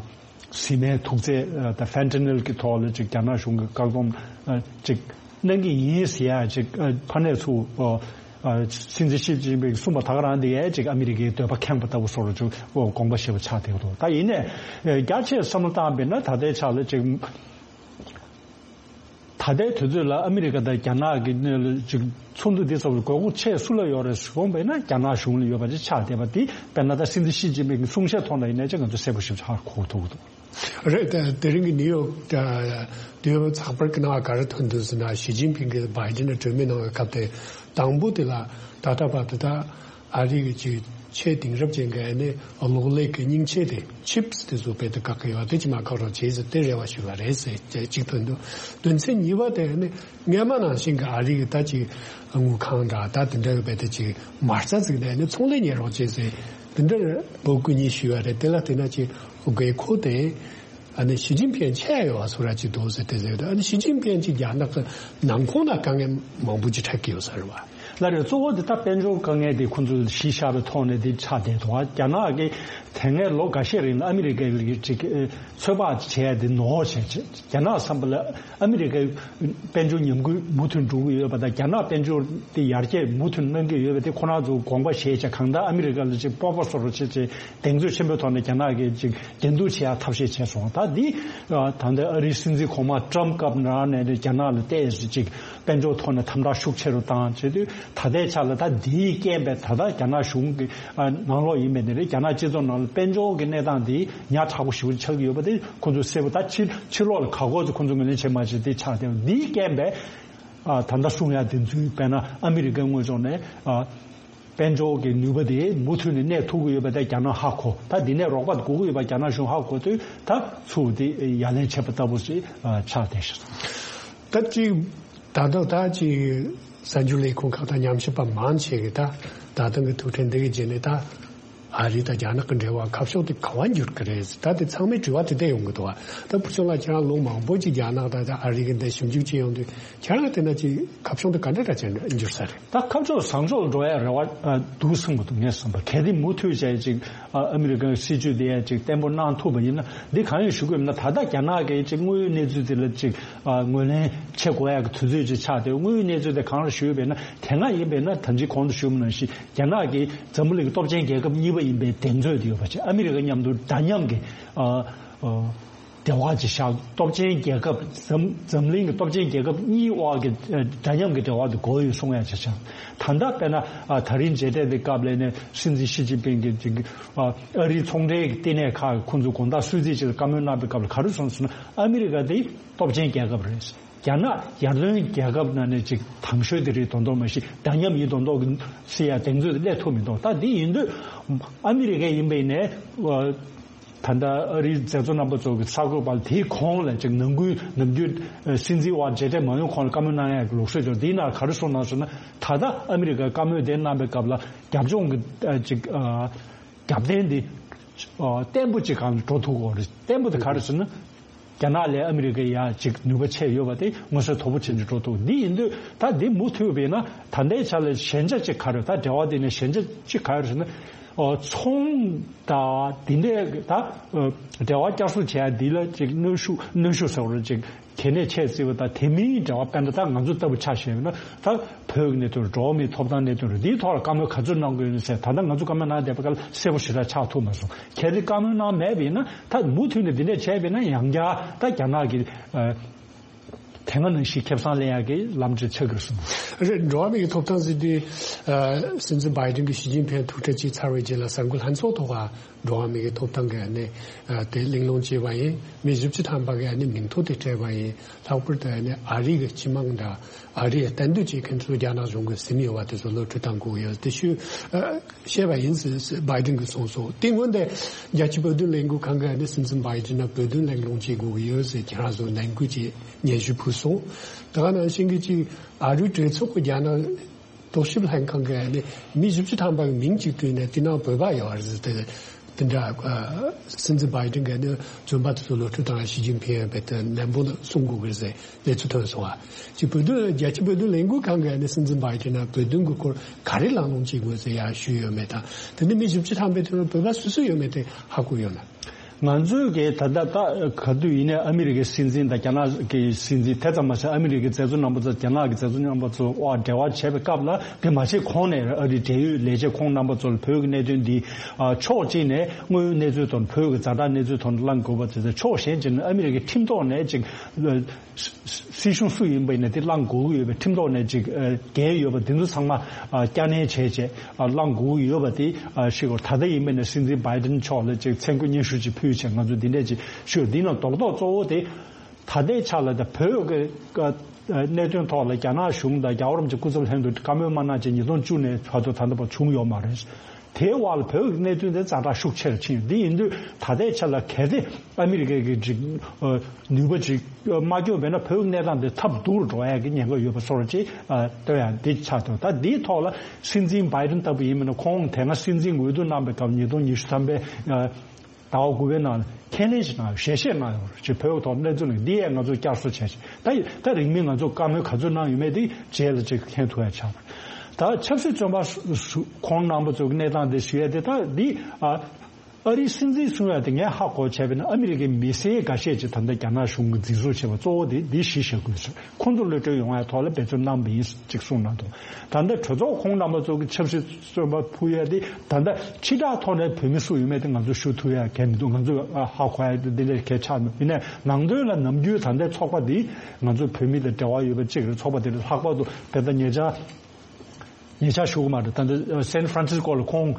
བཟི་སྨན་འཐུག་རྫས་ཨ་ད་ཕེན་ཏ་ནིལ་གྱི་ཐོག་ལ་ཅིག་རྒྱ་ནག་གཞུང་གིས་བཀག་སྡོམ་ཨ་ཅིག་གནང་གི་ཡིན་ཟེར་ཡ་ཅིག་ཨ་ཕ་ནས་ཚུར་ཨ་ཨ་སྲིད་འཛིན་ཞི་ཅིན་ཕིང་གསུངས་པ་ད་ག་རང་དེ་ཡང་ཅིག་ཨ་མི་རི་ཀའི་འདོད་པ་ཁེངས་པ་ལྟ་བུ་སོགས་ལ་ཅིག་དགོངས་པ་བཞེས་པ་ཆགས་བསྡད་ཀྱི་འདུག་ད་ཡིན་ནའི་རྒྱ་ཆེར་བསམ་བློ་བཏང་བས་ན་ད་ལྟའི་ཆ་ལ་ཅིག་ད་ལྟའི་དུས་ཚོད་ལ་ཨ་མི་རི་ཀ་དང་རྒྱ་ནག་གི་ནས་ལ་ཅིག་ཚོགས་འདུ་འདི་ཚོ་ལ་དགོས་མཁོ་ཆེ་སུ་ལ་ཡོད་རེད་ཟེར་དགོངས་པས་ན་རྒྱ་ནག་གཞུང་ལ་ཡོད་པ་ཅིག་ཆགས་བསྡད་པ་འདི། དཔེར་ན་ད་སྲིད་འཛིན་ཞི་ཅིན་ཕིང་གི་གསུང་བཤད་ཐོག་ནས་ཡིན་ན་ཅིག་ང་ཚོ་གསལ་པོ་ཞིག་ཧ་གོ་ཐུབ་ཀྱི་འདུག་རེད། དེ་དེ་རིང་གི་ནིའུ་ཡོག་དེའི་ཚགས་པར་གྱི་ནང་ག་རེ་ཐོན་འདུག་ཟེར་ན། ཞི་ཅིན་ཕིང་གིས་བྷའི་ཏིན་ལ་གྲོས་མོལ་གནང་བའི་སྐབས་དེ་དང་པོ་དེ་ལ་ད་ལྟ་བར་དུ་ད་ཨ་རི་གི་ཅིག་ཆེས་དེང་རབས་ཅན་གྱི་ཨ་ནི་གློག་ཀླད་ཀྱི་རྙིང་ཆས་དེ་ཆིབས་དེ་ཚོ་རྦད་དེ་བཀག་གི་ཡོད། དེ་ཅིག་མ་བཀག་རོགས་བྱེད་ཟེར་དེ་རེ་བ་ཞུས་པ་རེད་ཟེར་གཅིག་ཐོན་འདུག་དོན་ཚན་གཉིས་པ་དེ་ཨ་ནི་སྔོན་མ་ནང་བཞིན་གྱི་ཨ་རི་གི་ད་ཅིག་དངུལ་ཁང་འདྲ་ད་དེ་འདྲ་གི་རྦད་དེ་ཅིག་མ་རྩ་བརྩིགས་ནས་ཨ་ནི་ཚོང་ལས་གཉེར་རོགས་བྱེད་ཟེར་དེ་འདྲ་འབོད་སྐུལ་གཉིས་ཞུས་པ་རེད། དེ་ལ་དེ་ན་ཅིག་དགོས་མཁོ་དེ། ཨ་ནི་ཞི་ཅིན་ཕིང་ཆེ་ཡོད་བ་སུ་ར་ཅིག་འདུག་ཟེར་དེ་ཟེར་དུས། ཨ་ནི་ཞི་ཅིན་ཕིང་ཅིག་རྒྱ་ནག་གི་ནང་ཁོངས་ན་དཀའ་ངལ་མང་པོ་ཅིག་འཕྲད་ཀྱི་ཡོད་ས་རེད་བ། ལ་རེད། གཙོ་བོ་དེ་ད་དཔལ་འབྱོར་དཀའ་ངལ་དེ་ཁོང་ཚོས་གཞི་བཞག་པའི་ཐོག་ནས་དེ་ཆགས་བསྡད་འདུག་རྒྱ་ནག་གིས་དེ་སྔའི་ལོ་འགའ་ཤས་རིང་ལ་ཨ་མི་རི་ཀའི་ཅིག་ཚོད་དཔག་བྱས་ཏེ་ནོར་བྱས་རྒྱ་ནག་བསམ་པ་ལ་ཨ་མི་རི་ཀའི་དཔལ་འབྱོར་ཉམས་རྒུད་མུ་མཐུད་འགྲོ་གི་ཡོད་པ་དང་། རྒྱ་ནག་དཔལ་འབྱོར་དེ་ཡར་རྒྱས་མུ་མཐུད་གནང་གི་ཡོད་པ་དེ་ཁོ་རང་ཚོ་དགོངས་པ་བཞེས་བྱས། གང་ལྟར་ཨ་མི་རི་ཀ་ལ་ཅིག་སྤོབས་པ་བཟོ་རོགས་བྱེད་ཅེས་གདེང་ཚོད་ཆེན་པོའི་ཐོག་ནས་རྒྱ་ནག་གིས་ཅིག་འགྲན་བསྡུར་བྱེད་ཡ་ཐབས་ཤེས་བྱས་སོང་། ད་འདི་ད་ལྟ་ཨ་རིའི་སྲིད་འཛིན་གོང་མ་ཊམ་སྐབས་ནང་ནས་རྒྱ་ནག་ལ་ཏོག་ཙམ་ཅིག་དཔལ་འབྱོར་ཐོག་ནས་དམ་དྲག་ཤུགས་ཆེ་རུ་བཏང་བྱས་དུས། ད་ལྟའི་ཆ་ལ་ད་འདིའི་རྐྱེན་པས་ད་ལྟ་རྒྱ་ནག་གཞུང་གི་ནང་ལོགས་ཡིན་པའི་ནི་རེད། རྒྱ་ནག་སྤྱི་ཚོགས་ནང་ལ་དཔལ་འབྱོར་གྱི་གནས་སྟངས་འདི་ཉག་ཕྲ་པོ་ཞེ་པོ་ཆགས་ཀྱི་ཡོད་པ་དེ་ཁོང་ཚོས་གསལ་པོ། ད་ཕྱི་ཕྱི་ལོགས་ལ་ག་གོ་ཚོ་ཁོང་ཚོ་ངོས་ལེན་བྱེད་མ་བྱེད་དེ་ཆགས་བསྡད་པ་འདིའི་རྐྱེན་པས། ཨ། ད་ལྟ་གསུང་ཡ་དེ་ཚོའི་དཔེར་ན་ཨ་མི་རི་ཀའི་དངོས་ཕྱོགས་ནས། ཨ། དཔལ་འབྱོར་གྱི་ནུས་པ་དེ་མུ་མཐུད་ནས་གནས་ཐུབ་ཀྱི་ཡོད་པ་དེ་རྒྱ་ནག་ཧ་གོ། ད་འདི་ནས་རོགས་པ་དགོས་ཀྱི་ཡོད་པ་རྒྱ་ནག་གཞུང་ཧ་གོ་དུས། ད་ཚུར་དེ་ཡ་ལན་བྱེད་པ་ལྟ་བུ་ཞིག་ཨ། ཆགས་བསྡད་ཤག་ད་ཅིག་ད་ལྟ་ད་ཅིག་གསར་འགྱུར་ལས་ཁུངས་ཁག་དང་ཉམས་ཞིབ་པ་མང་ཆེ་གིས་ད་ད་ཐེངས་ཀྱི་ཐུག་འཕྲད་འདི་གི་རྗེས་ནས་ད། ཨ་རི་དང་རྒྱ་ནག་གི་འབྲེལ་བ་ཁ་ཕྱོགས་དེ་ག་པར་འགྱུར་གི་རེད། ད་དེ་ཚང་མས་དྲི་བ་དེ་འདྲ་ཡོང་གི་འདུག་བ། ད་བུ་ཆུང་ལགས་ཁྱེད་རང་ལོ་མང་པོ་ཅིག་རྒྱ་ནག་དང་ཨ་རི་གི་འདི་ཞིབ་འཇུག་བྱས་ཡོང་དུས། ཁྱེད་རང་དེ་ན་ཅིག་ཁ་ཕྱོགས་དེ་ག་འདྲ་འདྲ་ཅིག་འགྱུར་ས་རེད། ད་ཁ་ཕྱོགས་བཟང་ཕྱོགས་ལ་འགྲོ་ཡ་རེ་བ་འདུག་བསམ་གི་འདུག་ངས་བསམ་པ། གལ་ཏེ་མུ་མཐུད་བྱས་ཅིག་ཨ་མི་རི་ཀའི་སྲིད་ཇུས་དེ་ཡང་ཅིག་བརྟན་པོ་གནང་ཐུབ་པ་ཡིན་ན། འདི་གང་ཡིན་ཞུ་དགོས་ན། ད་ལྟ་རྒྱ་ནག་གིས་ཅིག་དངོས་ཡོད་གནས་ཚུལ་དེ་ལ་ཅིག་ཨ་ངོས་ལེན་བྱེད་དགོས་ཡ་གི་དུས་ཚོད་ཅིག་ཆགས་ཏེ། དངོས་ཡོད་གནས་ཚུལ་དེ་གང་ལ་ཞུས་པས་ན། དེ་སྔ་ཡིན་པས་ན་ད་ཅིག་གོང་དུ་ཞུས་པ་ནང་བཞིན། རྒྱ་ནག་གིས་འཛམ་བུ་གླིང་གི་སྟོབས་ཆེན་རྒྱལ་ཁབ་གཉིས་པ་ཡིན་པའི་གདེང་ཚོད་དེ་ཡོད་པ་བྱས། ཨ་མི་རི་ཀ་མཉམ་དུ་འདྲ་མཉམ་གྱི་ཨ་ཨ་འབྲེལ་བ་ཅིག་བཞག་སྟོབས་ཆེན་རྒྱལ་ཁབ། འཛམ་འཛམ་གླིང་གི་སྟོབས་ཆེན་རྒྱལ་ཁབ་གཉིས་དབར་གྱི་ཨ་འདྲ་མཉམ་གྱི་འབྲེལ་བ་དེ་དགོས་ཡོད་གསུང་ཡ་ཅིག་བྱས། ད་ལྟ་དཔེར་ན་ཨ་ད་རིང་མཇལ་འཕྲད་དེ་སྐབས་ལ་ནས་སྲིད་འཛིན་ཞི་ཅིན་ཕིང་གིས་ཅིག་ཨ་ཨ་རིའི་ཚོང་འབྲེལ་གྱི་ལྟེ་གནས་ཁག་ཁོང་ཚོ་དགོང་དག་གསོལ་ཚིགས་ཅིག་ལ་བཀའ་མོལ་གནང་བའི་སྐབས་ལ་ག་རེ་གསུངས་སོང་ན། ཨ་མི་རི་ཀ་དེ་སྟོབས་ཆེན་རྒྱལ་ཁབ་རེད། རྒྱ་ནག་ཡར་ཐོན་རྒྱལ་ཁབ་ནང་ནས་ཅིག་དང་ཤོས་དེ་རེད་མདོག་མདོག་མ་གཞི། འདྲ་མཉམ་ཡིན་མདོག་མདོག་གི་ཟེར་ཡ་གདེང་ཚོད་དེ་སླེབས་ཐུབ་མི་འདུག་ད་འདི་ཡིན་དུས་ཨ་མི་རི་ཀ་ཡིན་པའི་ནས་ཨ་ ད་ལྟ་ཨ་རིའི་མཛད་གཙོ་རྣམ་པ་ཚོ་གི་གསར་འགོད་པ་ལ་དེའི་གོང་ལ་ཅིག་ནང་ཁུལ་ནམ་རྒྱུན་སྲིད་འཛིན་དབར་མཇལ་འཕྲད་མ་ཡོང་གོང་ལ་བཀའ་མོལ་གནང་ཡག་གི་ལུགས་སྲོལ་ཅིག་འདིའི་ནང་ག་རེ་གསུངས་གནང་སོང་ན། ད་ལྟ་ཨ་མི་རི་ཀའི་བཀའ་མོལ་དེ་གནང་པའི་སྐབས་ལ་རྒྱབ་ལྗོངས་ཀྱི་ཅིག་རྒྱབ་རྟེན་འདི་བརྟན་པོ་ཅིག་སྒང་ལ་འགྲོ་ཐུབ་ཀྱི་རེད། བརྟན་པོ་དེ་ག་རེ་ཟེར་ན། རྒྱ་ནག་ལས་ཨ་མི་རི་ཀ་ཡ་ཅིག་ནུས་པ་ཆེ་ཡོད་པ་དེ་མངོན་གསལ་དོད་པོ་བྱེད་འདི་འགྲོ་ཐུབ། འདི་ཡིན་དུས་ད་འདི་མུ་མཐུད་པས་ན་ད་ལྟའི་ཆ་ལ་ཞན་ཆ་ཅིག་ག་རེ། ད་འབྲེལ་བ་དེ་ནས་ཞན་ཆ་ཅིག་ག་རེ་ཟེར་ན། ཨོ་ཚོང་དང་དེ་འདྲའི་ད་འབྲེལ་བ་བསྐྱར་གསོ་བྱེད་ཡ་འདི་ལ་ཅིག་གནོན་ཤུགས་གནོན་ཤུགས་ཟེར་བ་ཅིག་གལ་གནད་ཆེ་བརྩི་བ་དང་། དེ་མིན་འབྲེལ་བ་དཔེར་ན་ད་ང་ཚོ་ལྟ་བུ་ཆ་བཞག་ན་ད་བོད་ཀྱི་གནད་དོན་རེད། འགྲོ་བ་མིའི་ཐོབ་ཐང་གནད་དོན་རེད། འདིའི་ཐོག་ལ་བཀའ་མོལ་ག་ཚོད་གནང་དགོས་ཡོད་ཟེར། ད་ལྟ་ང་ཚོ་བཀའ་མོལ་གནང་བསྡད་པ་ག་ལ་གསལ་པོ་ཞེ་དྲག་ཆགས་ཐུབ་མ་སོང་། གལ་ཏེ་བཀའ་མོལ་གནང་མེད་པ་ཡིན་ན་ད་མུ་མཐུད་ནས་འདི་འདྲས་བྱས་པ་ཡིན་ན་ཡང་བསྐྱར་ད་རྒྱ་ནག་གི་དེ་སྔ་ནང་བཞིན་ཁེ་བཟང་ལེན་ཡག་གི་ལམ་འདྲ་ཆགས་ཀྱི་རེད་གསུངས། རེད། འགྲོ་བ་མིའི་ཐོབ་ཐང་ཟེར་དུས་སྲིད་འཛིན་བྷའི་ཌེན་གྱིས་ཞི་ཅིན་ཕིང་ཐུག་འཕྲད་བྱས་ཚར་བའི་རྗེས་ལ་གསར་འགོད་ལྷན་ཚོགས་ཐོག་འགྲོ་བ་མིའི་ཐོབ་ཐང་གི་ཨ་ནི་དེ་གླེང་སློང་བྱས་པ་ཡིན། མི་བཞི་བཅུ་ཐམ་པ་གི་ཨ་ནི་མིང་ཐོ་དེ་སྤྲད་པ་ཡིན། ལྷག་པར་དུ་ཨ་ནི་ཨ་རི་གི་སྤྱི་དམངས་དང་ཨ་རིའི་གཏན་སྡོད་བྱེད་མཁན་ཚོ་རྒྱ་ནག་གཞུང་གིས་ཟིན་ཡོད་པ་དེ་ཚོ་གློད་བཀྲོལ་གཏང་དགོས་ཡོད་དེ་ཞུ་བཤད་པ་ཡིན་ཟེར་བྷའི་ཌེན་གྱིས་གསུངས་སོང་། དེ་སྔོན་དེ་རྒྱལ་སྤྱིའི་བོད་དོན་ལས་འགུལ་ཁང་གི་ཨ་ནི་སྲིད་འཛིན་བྷའི་ཌེན་ལ་བོད་དོན་གླེང་སློང་བྱེད་དགོས་ཀྱི་ཡོད་ཟེར་ཁྱེད་རང་ཚོ་ནན་སྐུལ་གྱིས་སྙན་ཞུ་ཕུལ་སོང་། དེ་ག་ནང་བཞིན་གྱི་ཅིག་ཨ་རིའི་གྲོས་ཚོགས་ཀྱི་རྒྱ་ནག་རྟོག་ཞིབ་ལྷན་ཁང་གི་ཨ་ནི་མི་བཞི་བཅུ་ཐམ་པ་གི་མིང་གཅིག་བཏོན་ནས་དེ་ནང་བོད་པ་ཡོད་རེད་ཟེར་ཏེ། དེ་འདྲ་ཨ་སྲིད་འཛིན་བྷའི་ཌེན་གྱིས་ཨ་ནི་བཙོན་པ་དེ་ཚོ་གློད་བཀྲོལ་བཏང་ཡ་ཞི་ཅིན་ཕིང་ཡང་རྦད་དེ་ནན་པོ་གསུང་དགོས་ཀྱི་རེད་ཟེར་གནས་ཚུལ་ཐོན་སོང་བ། ཅིག་བོད་དོན་རྒྱལ་སྤྱིའི་བོད་དོན་ལས་འགུལ་ཁང་གིས་ཨ་ནི་སྲིད་འཛིན་བྷའི་ཌེན་ལ་བོད་དོན་གྱི་སྐོར་ག་རེ་གླེང་སློང་བྱེད་དགོས་ཟེར་ཡ་ཞུས་ཡོད་མེད་དང་། དེ་ནི་མི་བཞི་བཅུ་ཐམ་པའི་དེ་ནང་བོད་པ་སུ་སུ་ཡོད་མེད་དེ་ཧ་གོ་ཡོད་ན། ང་ཚོས་ཀྱི་ད་ལྟ་ད་ག་དུས་ཡིན་ནའི་ཨ་མི་རི་ཀའི་སྲིད་འཛིན་དང་རྒྱ་ནག་གི་སྲིད་འཛིན། དེ་ཙམ་མ་ཟད་ཨ་མི་རི་ཀའི་མཛད་གཙོ་རྣམ་པ་ཚོ་རྒྱ་ནག་གི་མཛད་གཙོ་རྣམ་པ་ཚོ་འབྲེལ་བ་བྱས་པའི་སྐབས་ལ། དེ་མ་བྱས་གོང་ནས་ཨ་རིའི་འབྲེལ་ཡོད་ལས་བྱེད་ཁོང་རྣམ་པ་ཚོ་ལ་བོད་ཀྱི་གནད་དོན་འདི་ཕྱོགས་གཅིག་ནས་དངོས་ཡོད་གནས་ཚུལ་དང་བོད་ཀྱི་ཛ་དྲག་གནས་ཚུལ་ཐོག་ནས་གླེང་དགོས་པ་དེ་ཚོ། ཕྱོགས་གཞན་གཅིག་ནས་ཨ་མི་རི་ཀའི་ཁྲིམས་ཐོག་ནས་ཅིག་སྲིད་གཞུང་སུ་ཡིན་པ་ཡིན་ན་དེ་གླེང་དགོས་ཀྱི་ཡོད་པའི་ཁྲིམས་ཐོག་ནས་ཅིག་འགན་ཡོད་པ་དེ་ཚོ་ཚང་མ་བསྐྱར་ནན་བྱས་བྱས་གླེང་དགོས་ཀྱི་ཡོད་པ་དེ་ཤེས་དགོས། ད་ལྟ་ཡིན་པ་ཡིན་ན་སྲིད་འཛིན་བྷའི་ཌེན་མཆོག་ལ་ཅིག་མཚན་བཀོད་སྙན་ཞུ་ཅིག་ཕུལ་བྱས་ང་ཚོ་འདི་འདྲས་ཅིག་ཞུས། འདི་ནང་རྡོག་རྡོག་གཙོ་བོ་དེ་ད་ལྟའི་ཆ་ལ་ད་བོད་ཀྱི་གནད་དོན་ཐོག་ལ་རྒྱ་ནག་གཞུང་དང་རྒྱལ་བ་རིན་པོ་ཆེ་སྐུ་ཚབ་ལྷན་དུ་བཀའ་མོལ་མ་གནང་བྱས་ཉིས་སྟོང་བཅུ་ནས་བར་དུ་ད་ལྟ་བར་བྱུང་ཡོད་མ་རེད། དེའི་དབར་ལ་བོད་ཀྱི་གནད་དོན་དེ་ཛ་དྲག་ཤུགས་ཆེ་རུ་ཕྱིན་ཡོད། འདི་ཡིན་དུས་ད་ལྟའི་ཆ་ལ་གལ་ཏེ་ཨ་མི་རི་ཀའི་གི་ཅིག་ནུས་པ་ཅིག་མ་སྐྱོན་པས་ན་བོད་ཀྱི་གནས་སྟངས་དེ་ཐབས་སྡུག་རུ་འགྲོ་ཡག་གི་ཉེན་ཁ་ཡོད་པ་བཟོ་འདྲ་ཅིག་ལྟོས་ཡག་འདི་ཆགས་འདུག། ད་འདིའི་ཐོག་ལ་སྲིད་འཛིན་བྷའི་ཌེན་ལྟ་བུ་ཡིན་པ་ན། ཁོང་དེ་སྔ་སྲིད་འཛིན་འོས་བསྡུ་གནང་པའི་སྐབས་ཉིས་སྟོང་ཉི་ཤུ་ཐམ་པའི་ཟླ་བ་དགུ་པའི་ནང་ལ་ཁས་ལེན་ཞིག་གནང་ཡོད་རེད། ཞལ་བཞེས་གནང་ཡོད་རེད། ཅིག་བོད་ཐོག་གནས་ཚུལ་ནི་འདི་ཡས་ང་ཚོས་བསྐྱར་གསོ་བྱས་ཤིང་། ད་ད་རིང་མིན་ང་ཚོས་བཀའ་མོལ་ག་ཚོད་གནང་ཡོད་མེད་དེ་རྗེས་ལ་ཅིག་མཁྱེན་ཐུབ་ཡ་ཆགས་པ་རེད། ད་ཆབ་སྲིད་བཙོན་པ་སུ་ཁོང་རྣམ་པ་ཚོའི་གནས་སྟངས་དེ་ཞུ་ཡ་དེ། ད་འདི་ཨ་ཨ་རིའི་སྲིད་འཛིན་གསུང་ཡ་དེ་ངས་ཧ་གོ་བྱས་པ་ཡིན་ན་ཨ་མི་རི་ཀའི་མི་སེར་འགའ་ཤས་ཅིག་ད་ལྟ་རྒྱ་ནག་གཞུང་གིས་འཛིན་བཟུང་བྱས་པ་གཙོ་བོ་དེ་འདི་གཞི་བཞག་དགོས་ཟེར། ཁོང་ཚོ་གློད་བཀྲོལ་ཡོང་ཡ་ཐོག་ལ་འབད་བརྩོན་གནང་བ་ཡིན་ཅིག་གསུངས་གནང་འདུག། ད་ལྟ་གྲོས་ཚོགས་ཁོང་རྣམ་པ་ཚོ་གི་ཆབ་སྲིད་བཙོན་པ་ཕུད་ཡ་དེ་ད་ལྟ་ཕྱི་བསྒྲགས་ཐོག་ནས་བོད་མི་སུ་ཡོད་མེད་དེ་ང་ཚོ་ཞུ་ཐུབ་ཡ་གལ་མི་འདུག། ང་ཚོ་ཧ་གོ་ཡ་དེ་འདི་འདྲ་གལ་ཆགས་མེད། ཡིན་ནའི་ནང་དོན་ལ་ནམ་རྒྱུན་ད་ལྟའི་ཚོགས་པ་འདིས་ང་ཚོ་བོད་མི་དང་འབྲེལ་བ་ཡོད་པ་གཅིག་རེད། ཚོགས་པ་དེ་ལ་ལྷག་པར་དུ་དེ་ལྟར་ཉེ་ཆར་ཉེ་ཆར་ཞུ་གི་མ་རེད། ད་ལྟ་སན་ཧྥ་རན་སིས་ཀོ་ལ་ཁོང་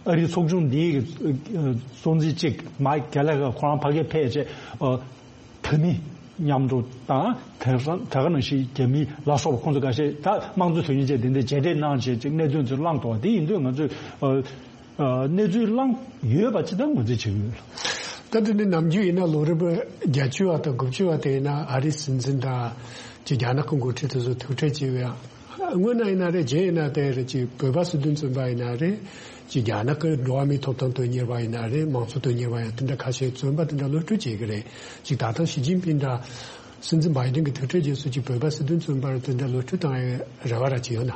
ཨ་རིའི་ཚོགས་ཆུང་འདིའི་གཙོ་འཛིན་གཅིག་མའིག་གྷེ་ལ་གྷར་ཁོ་རང་ཕ་གིར་ཕེབས་བྱས་བོད་མི་མཉམ་དུ་དང་། དེ་དེ་ག་ནང་བཞིན་རྒྱ་མི་ལ་སོགས་པ་ཁོང་ཚོ་འགའ་ཤས་ད་དམངས་གཙོ་དོན་གཉེར་བྱས་དེ་འདྲའི་མཇལ་འཕྲད་གནང་བྱས་ཅིག་གནད་དོན་ཚོ་བསླངས་འདུག་པ་དེ་ཡིན་དུས་ང་ཚོས་ཨ་ཨ་གནས་ཚུལ་བསླངས་ཡོད་པ་ཅིག་ད་ངོས་འཛིན་བྱེད་ཀྱི་ཡོད། ད་དེ་ནི་ནམ་རྒྱུན་ཡིན་ན་ལོ་རབས་བརྒྱད་ཅུ་བ་དང་དགུ་བཅུ་བ་དེ་ཡིན་ན་ཨ་རིའི་སྲིད་འཛིན་དང་ཅིག་རྒྱ་ནག་གི་འགོ་ཁྲིད་དེ་ཚོ་ཐུག་འཕྲད་བྱས་པའི་སྔོན་ན་ཡིན་ན་རེད། རྗེས་ཡིན་ན་དེ་རེད། ཅིག་བོད་པ་སྲིད་དོན་བཙོན་པ་ཡིན་ན་རེད། ཅིག་རྒྱ་ནག་གི་འགྲོ་བ་མིའི་ཐོབ་ཐང་དོན་གཉེར་བ་ཡིན་ན་རེད། མང་གཙོ་དོན་གཉེར་བ་ཡང་དེ་འདྲ་ཁ་ཤས་བཙོན་པ་དེ་འདྲ་གློད་བཀྲོལ་བྱེད་ཀྱི་རེད། ཅིག་ད་ཐེངས་ཞི་ཅིན་ཕིང་འདྲ་སྲིད་འཛིན་བྷའི་ཏིན་གྱི་ཐུག་འཕྲད་རྗེས་སུ་ཅིག་བོད་པ་སྲིད་དོན་བཙོན་པ་དེ་འདྲ་གློད་བཀྲོལ་བཏང་ཡའི་རེ་བ་ར་ཅིག་ཡོད་ན།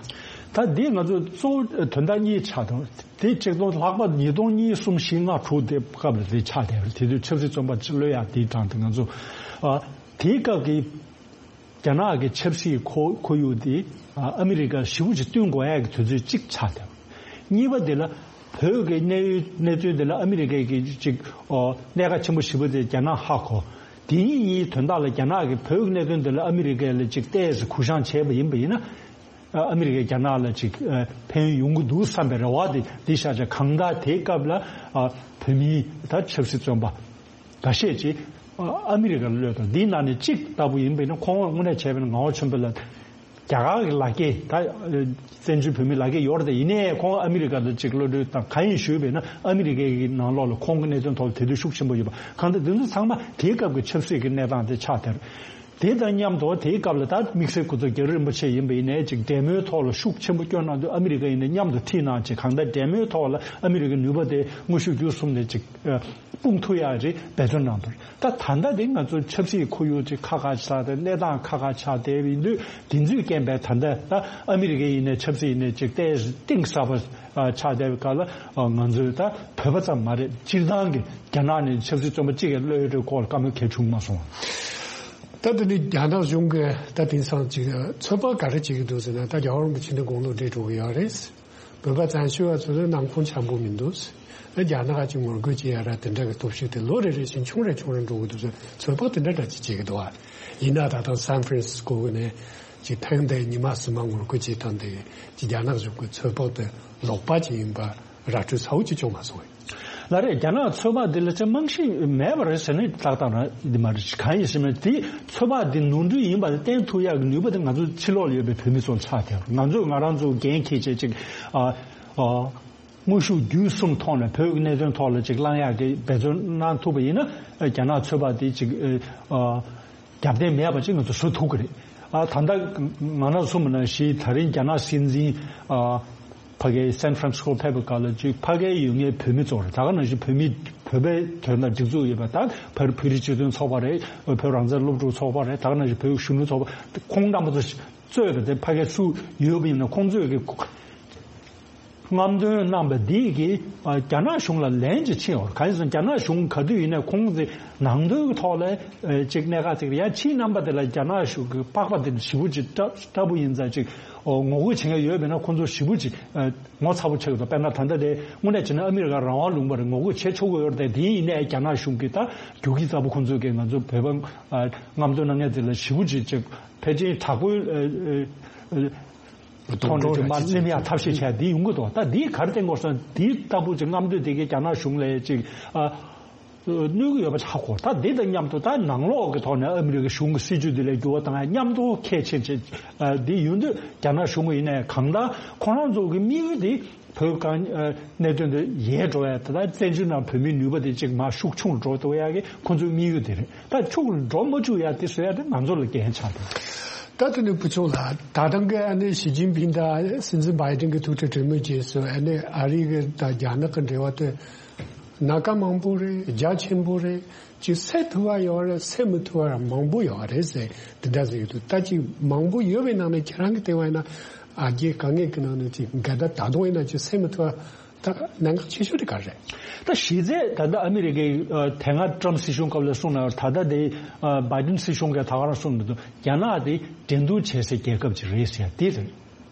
ད་འདི་ང་ཚོ་གཙོ་བོ་དོན་དག་གཉིས་ཆགས་འདུག། དེ་གཅིག་ཏུ་ལྷག་པར་ཉིས་སྟོང་གཉིས་གསུམ་བཞི་ལྔ་དྲུག་དེ་སྐབས་ལ་དེ་ཆགས་བསྡད་པ་རེད། དེ་དུས་ཆབ་སྲིད་བཙོན་པ་ཅིག་གློད་ཡ་དེའི་གྲངས་དེ་ང་ཚོ་ཨ་དེའི་སྐབས་ཀྱི་རྒྱ་ནག་གི་ཆབ་སྲིད་ཁོར་ཁོར་ཡུག་དེ་ཨ་ཨ་མི་རི་ཀ་ཞེ་པོ་ཅིག་བསྟུན་དགོས་ཡ་གི་དུས་ཚོད་ཅིག་ཆགས་བསྡད་པ། གཉིས་པ་དེ་ལ་བོད་ཀྱི་གནས་ཡུལ་གནས་ཚུལ་དེ་ལ་ཨ་མི་རི་ཀ་གི་ཅིག་ཨོ་གནད་འགག་ཆེན་པོ་ཞེ་པོ་དེ་རྒྱ་ནག་ཧ་གོ། དེ་གཉིས་གཉིས་དོན་དག་ལ་རྒྱ་ནག་གིས་བོད་ཀྱི་གནད་དོན་དེ་ལ་ཨ་མི་རི་ཀ་ལ་ཅིག་ཏོག་ཙམ་གུ་བཤངས་བྱས་པ་ཡིན་པ་ཡིན་ན། ཨ་མི་རི་ཀས་རྒྱ་ནག་ལ་ཅིག་ཨ་ཕན་ཡོན་ཡོང་གི་འདུག་བསམ་པའི་རེ་བ་དེ་འདི་ཤར་བྱས། གང་ལྟར་དེའི་སྐབས་ལ་ཨ་བོད་མིའི་ད་ཆབ་སྲིད་བཙོན་པ་འགའ་ཤས་ཅིག་ཨ་ཨ་མི་རི་ཀར་གློད་དང་། འདིའི་ནང་ནས་གཅིག་ལྟ་བུ་ཡིན་པ་ཡིན་ན་ཁོང་དངོས་གནས་བྱས་པ་ཡིན་ན་ངག་དབང་ཆོས་འཕེལ་ལགས་ རྒྱ་གར་གྱི་ལག་འཁྱེར་ད་བཙན་བྱོལ་བོད་མི་ལག་འཁྱེར་ཡོད་རེད་དེ། ཡིན་ནའི་ཁོང་ཨ་མི་རི་ཀ་ལ་ཅིག་གློད་གྲོལ་དང་གང་ཡིན་ཞུས་པས་ན། ཨ་མི་རི་ཀའི་ནང་ལོགས་ལ་ཁོང་གི་གནད་དོན་ཐོག་ལ་དེ་དུས་ཤུགས་ཆེན་པོ་ཡོད་པ། གང་ལྟར་དེ་ཚོ་ཚང་མ་དེའི་སྐབས་ཀྱི་ཆབ་སྲིད་ཀྱི་གནས་སྟངས་དེ་ཆགས་བསྡད་རེད། དེ་དང་མཉམ་དུ་དེའི་སྐབས་ལ་ད་དམིགས་བསལ་སྐུ་ཚབ་རྒྱ་རི་རིན་པོ་ཆེ་ཡིན་པ་ཡིན་ནའི་ཅིག་འབྲེལ་མོལ་ཐོག་ལ་ཤུགས་ཆེན་པོ་བསྐྱོན་གནང་དུས། ཨ་མི་རི་ཀ་ཡིན་ནའི་མཉམ་དུ་ཁྲིད་གནང་ཅིག་གང་ལྟར་འབྲེལ་མོལ་ཐོག་ལ་ཨ་མི་རི་ཀའི་ནུས་པ་དེ་དངོས་ཤུགས་བརྒྱུད་གསུམ་ནས་ཅིག་སྤུངས་ཐུབ་ཡག་རེད་འབད་བརྩོན་གནང་འདུག་ད་ད་ལྟ་དེ་ང་ཚོ་ཆབ་སྲིད་ཁོར་ཡུག་ཅིག་ཁག་ཁག་ཆགས་ཏེ། གནས་སྟངས་ཁག་ཁག་ཆགས་བསྡད་པ་ཡིན་དུས། དེ་ཚོའི་རྐྱེན་པས་ད་ལྟ་ད་ཨ་མི་རི་ཀའི་ཡིན་ནའི་ཆབ་སྲིད་ཡིན་ནའི་ཅིག་ཏོག་ཙམ་གཏིང་ཟབ་པ་ཆགས་བསྡད་པའི་སྐབས་ལ། ང་ཚོས་ད་བོད་པ་ཙམ་མ་རེད། སྤྱིར་བཏང་གི་རྒྱ་ནག་ནས་ཆབ་སྲིད་བཙོན་པ་གཅིག་གི་གློད་གྲོལ་སྐོར་ལ་བཀའ་མོལ་གལ་བྱུང་མ་སོང་། ད་དེ་ནི་རྒྱ་ནག་གཞུང་གིས་ད་དེང་སང་ཅིག་ཚོད་དཔག་ག་རེ་བྱེད་ཀྱི་འདུག་ཟེར་ན། ད་རྒྱལ་བ་རིན་པོ་ཆེ་འདི་དགུང་ལོ་བགྲེས་འགྲོ་གི་ཡོད་རེད། བོད་པ་བཙན་བྱོལ་བ་ཚོ་ལ་ནང་ཁུངས་འཆམ་པོ་མི་འདུག། རྒྱ་ནག་ཅིག་ངོ་རྒོལ་བྱེད་ཡ་ར་དེ་འདྲ་གི་སྟོབས་ཤུགས་དེ་ལོ་རེ་རེ་བཞིན་ཆུང་རེ་ཆུང་རེ་འགྲོ་གི་འདུག་ཟེར་ཚོད་དཔག་དེ་འདྲ་འདྲ་ཅིག་བྱེད་ཀྱི་འདུག་ཨ། ཡིན་ན་ད་ལྟ་སན་ཧྥ་རན་སི་སྐོ་གི་ནས་ཅིག་ཐེངས་འདིའི་ཉི་མ་གསུམ་མ་ངོ་རྒོལ་བྱེད་སྟངས་དེ་ཅིག་རྒྱ་ནག་གཞུང་གི་ཚོད་དཔག་དེ་ལོག་པ་ཅིག་ཡིན་པ་ར་སྤྲོད་ཚ་བོ་ཅིག་བྱུང་མ་སོང་། ལགས་རེད། རྒྱ་ནག་ཚོད་དཔག་འདི་ལ་ཅིག་རྨང་གཞི་མེད་པ་རེད་ཟེར་ནས་ཏག་ཏག་རང་འདི་མ་རེད། གང་ཡིན་ཟེར་ན་དེ་ཚོད་དཔག་འདི་ནོར་འཁྲུལ་ཡིན་པ་ལ་བསྟན་ཐུབ་ཡག་གི་ནུས་པ་དེ་ང་ཚོ་ཕྱི་ལོགས་ལ་ཡོད་པའི་བོད་མི་ཚོ་ལ་ཆགས་བསྡད་ཡོད། ང་ཚོས་ང་རང་ཚོ་འགན་འཁྱེར་བྱས་ཅིག་ཨ་ཨ་དངོས་ཤུགས་བརྒྱུད་གསུམ་ཐོག་ནས་བོད་ཀྱི་གནད་དོན་ཐོག་ལ་ཅིག་བསླང་ཡག་གི་འབད་བརྩོན་གནང་ཐུབ་པ་ཡིན་ན། རྒྱ་ནག་ཚོད་དཔག་འདི་ཅིག་ཨ་རྒྱབ་རྟེན་མེད་པ་ཅིག་ང་ཚོ་བཟོ་ཐུབ་ཀྱི་རེད། ཨ་ད་ལྟ་ང་རང་གསུངས་པ་ནང་བཞིན་ད་རིང་རྒྱ་ནག་སྲིད་འཛིན་ཨ་ཕ་གའི་སན་ཧྥ་རན་སི་ཀོ་ཕེབས་པའི་སྐབས་ལ་ཅིག་ཕ་གའི་ཡོད་མཁན་བོད་མི་ཚོ་རེད། ད་ག་ནང་བཞིན་བོད་མི་བོད་པའི་དོན་དང་སྒྲིག་འཛུགས་ཡོད་པ། ད་བོད་བོད་རིགས་སྤྱི་མཐུན་ཚོགས་པ་རེད། བོད་རང་བཙན་སློབ་ཕྲུག་ཚོགས་པ་རེད། ད་ག་ནང་བཞིན་བོད་གཞོན་ནུ་ཚོགས་པ། ཁོང་རྣམ་པ་ཚོ་གཙོས་པའི་དེ་ཕ་གའི་སུ་ཡོད་པ་ཡིན་ན་ཁོང་ཚོས་ཀྱི་རྔམ་སྟོན་གནང་པ་འདི་གིས་ཨ་རྒྱ་ནག་གཞུང་ལ་ལན་ཅིག་ཕྱིན་ཡོད་རེད། གང་ཡིན་ཟེར་ན་རྒྱ་ནག་གཞུང་ག་དུས་ཡིན་ནའི་ཁོང་ཚོའི་ནང་དོན་གྱི་ཐོག་ལ་ཨ་ཅིག་གནད་འགག་ཅིག་རེད། ཡང་ཕྱིའི་རྣམ་པ་དེ་ལ་རྒྱ་ནག་གཞུང་གི་པགས་པ་དེ་ཞེ་པོ་ཅིག་སྐྲག་སྐྲག་པོ་ཡིན་ཙང་ཅིག་ཨོ་ངོ་རྒོལ་བྱེད་མཁན་ཡོད་པས་ན་ཁོང་ཚོ་ཞེ་པོ་ཅིག་ཨ་ངོ་ཚ་པོ་ཆགས་ཀྱི་འདུག། དཔེར་ན་ད་ལྟ་དེ་དངོས་གནས་བྱས་ན་ཨ་མི་རི་ཀ་རང་དབང་ལུང་པ་རེད། ངོ་རྒོལ་བྱེད་ཆོག་གི་ཡོད་རེད་དེ། དེ་ཡིན་ནའི་རྒྱ་ནག་གཞུང་གིས་ད་རྒྱུག་ཁྱི་རྩ་པོ་ཁོང་ཚོས་ཀྱིས་ང་ཚོ་བོད་པ་ཨ་རྔམ་སྟོན་གནང་མཁན་དེ་ལ་ཞེ་པོ་ཅིག་ཅིག་ཕལ་ཆེར་དྲག་པོའི་ཨ་ཨ་ཨ་ཐོག་ནས་ཅིག་མར་སྣེ་མེད་ཡ་ཐབས་ཤེས་བྱས་འདི་ཡོང་གི་འདུག། ད་འདིས་ག་རེ་བསྟན་དགོས་སམ། འདི་ལྟ་བུ་ཅིག་རྔམ་སྟོན་དེ་གའི་རྒྱ་ནག་གཞུང་ལ་ཅིག་ཨ་གནོད་ཀྱི་ཡོད་པ་ཆགས་གོ། ད་འདི་དང་མཉམ་དུ་ད་ནང་ལོགས་ཀྱི་ཐོག་ནས་ཨ་མི་རི་ཀའི་གཞུང་གི་སྲིད་ཇུས་འདི་ལ་འགྱུར་བ་བཏང་ཡ་མཉམ་དུ་གལ་ཆེན་ཆེ་ཨ་འདི་ཡོང་དུས་རྒྱ་ནག་གཞུང་གི་ཡིན་ནའི་གང་ལྟར་ཁོ་རང་ཚོ་གི་དམིགས་ཡུལ་འདི་བོད་གང་ཨ་གནད་དོན་འདི་ཡལ་འགྲོ་ཡ། ད་ལྟ་བཙན་བྱོལ་ནང་བོད་མིའི་ནུས་པ་འདི་ཅིག་མར་ཤུགས་ཆུང་འགྲོ་ཐུབ་ཡ་གི་ཁོ་ཚོའི་དམིགས་ཡུལ་འདི་རེད། ད་ཕྱུགས་ལ་འགྲོ་མ་བཅུག་ཡ་དེ་བཟོ་ཡ་དེ་ང་ཚོ་ལ་འགན་ཆགས་འདུག། ད་དེ་ནས་བུ་ཆུང་ལགས། ད་ཐེངས་ཀྱི་ཨ་ནི་ཞི་ཅིན་ཕིང་དང་སྲིད་འཛིན་བྷའི་ཏིན་གྱི་ཐུག་འཕྲད་གྲོས་མོལ་རྗེས་སུ་ཨ་ནི་ཨ་རི་གི་དང་རྒྱ་ནག་གི་འབྲེལ་བ་དེ་སྣ་ཁ་མང་པོ་རེད། རྒྱ་ཆེན་པོ་རེད། ཅིག་སེལ་ཐུབ་པ་ཡོད་རེད། སེལ་མི་ཐུབ་པ་མང་པོ་ཡོད་རེད་ཟེར་དེ་འདྲ་ཟེར་གྱི་འདུག། ད་ཅིག་མང་པོ་ཡོད་པའི་ནང་ནས་ཁྱེད་རང་གི་ལྟ་བ་ཡིན་ན་ཨ་རྒྱའི་དཀའ་ངལ་གྱི་ནང་ནས་ཅིག་འགལ་ཟླ་ད་དུང་ཡིན་ན་ཅིག་སེལ་མི་ཐུབ་པ། ད་གནད་འགག་ཆེ་ཤོས་དེ་ག་རེ་རེད། ད་གཞི་རྩའི་ད་ལྟ་ཨ་མི་རི་ཀའི་ཨ་དེ་སྔ་ཊམ་སྲིད་གཞུང་སྐབས་ལ་གསུངས་ན། ད་ལྟ་དེ་ཨ་བྷའི་ཏིན་སྲིད་གཞུང་གིས་ད་ག་རང་གསུངས་འདུག། རྒྱ་ནག་དེ་འགྲན་བསྡུར་བྱེད་སའི་རྒྱལ་ཁབ་ཅིག་རེད་ཟེར་དེ་རེད།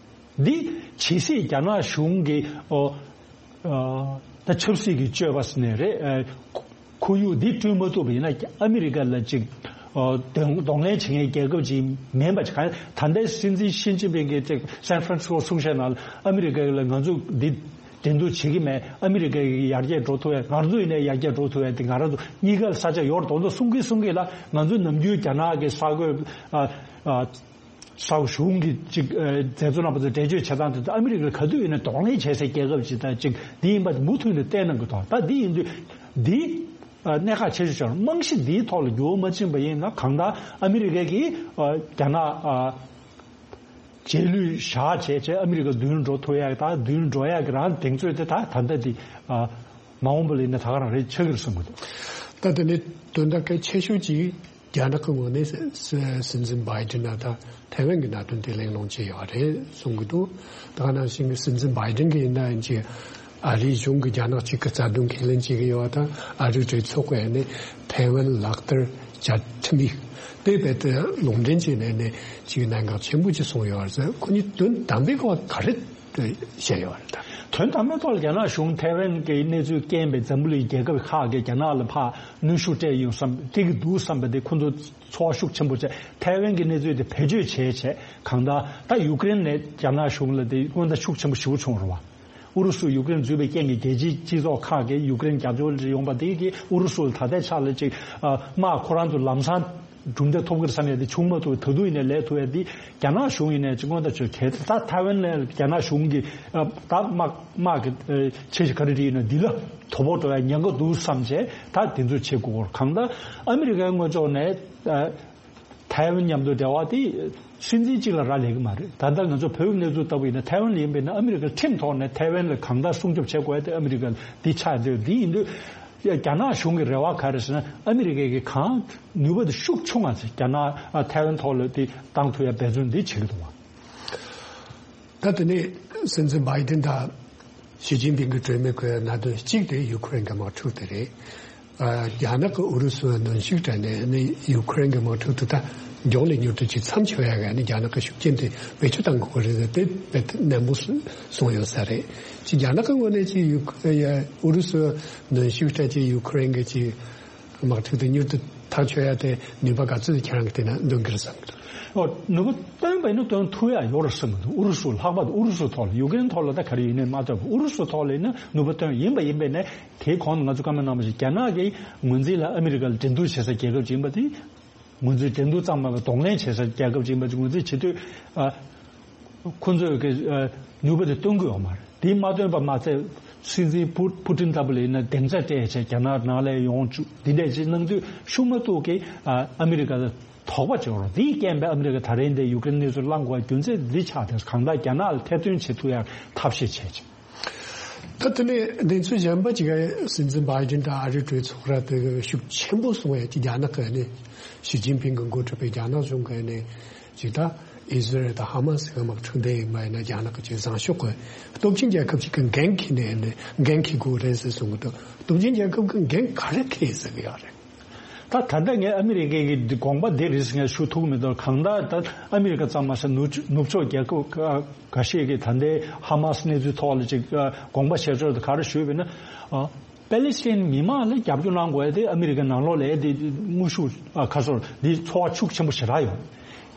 འདི་ཇི་སྲིད་རྒྱ་ནག་གཞུང་གིས་ཨོ་ཨ་ད་ཆབ་སྲིད་ཀྱི་སྤྱོད་པ་ཟེར་ནའི་རེད། ཨ་ཁོར་ཡུག་འདི་བསྐྲུན་མ་ཐུབ་པ་ཡིན་ན་ཨ་མི་རི་ཀ་ལ་ཅིག་ཨ་གདོང་གདོང་ལེན་བྱེད་མཁན་རྒྱལ་ཁབ་ཅིག་མིན་པ་ཅིག། གང་ད་ལྟའི་སྲིད་འཛིན་ཞི་ཅིན་ཕིང་གིས་ཅིག་སན་ཧྥ་རན་སི་སྐོ་གསུང་བཤད་ནང་ལ་ཨ་མི་རི་ཀ་ལ་ང་ཚོ་འདི་འགྲན་བསྡུར་བྱེད་ཀྱི་མེད། ཨ་མི་རི་ཀ་ཡར་རྒྱས་འགྲོ་ཐུབ་ཡ། ང་ཚོ་ཡིན་ནའི་ཡར་རྒྱས་འགྲོ་ཐུབ་ཡ་དེ་ང་རང་ཚོ་གཉིས་ཀ་ལ་ས་ཆ་ཡོད་རེད། དོན་དུ་གསུང་གི་ལ་ང་ཚོ་ནམ་རྒྱུན་རྒྱ་ནག་གི་ས་རྒོད་ཨ་ཨ་ས་གཞུང་གི་ཅིག་ཨ་མཛད་གཙོ་རྣམ་པ་ཚོ་འགྲེལ་བརྗོད་བྱེད་སྟངས་དེ་ཚོ་ཨ་མི་རི་ཀ་ག་དུས་ཡིན་ན་གདོང་ལེན་བྱེད་སའི་རྒྱལ་ཁབ་ཅིག་དང་ཅིག་འདི་ཡིན་པ་མུ་མཐུད་ནས་བསྟན་གནང་གི་འདུག། ད་འདི་ཡིན་དུས་འདི་ཨ་གནད་འགག་ཆེ་ཤོས་ཆགས། རྨང་གཞི་འདིའི་ཐོག་ལ་འགྱུར་བ་མ་ཕྱིན་པ་ཡིན་ན་གང་ལྟར་ཨ་མི་རི་ཀ་གིས་ཨ་རྒྱ་ནག་ཨ་རྗེས་ལུས་བཞག་བྱས་བྱས་ཨ་མི་རི་ཀ་མདུན་འགྲོ་ཐུབ་ཡག་ད་མདུན་འགྲོ་ཡག་གི་རང་གདེང་ཚོད་དེ་ད་ད་ལྟ་འདི་ཨ་མ་འོངས་པ་ལ་ཡིན་ན་ད་ག་རང་རེད་ཆགས་ཀྱི་རེད་བསམ་གི་འདུག། ད་དེ་ནི་དོན་དག་གལ་ཆེ་ཤོས་ཅིག་རྒྱ་ནག་གི་ངོས་ནས་སྲིད་སྲིད་འཛིན་བྷའི་ཏིན་ལ་ད་ཐའེ་ཝན་གྱི་གནད་དོན་དེ་གླེང་སློང་བྱས་ཡོད་རེད་གསུང་གི་འདུག། ད་ག་ནང་བཞིན་གྱི་སྲིད་འཛིན་བྷའི་ཏིན་གྱིས་ཡིན་ན་ཡིན་གྱི་ཨ་རིའི་གཞུང་གིས་རྒྱ་ནག་གཅིག་གི་རྩ་དོན་ཁས་ལེན་བྱེད་ཀྱི་ཡོད་པ་དང་། ཨ་རིའི་གྲོས་ཚོགས་ཀྱིས་ནི་ཐའེ་ཝན་ལག་བསྟར་བྱ་ཁྲིམས་ཡིག་དེ་རྦད་དེ་ལུང་འདྲེན་བྱས་ནས་ནི་གཅིག་གནད་འགག་ཆེན་པོ་ཅིག་སོང་ཡོད་རེད་ཟེར། ཁོ་གཉིས་དོན་དམ་པའི་སྐོར་ག་རེ་བཤད་ཡོད་རེད་ད། དོན་དམ་པའི་ཐོག་ལ་རྒྱ་ནག་གཞུང་ཐའེ་ཝན་གྱི་གནས་ཚུལ་རྐྱེན་པས་འཛམ་བུ་གླིང་རྒྱལ་ཁབ་ཁག་གིས་རྒྱ་ནག་ལ་ཕར་གནོན་ཤུགས་སྤྲད་ཡོང་བསམ། སྤྲད་ཀྱི་འདུག་བསམ་པ་དེ་ཁོ་ཚོ་ཚོར་བ་ཤུགས་ཆེན་པོ་བྱས། ཐའེ་ཝན་གྱི་གནས་ཚུལ་དེ་བེད་སྤྱོད་བྱས་བྱས་གང་ལྟར་ད་ཡུཀ་རེན་ནས་རྒྱ་ནག་གཞུང་ལ་དེ་སྔོན་བརྡ་ཤུགས་ཆེན་པོ་ཞེ་པོ་བྱུང་རེད་བ། ཨུ་རུ་སུ་ཡུཀ་རེན་འཛུལ་བའི་རྐྱེན་གྱིས་རྒྱལ་སྤྱིའི་སྤྱི་ཚོགས་ཁག་གིས་ཡུཀ་རེན་རྒྱབ་སྐྱོར་ཡོང་པ་དེ་གིས་ཨུ་རུ་སུ་ལ་ད་ལྟའི་ཆ་ལ་ཅིག་ཨ་དམག་ཁོ་རང་ཚོ་ལམ་སང་ གྲུབ་འབྲས་ཐོབ་ཀྱི་རེད་བསམ་ཡ་དེ་བྱུང་མ་ཐུབ། ད་དུང་ཡིན་ནའི་ལས་ཐུབ་ཡ་དེ་རྒྱ་ནག་གཞུང་ཡིན་ནའི་ཅིག་སྔོན་ད་ཆོས་གལ་ད་ཐའེ་ཝན་ལ་རྒྱ་ནག་གཞུང་གིས་ད་དམག་དམག་གི་ཆེད་ཀྱི་ག་རེ་རེད་ཡིན་ན་འདི་ལ་དོ་ཕོག་འགྲོ་ཡ་ཉེན་ཁ་འདུག་བསམ་བྱས་ད་དེ་ཚོ་བྱེད་དགོས་སྐོར། གང་ལྟར་ཨ་མི་རི་ཀའི་ངོས་ཕྱོགས་ནས་ཐའེ་ཝན་མཉམ་དུ་འབྲེལ་བ་དེ་སྲིད་འཛིན་གཅིག་ལ་རག་ལས་ཀྱི་མ་རེད། ད་ལྟ་ང་ཚོ་བོད་ཀྱི་གནས་ཚུལ་ལྟ་བུ་ཡིན་ན་ཐའེ་ཝན་ལ་ཡིན་པས་ན་ཨ་མི་རི་ཀའི་ཁྲིམས་ཐོག་ནས་ཐའེ་ཝན་ལ་གང་ལྟར་སྲུང་སྐྱོབ་བྱེད་དགོས་ཡ་དེ་ཨ་མི་རི་ཀ་འདི་ཆགས་འདོད་འདི་ཡིན་དུས། རྒྱ་ནག་གཞུང་གི་རེ་བ་ག་རེ་ཟེར་ན་ཨ་མི་རི་ཀའི་གི་གང་ནུས་པ་དེ་ཤུགས་ཆུང་བ་ཚེ་རྒྱ་ནག་ཨ་ཐའེ་ཝན་ཐོག་ལ་དེ་བཏང་ཐུབ་ཡ་འབད་བརྩོན་འདི་བྱེད་ཀྱི་འདུག་བ། ད་དེ་ནས་སྲིད་འཛིན་བྷའི་ཏིན་དང་ཞི་ཅིན་ཕིང་གི་གྲོས་མོལ་གྱི་གནད་དོན་གཅིག་དེ་ཡུ་ཁུ་རེན་གྱི་དམག་འཁྲུག་དེ་རེད། ཨ་རྒྱ་ནག་གི་ཨུ་རུ་སུ་གནོན་ཤུགས་སྤྲད་ནས་ནི་ཡུ་ཁུ་རེན་གྱི་དམག་འཁྲུག་དེ་ད་མགྱོགས་ལས་མྱུར་དུ་ཅིག་མཚམས་ཆད་ཡ་ག་ནི་རྒྱ་ནག་གི་ཤུགས་རྐྱེན་དེ་བེད་སྤྱོད་བཏང་དགོས་རེད་དེ་དཔེ་ནན་པོ་གསུངས་ཡོད་ས་རེད། ཅིག་རྒྱ་ནག་གི་ངོས་ནས་ཅིག་ཡུ་ཨུ་རུ་སུ་གནོན་ཤུགས་སྤྲད་ཅིག་ཡུ་ཁུ་རེན་གྱི་ཅིག་དམག་འཁྲུག་དེ་མྱུར་དུ་ཐག་ཆོད་ཡ་དེ་ནུས་པ་ག་ཚོད་ཁྱེད་རང་གི་དེ་ན་འདོན་གྱི་རེད་བསམ་གྱི་འདུག་ཨོ། ནུས་པ་བཏོན་པ་ཡིན་ན་བཏོན་ཐུབ་ཡ་ཡོད་རེད་བསམ་གྱི་འདུག་ཨུ་རུ་སུ་ལྷག་པར་དུ་ཨུ་རུ་སུ་ཐོག་ལ་ཡུ་ཀེ་རེན་ཐོག་ལ་ད་ག་རེ་ཡིན་ནའི་མ་ཐོབ་ཨུ་རུ་སུ་ཐོག་ལ་ཡིན་ན་ནུས་པ་བཏོན་ཡིན་པ་ཡིན་པས་ནས་དེའི་གོང་དུ་ང་ཚོ་བཀའ་མོལ་གནང་བ་བཞིན་རྒྱ་ནག་གི་ངོས་འཛིན་ལ་ཨ་མི་རི་ཀ་ལ་འགྲན་བསྡུར་བྱེད་ས་རྒྱལ་ཁབ་ཅིག་ཡིན་པ་དེ། ངོས་འཛིན་འགྲན་བསྡུར་ཙམ་མ་ཡིན་པར་གདོང་ལེན་བྱེད་ས་རྒྱལ་ཁབ་ཅིག་ཡིན་པ་ཅིག་ངོས་འཛིན་བྱེད་དུས། ཨ། ཁོ་ཚོས་ཀྱི་ཨ་ནུས་པ་དེ་སྟོན་གྱི་ཡོད་མ་རེད། དེ་མ་སྟོན་པ་མ་ཚད་སྲིད་འཛིན་ཕུ་ཕུ་ཏིན་ལྟ་བུ་ལ་ཡིན་ན་སྡིངས་ཆ་སྤྲད་བྱས་རྒྱ་ནག་ནང་ལ་ཡོང་བཅུག་འདི་འདྲས་ཅིག་གནང་དུས་ཤུགས་མ་གཏོགས་ཀྱི་ཨ་ཨ་མི་རི་ཀ་ལ་དོགས་པ་བྱེད་རོགས། དེའི་རྐྱེན་པས་ཨ་མི་རི་ཀ་ད་རིང་འདི་ཡུ་ཀེ་རེན་གནས་ཚུལ་བླང་དགོས་རྒྱུ་མཚན་འདི་ཆགས་ཏེ་གང་ལྟར་རྒྱ་ནག་ལ་ཐེར་འདོན་བྱེད་ཐུབ་ཡག་ཐབས་ཤེས་བྱས་ཅིང་། ད་དེ་ནས་གནས་ཚུལ་གཞན་པ་ཅིག་སྲིད་འཛིན་བྷའི་ཏིན་དང་ཨ་རིའི་གྲོས་ཚོགས་ར་དེ་ཤུགས་ཆེན་པོ་སོང་བས་ཀྱི་རྒྱ་ནག་གི་ནས་ཞི་ཅིན་ཕིང་གི་འགོ་ཁྲིད་པའི་རྒྱ་ནག་གཞུང་གི་ནས་ཅིག་ད་ཨི་ཟི་རལ་དང་ཧ་མ་སི་གི་དམག་འཁྲུག་འདི་ཡིན་པ་ཡིན་ན་རྒྱ་ནག་གི་ཅིག་བཟང་ཕྱོགས་ཀྱི་སྟོབས་ཆེན་རྒྱལ་ཁབ་ཅིག་གི་འགན་འཁྱེར་ནས་ནས་འགན་འཁྱེར་དགོས་རེད་ཟེར་གསུང་གི་འདུག་སྟོབས་ཆེན་རྒྱལ་ཁབ་ཀྱི་འགན་ག་རེ་འཁྱེར་ཟེར་གི་ཡོད་རེད། ད་ད་ལྟ་ངས་ཨ་མི་རི་ཀའི་གི་དགོངས་པ་འདི་རེད་ཟེར་ངས་ཞུ་ཐུབ་མི་འདུག་གང་ལྟར་ད་ཨ་མི་རི་ཀ་ཙམ་མ་ཟད་ནུབ་ནུབ་ཕྱོགས་རྒྱལ་ཁབ་ཁག་འགའ་ཤས་ཀྱིས་ད་ལྟའི་ཧ་མ་སི་གནས་ཚུལ་ཐོག་ལ་ཅིག་དགོངས་པ་བཞེས་ཕྱོགས་དེ་ག་རེ་ཞུས་པས་ན། ཨ། པེ་ལི་སི་ཐན་མི་མང་ལ་རྒྱབ་སྐྱོར་གནང་དགོས་ཡ་དེ་ཨ་མི་རི་ཀའི་ནང་ལོགས་ལ་དེ་དངོས་ཤུགས་ཁ་སོར་འདི་ཚོར་བ་ཤུགས་ཆེན་པོ་ཞེ་དྲག་ཡོད།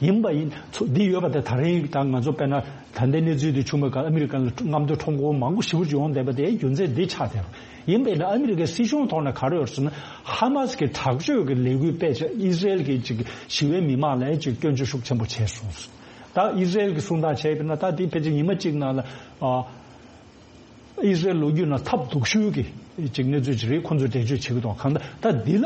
ཡིན་པ་ཡིན་ཚོ་འདི་ཡོད་པ་དེ་ད་རིང་ད་ང་ཚོ་དཔེར་ན་ད་ལྟའི་གནས་ཚུལ་འདི་བྱུང་བའི་སྐབས་ཨ་མི་རི་ཀ་ལ་རྔམ་སྟོན་ཁྲོམ་སྐོར་མང་པོ་ཞེ་པོ་ཅིག་ཡོང་བསྡད་པ་དེ་རྒྱུ་མཚན་འདི་ཆགས་བསྡད་ཡོད། ཡིན་པས་ན་ཨ་མི་རི་ཀའི་སྲིད་གཞུང་ཐོག་ནས་ག་རེ་ཡོད་ཟེར་ན་ཧ་མ་སི་གི་དྲག་སྤྱོད་ཀྱི་ལས་འགུལ་སྤེལ་བྱས་ཨི་ཟི་རལ་གྱི་ཅིག་ཞི་བའི་མི་མང་ལ་ཅིག་སྐྱོན་བརྗོད་ཤུགས་ཆེན་པོ་བྱས་སོང་། ད་ཨི་ཟི་རལ་གྱི་གསུང་སྟངས་བྱས་པས་ན་ད་འདི་ཕལ་ཆེར་ཉི་མ་གཅིག་ནང་ལ་ཨ། ཨི་ཟི་རལ་ལོ་རྒྱུས་ནང་ཐབས་སྡུག་ཤོས་ཀྱི་ཅིག་གནས་ཚུལ་ཅིག་རེད། ཁོང་ཚོས་འགྲེལ་བརྗོད་བྱེད་ཀྱི་འདུག་གང་ལྟར་ད་འདི་ལ་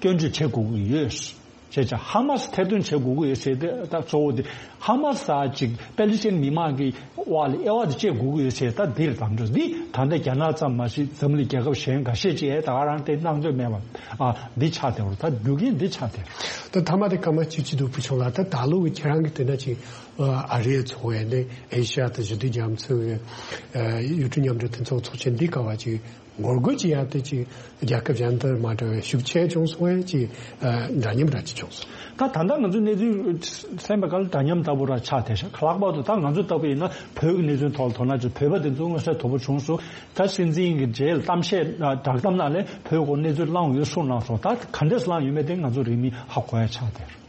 སྐྱོན་བརྗོད་བྱེད་དགོས་ཀྱི་ཡོད། བྱས་ཙང་ཧ་མ་སི་ཐེར་འདོན་བྱེད་དགོས་ཀྱི་ཡོད་ཟེར་ཏེ་ད་གཙོ་བོ་དེ་ཧ་མ་སི་ད་ཅིག་པེ་ལི་སི་ཐན་མི་མང་གི་དབར་ལ་དབྱེ་བ་དེ་བཅད་དགོས་ཀྱི་ཡོད་ཟེར་ད་འདིར་དམ་བཅའ་འདི་ད་ལྟ་རྒྱ་ནག་ཙམ་མ་ཟད་འཛམ་གླིང་རྒྱལ་ཁབ་གཞན་འགའ་ཤས་ཅིག་ད་ག་རང་དེ་སྣང་ཚོད་མེད་པ་ཨ་འདི་ཆགས་བསྡད་པ་རེད། ད་རྒྱུ་རྐྱེན་འདི་ཆགས་བསྡད་པ་རེད། ད་ཐ་མ་དེ་སྐར་མ་གཅིག་གཅིག་འདུག་བུ་ཆུང་ལགས། ད་ད་ལོ་གི་ཁྱེད་རང་གི་དེ་འདྲ་ཅིག་ཨ་རིའི་ཚོགས་པ་ནས་ཨེ་ཤ་ཡ་དང་ཞི་བདེ་རྒྱ་མཚོའི་ཡུལ་གྲུ་མཉམ་འབྲེལ་མཐུན་ཚོགས་ཚོགས་ཆེན་འདི་ག་བ་ཅིག་ངོ་རྒོལ་ཅིག་ཡང་དེ་ཅིག་རྒྱལ་ཁབ་གཞན་དང་མ་འདྲ་བའི་ཤུགས་ཆེ་བྱུང་སོང་བས་ཅིག་འདྲ་མཉམ་འདྲ་ཅིག་བྱུང་སོང་། ད་ད་ལྟ་ང་ཚོ་གནས་ཚུལ་གསན་པའི་སྐབས་ལ་འདྲ་མཉམ་ལྟ་བུ་ར་ཆགས་བསྡད་ཤག་ལྷག་པར་དུ་ད་ང་ཚོ་ལྟ་བུ་ཡིན་ན་བོད་ཀྱི་གནས་ཚུལ་ཐོག་ལ་དོ་སྣང་བྱེད་བོད་པ་དེ་ཚོ་མངོན་གསལ་དོད་པོ་བྱུང་སོང་། ད་སྲིད་འཛིན་གྱི་རྗེས་ལ་གཏམ་བཤད་བསྒྲགས་གཏམ་ནང་ལས་བོད་སྐོར་གནས་ཚུལ་བླངས་ཡོད་གསུངས་གནང་སོང་། ད་ག་འདྲས་བླངས་ཡོད་མེད་དེ་ང་ཚོ་རིང་མིན་ཧ་གོ་ཡ་ཆགས་བསྡད།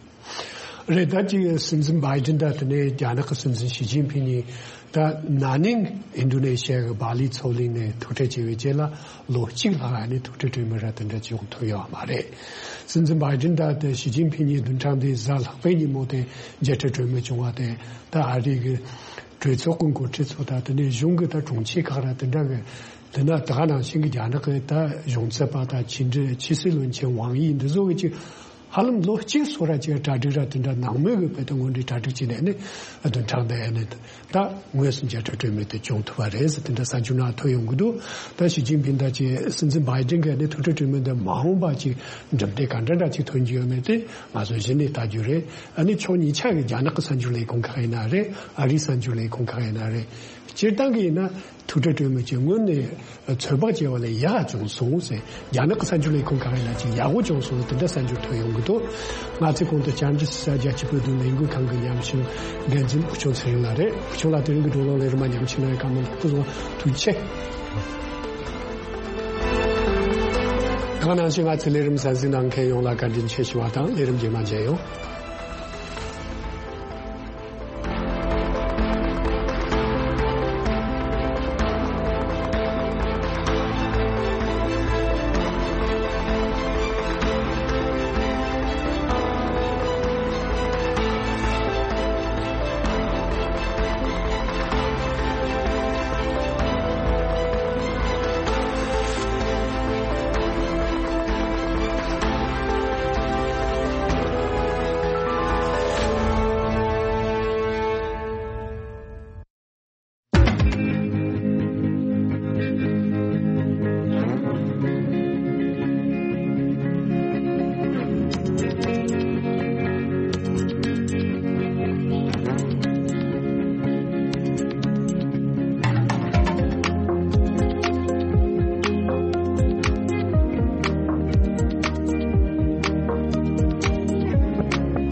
རེད། ད་ཅིག་སྲིད་འཛིན་བྷའི་ཏིན་དང་དེ་ནས་རྒྱ་ནག་གི་སྲིད་འཛིན་ཞི་ཅིན་ཕིང་གཉིས་ད་ན་ནིང་ཨིན་ཌོ་ནེ་ཤི་ཡ་གི་བྷ་ལི་མཚོ་གླིང་ནས་ཐུག་འཕྲད་བྱས་པའི་རྗེས་ལ་ལོ་གཅིག་ལྷག་ནས་ཐུག་འཕྲད་གྲོས་མོལ་ར་དེ་འདྲ་ཅིག་ཡོང་ཐུབ་ཡོད་མ་རེད། སྲིད་འཛིན་བྷའི་ཏིན་དང་དེ་ཞི་ཅིན་ཕིང་གཉིས་བདུན་ཕྲག་འདིའི་གཟའ་ལྷག་པའི་ཉིན་མོ་དེ་མཇལ་འཕྲད་གྲོས་མོལ་བྱུང་བ་དེ་ད་ཨ་རི་གི་གྲོས་ཚོགས་ཀྱི་འགོ་ཁྲིད་ཚོ་དང་དེ་ནས་གཞུང་གི་ད་དྲུང་ཆེ་ཁག་ར་དེ་འདྲ་གི་དེ་ན་ད་ག་ནང་བཞིན་གྱི་རྒྱ་ནག་གི་ད་གཞུང་ཚབ་པ་དང་ཕྱི་འབྲེལ་ཕྱི་སྲིད་བློན་ཆེན་ཝང་དབྱི་འདི་ཚོ་གི་ཅིག་ཧ་ལམ་ལོ་གཅིག་སོ་ར་ཅིག་གྲ་སྒྲིག་ར་དེ་འདྲ་ནང་མོལ་གི་བོད་དོན་སྔོན་འགྲོའི་གྲ་སྒྲིག་བྱས་ནས་ནི་བདུན་ཕྲག་འདི་ཨ་ནི་ད་དངོས་སུ་མཇལ་འཕྲད་གྲོས་མོལ་དེ་བྱུང་ཐུབ་པ་རེད་ཟེར་དེ་འདྲ་གསར་འགྱུར་ནང་ཐོན་ཡོང་གི་འདུག་ད་ཞི་ཅིན་ཕིང་དང་ཅིག་སྲིད་འཛིན་བྷའི་ཏིན་གི་ཨ་ནི་ཐུག་འཕྲད་གྲོས་མོལ་འདི་མ་འོངས་པ་ཅིག་འགྲུབ་འབྲས་ག་འདྲ་འདྲ་ཅིག་ཐོན་གྱི་ཡོད་མེད་དེ་ང་ཚོ་གཞི་ནས་ལྟ་རྒྱུ་རེད། ཨ་ནི་ཕྱོགས་གཉིས་ཆ་གི་རྒྱ་ནག་གི་གསར་འགྱུར་ལས་ཁུངས་ཁག་ཡིན་ན་རེད། ཨ་རིའི་གསར་འགྱུར་ལས་ཁུངས་ཁག་ཡིན་ན་རེད། སྤྱིར་བཏང་གི་ཡིན་ན། ཐུག་འཕྲད་གྲོས་མོལ་གྱི་སྔོན་ནས་ཚོད་དཔག་བྱས་པ་ལས་ཡག་བྱུང་སོང་ཟེར། རྒྱ་ནག་གི་གསར་འགྱུར་ལས་ཁུངས་ཁག་ཡིན་ན་ཅིག་ཡག་པོ་བྱུང་སོང་ཟེར་དེ་འདྲ་གསར་འགྱུར་ཐོན་ཡོང་གི་འདུག་ང་ཚོའི་གོང་དུ་བཅར་འདྲི་ཞུ་ས་རྒྱལ་སྤྱིའི་བོད་དོན་ལས་འགུལ་ཁང་གི་ཉམས་ཞིབ་འགན་འཛིན་ཕུར་ཆུང་ཚེ་རིང་ལགས་རེད། ཕུར་ཆུང་ལགས་དེ་རིང་གི་བགྲོ་གླེང་ལས་རིམ་མ་ཉམས་ཞིབ་གནང་བའི་བཀའ་མོལ་ལ་ཐུགས་རྗེ་ཆེ། ད་ག་ནང་བཞིན་ང་ཚོའི་ལས་རིམ་གསན་གཟིགས་གནང་མཁན་ཡོངས་ལ་བཀའ་དྲིན་ཆེ་ཞུ་བ་དང་ལས་རིམ་རྗེས་མ་མཇལ་ཡོང་།